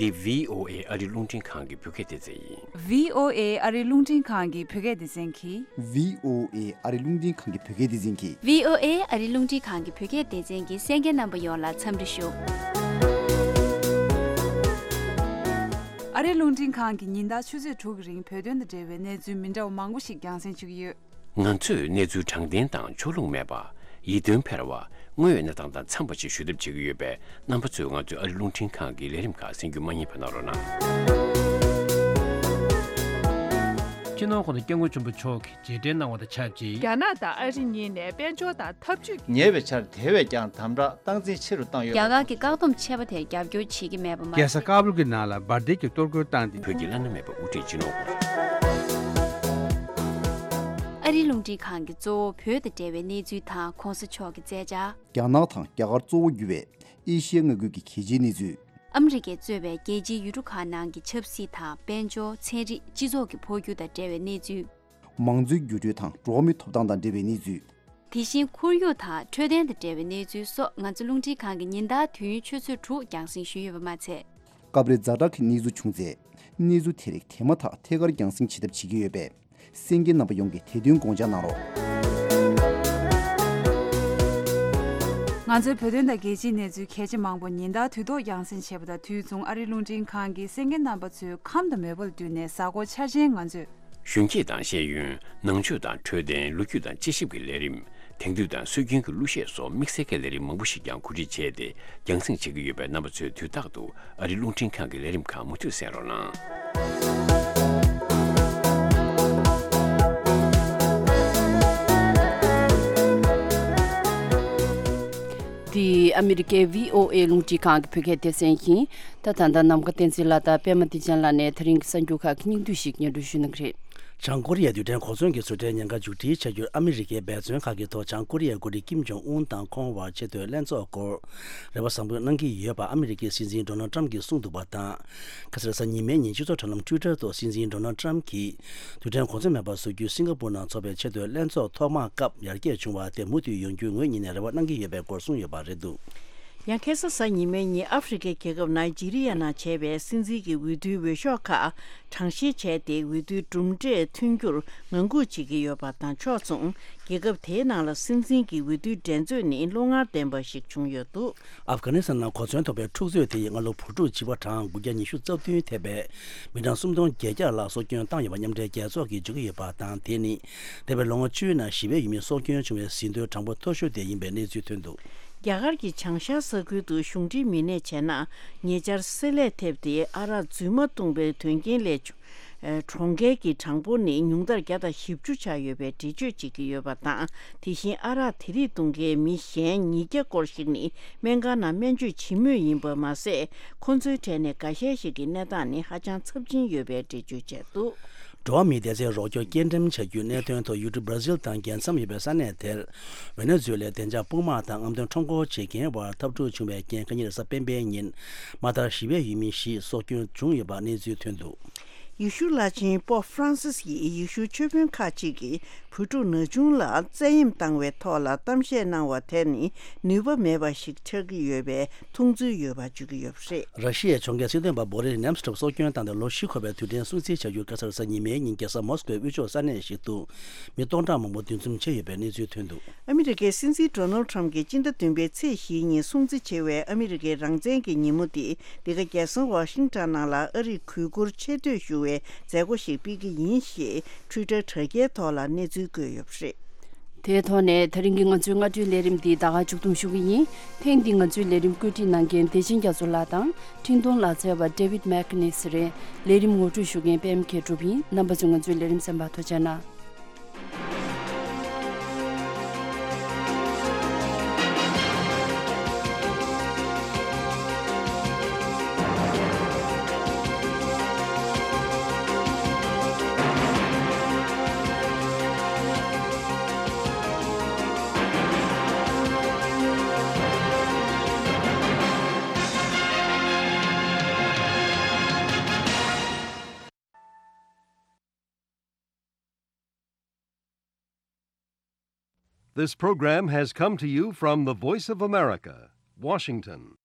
འདི་བྷི་ཨོ་ཨེ་ཨ་རིའི་རླུང་འཕྲིན་ཁང་གི་བོད་སྐད་སྡེ་ཚན་ཡིན། བྷི་ཨོ་ཨེ་ཨ་རིའི་རླུང་འཕྲིན་ཁང་གི་བོད་སྐད་སྡེ་ཚན་གྱིས། བྷི་ཨོ་ཨེ་ཨ་རིའི་རླུང་འཕྲིན་ཁང་གི་བོད་སྐད་སྡེ་ཚན་གྱིས། བྷི་ཨོ་ཨེ་ཨ་རིའི་རླུང་འཕྲིན་ཁང་གི་བོད་སྐད་སྡེ་ཚན་གྱི་གསན་མཁན་རྣམ་པ་ཡོངས་ལ་འཚམས་འདྲི་ཞུ། ཨ་རིའི་རླུང་འཕྲིན་ཁང་གིས་ཉིན་ལྟར་ཆུ་ཚོད་དྲུག་གི་རིང་བོད་དོན་དང་འབྲེལ་བའི་གནས་ཚུལ་མི་འདྲ་བ་མང་པོ་ཞིག་རྒྱང་སྲིང་བྱེད་ཀྱི་ཡོད། ང་ཚོས་གནས་ཚུལ་དྲང་བདེན་དང་ཕྱོགས་ལྷུང་མེད་པ། ཡིད་རྟོན་འཕེར་བ། དངོས་ཡོད་གནས་སྟངས་དང་འཚམས་པ་ཞིག་ཞུ་ཐབས་བྱེད་ཀྱི་ཡོད་པས། རྣམ་པ་ཚོས་ང་ཚོའི་ཨ་རིའི་རླུང་འཕྲིན་ཁང་གི་ལས་རིམ་ཁག་གསན་རྒྱུ་མ་བསྙེལ་བ་གནང་རོགས་གནང་། སྤྱི་ནོར་༸གོང་ས་༸སྐྱབས་མགོན་ཆེན་པོ་མཆོག་གིས་རྗེས་དྲན་གནང་བ་དང་ཆབས་ཅིག་རྒྱ་ནག་དང་ཨ་རི་གཉིས་ནས་དཔལ་འབྱོར་དང་འཐབ་ཇུས་ཀྱི། ཉེ་བའི་ཆར་དེ་བས་ཀྱང་དམ་དྲག་སྟངས་འཛིན་ཆེ་རུ་བཏང་ཡོད་པ། རྒྱ་གར་གྱི་བཀག་སྡོམ་ཆད་པ་དེར་རྒྱབ་སྐྱོར་བྱེད་ཀྱི་མེད་པ་མ་ཟད། རྒྱལ་ས་ཀ་བུལ་གྱི་ནང་ལ་འབར་མདེལ་གྱི་གཏོར་རྒོལ་བཏང་སྟེ། བོད་ཀྱི་བླ་ན་མེད་པ་དབུ་ཁྲིད་སྤྱི་ནོར་ཨ་རིའི་རླུང་འཕྲིན་ཁང་གིས་གཙོ་བོ་བོད་དང་འབྲེལ་བའི་གནས་ཚུལ་དང་གོང་ས་མཆོག་གི་མཛད་འཆར། རྒྱ་ནག་དང་རྒྱ་གར་གཙོ་བོ་གྱུར་བའི་ཨེ་ཤི་ཡའི་མངའ་ཁུལ་གྱི་གལ་ཆེའི་གནས་ཚུལ། ཨ་མི་རི་ཀས་གཙོས་པའི་རྒྱལ་སྤྱིའི་ཡུལ་གྲུ་ཁག་ནང་གི་ཆབ་སྲིད་དང་དཔལ་འབྱོར། ཚན་རིག་སྤྱི་ཚོགས་ཀྱི་འཕོ་འགྱུར་དང་འབྲེལ་བའི་གནས་ཚུལ། མང་གཙོའི་འགྱུར་འགྲོས་དང་འགྲོ་བ་མིའི་ཐོབ་ཐང་དང་འབྲེལ་བའི་གནས་ཚུལ། དེ་བཞིན་ཁོར་ཡུག་དང་འཕྲོད་བསྟེན་དང་འབྲེལ་བའི་གནས་ཚུལ་སོགས་ང་ཚོ་རླུང་འཕྲིན་ཁང་གིས་ཉིན་ལྟར་དུས་ཡུན་ཆུ་ཚོད་དྲུག་རྒྱང་སྲིང་ཞུས་ཡོད་པ་མ་ཚད། སྐབས་རེ་ཛ་དྲག་གི་གནས་ཚུལ་བྱུང་ཚེ། གནས་ཚུལ་དེ་རིགས་དེ་མ་ཐག་ཐད་ཀར་རྒྱང་སྲིང་བྱེད་ཐབས་བྱེད་ཀྱི་ཡོད་པས། གསན་མཁན་རྣམ་པ་ཡོངས་ཀྱིས་དེ་དོན་དགོངས་འཇགས་གནང་རོགས། ང་ཚོའི་བོད་དོན་དང་རྒྱལ་སྤྱིའི་གནས་ཚུལ་གལ་ཆེ་མང་པོ་ཉིན་ལྟར་དུས་ཐོག་རྒྱང་སྲིང་བྱེད་པ་དང་། དུས་མཚུངས་ཨ་རིའི་རླུང་འཕྲིན་ཁང་གིས་གསན་མཁན་རྣམ་པ་ཚོའི་ཁམས་དང་མོས་པ་ལ་བསྟུན་ནས་གཟའ་འཁོར་འཆར་ཅན་ང་ཚོས། གཞོན་སྐྱེས་དང་ཤེས་ཡོན། ནང་ཆོས་དང་འཕྲོད་བསྟེན། ལོ་རྒྱུས་དང་དཔྱད་ཞིབ་ཀྱི་ལས་རིམ། དེང་དུས་དང་སྲོལ་རྒྱུན་གྱི་གླུ་གཞས་སོགས་དམིགས་བསལ་གྱི་ལས་རིམ་མང་པོ་ཞིག་ཀྱང་གོ་སྒྲིག་བྱས་ཏེ་རྒྱང་སྲིང་བྱེད་ཀྱི་ཡོད་པས། རྣམ་པ་ཚོས་དུས་རྟག་ཏུ་ཨ་རིའི་རླུང་འཕྲིན་ཁང་གི་ལས་རིམ་ཁག་མུ་མཐུད་གསན་རོགས་གནང་། འདི་ཨ་མི་རི་ཀའི་བྷི་ཨོ་ཨེ་རླུང་འཕྲིན་ཁང་གི་བོད་སྐད་སྡེ་ཚན་ཡིན། ད་ད་ལྟ་ནམ་མཁའ་བསྟན་འཛིན་ལགས་དང་པད་མ་བདེ་ཆེན་ལགས་ནས་ད་རིང་གི་གསར་འགྱུར་ཁག་གི་སྙིང་བསྡུས་ཤིག་སྙན་སྒྲོན་ཞུ་གནང་གི་རེད། བྱང་ཀོ་རི་ཡའི་རྡུལ་ཕྲན་གོ་མཚོན་གྱི་བཟོ་གྲྭའི་ཉེན་ཁ་མཇུག་སྒྲིལ་བྱ་རྒྱུར་ཨ་མི་རི་ཀའི་འབད་བརྩོན་ཁག་གི་ཐོག་བྱང་ཀོ་རི་ཡའི་འགོ་ཁྲིད་ཀིམ་ཇོང་ཨུན་དང་ཁོང་བར་ཆེས་མཐོའི་ལྷན་ཚོགས་སྐོར་རེ་བ་བཟང་པོ་གནང་གི་ཡོད་པ་ཨ་མི་རི་ཀའི་སྲིད་འཛིན་ཌོ་ནལ་ཊམ་གྱིས་གསུངས་འདུག་པ་དང་། ཁ་སང་རེས་གཟའ་ཉི་མའི་ཉིན་སྤྱི་ཚོགས་དྲ་ལམ་ཊུའི་ཊར་ཐོག་སྲིད་འཛིན་ཌོ་ནལ་ཊམ་གྱིས་རྡུལ་ཕྲན་གོ་མཚོན་མེད་པར་བཟོ་རྒྱུའི་སིང་ག་པུར་ནང་འཚོགས་པའི་ཆེས་མཐོའི་ལྷན་ཚོགས་ཐོག་མ་སྐབས་ཡར་རྒྱས་བྱུང་བ་དེ་མུ་མཐུད་ཡོང་རྒྱུའི་ངོས་གཉིས་ནས་རེ་བ་གནང་གི་ཡོད་པའི་སྐོར་གསུངས་ཡོད་པ་རེད་འདུག་ཡང་ཁ་སང་གཟའ་ཉི་མའི་ཉིན་ཨ་ཧྥེ་རི་ཁའི་རྒྱལ་ཁབ་ནཱི་ཇི་རི་ཡ་ནང་བྱས་པའི་སྲིད་འཛིན་གྱི་འོས་བསྡུའི་འོས་ཤོག་ཁག་གྲངས་བཤེར་བྱས་ཏེ། འོས་བསྡུའི་གྲུབ་འབྲས་ཐོན་རྒྱུར་ངང་སྒུག་བྱེད་ཀྱི་ཡོད་པ་དང་། ཕྱོགས་མཚུངས་རྒྱལ་ཁབ་དེའི་ནང་ལ་སྲིད་འཛིན་གྱི་འོས་བསྡུའི་འགྲན་རྩོད་ནི་བློ་ངར་ལྡན་པ་ཞིག་བྱུང་ཡོད་འདུག་ཨབ་གྷ་ནི་སི་ཐན་ནང་གོ་མཚོན་ཐོགས་པའི་འཁྲུག་རྩོད་དེ་ཡིས་སྔ་ལོ་བོད་ཕྲུག་བྱིས་པ་གྲངས་དགུ་བརྒྱ་ཉི་ཤུ་རྩ་བདུན་ཐེ་བའི་མི་གྲངས་སུམ་སྟོང་བརྒྱད་བརྒྱ་ལ་སྲོག་སྐྱོན་བཏང་ཡོད་པ་མཉམ་འབྲེལ་རྒྱལ་ཚོགས་ཀྱིས་བརྗོད་ཀྱི་ཡོད་པ་དང་། དེ་ནི་འདས་པའི་ལོ་ངོ་བཅུའི་ནང་བྱིས་པའི་ཡུལ་མི་སྲོག་སྐྱོན་བྱུང་བའི་ཟིན་ཐོའི་གྲངས་འབོར་མཐོ་ཤོས་དེ་ཡིན་པའི་གནས་ཚུལ་ཐོན་འདུག་རྒྱ་གར་གྱི་བྱང་ཤར་ས་ཁུལ་དུ་གཞུང་འབྲེལ་མི་སྣས་བྱས་ན། ཉེ་ཆར་བསྲེ་ལྷད་ཐེབས་ཏེ་ཨ་རག་རྫུན་མ་བཏུངས་པའི་དོན་རྐྱེན་ལས་བྱུང་། གྲོངས་མཁན་གྱི་གྲངས་འབོར་ནི་ཉུང་མཐར་བརྒྱ་དང་བཞི་བཅུ་ཆགས་ཡོད་པའི་འགྲེལ་བརྗོད་བྱེད་ཀྱི་ཡོད་པ་དང་། དེ་བཞིན་ཨ་རག་དེ་རིགས་བཏུང་མཁན་མི་གཞན་ཉིས་བརྒྱ་སྐོར་ཞིག་ནི་སྨན་ཁང་ནང་སྨན་བཅོས་བྱེད་མུས་ཡིན་པ་མ་ཟད། ཁོ་ཚོའི་གྲས་ནས་འགའ་ཤས་ཤིག་གི་གནས་སྟངས་ནི་ཧ་ཅང་ཚབས་ཆེན་ཡོད་པའི་འགྲེལ་བརྗོད་བྱས་འདུག་འགྲོ་བ་མིའི་བདེ་རྩའི་རོགས་སྐྱོར་སྐྱེལ་འགྲེམས་བྱ་རྒྱུའི་གནད་དོན་ཐོག་ཡུལ་གྲུ་སྦྲ་ཟིལ་དང་རྒྱལ་མཚམས་ཡོད་པའི་ས་གནས་དེར། ཝེ་ནེ་ཛུ་ཝེ་ལའི་བདེ་འཇགས་དཔུང་དམག་དང་རྔམ་སྟོན་ཁྲོམ་སྐོར་བྱེད་མཁན་བར་འཐབ་འཁྲུག་བྱུང་བའི་རྐྱེན། ཁ་ཉིན་རེས་གཟའ་སྤེན་པའི་ཉིན་མ་མཐར་བྱིས་པའི་ཡུལ་མི་བཞི་སྲོག་སྐྱོན་བྱུང་ཡོད་པ་གནས་ཚུལ་ཐོན་འདུག་ཡེ་ཤུ་བླ་ཆེན་པོབ་ཧྥ་རན་སིས་ཡིས་ཡེ་ཤུའི་ཆོས་དཔོན་ཁག་ཅིག་གིས་བོད་ཕྲུག་ན་ཆུང་ལ་བཙན་གཡེམ་བཏང་བའི་ཐོག་ལ་གཏམ་བཤད་གནང་བ་དེ་ནི་ནུས་པ་མེད་པ་ཞིག་ཆགས་ཀྱི་ཡོད་པའི་མཐོང་ཚུལ་ཡོད་པ་བརྗོད་ཀྱི་ཡོད་པ་རེད། ར་ཤི་ཡའི་ཕྱོགས་འགལ་སྲིད་དོན་པ་བོ་རི་ནེམ་སི་ཊོབ་སྲོག་སྐྱོན་བཏང་སྟེ་ལོ་བཞི་འཁོར་བའི་དུས་དྲན་སྲུང་བརྩི་བྱ་རྒྱུར་ཁ་སང་རེས་གཟའ་ཉི་མའི་ཉིན་རྒྱལ་ས་མོ་སི་ཀོའི་དབུས་ཕྱོགས་ས་གནས་ཤིག་ཏུ་མི་སྟོང་ཕྲག་མང་པོ་འདུ་འཛོམས་བྱས་ཡོད་པའི་གནས་ཚུལ་ཐོན་འདུག་ཨ་མི་རི་ཀའི་སྲིད་འཛིན་ཌོ་ནལ་ཊམ་གྱིས་སྤྱི་ཟླ་བདུན་པའི་ཚེས་བཞིའི་ཉིན་སྲུང་བརྩི་བྱེད་པའི་ཨ་མི་རི་ཀའི་རང་བཙན་གྱི་ཉིན་མོ་འདི་འདི་ག་རྒྱལ་ས་ཝ་ཤིང་ཊོན་ནང་ལ་ཨ་རིར་གུས་བཀུར་ཆེ་བསྟོད་ཞུ་བའི་མཛད་སྒོ་ཞིག་སྤེལ་གྱི་ཡིན་ཞེས་ཊུའི་ཊར་དྲ་རྒྱའི་ཐོག་ལ་གནས་ཚུལ་བཀོད་ཡོད་པ་རེད། དེའི་ཐོག་ནས་ད་རིང་གི་ང་ཚོའི་སྔ་དྲོའི་ལས་རིམ་འདི་ད་ག་མཇུག་བསྡོམས་ཞུ་གི་ཡིན། ཐེངས་འདིའི་ང་ཚོའི་ལས་རིམ་བཀོད་སྒྲིག་གནང་མཁན་བདེ་ཆེན་རྒྱ་མཚོ་ལགས་དང་། འཕྲིན་གཏོང་ལག་རྩལ་བ་David McNeese་རེད། ལས་རིམ་ངོ་སྤྲོད་ཞུ་མཁན་པད་མ་མཁས་གྲུབ་ཡིན། རྣམ་པ་ཚོས་ང་ཚོའི་ལས་རིམ་གསན་པར་ཐུགས་རྗེ་གནང་། This program has come to you from the Voice of America, Washington.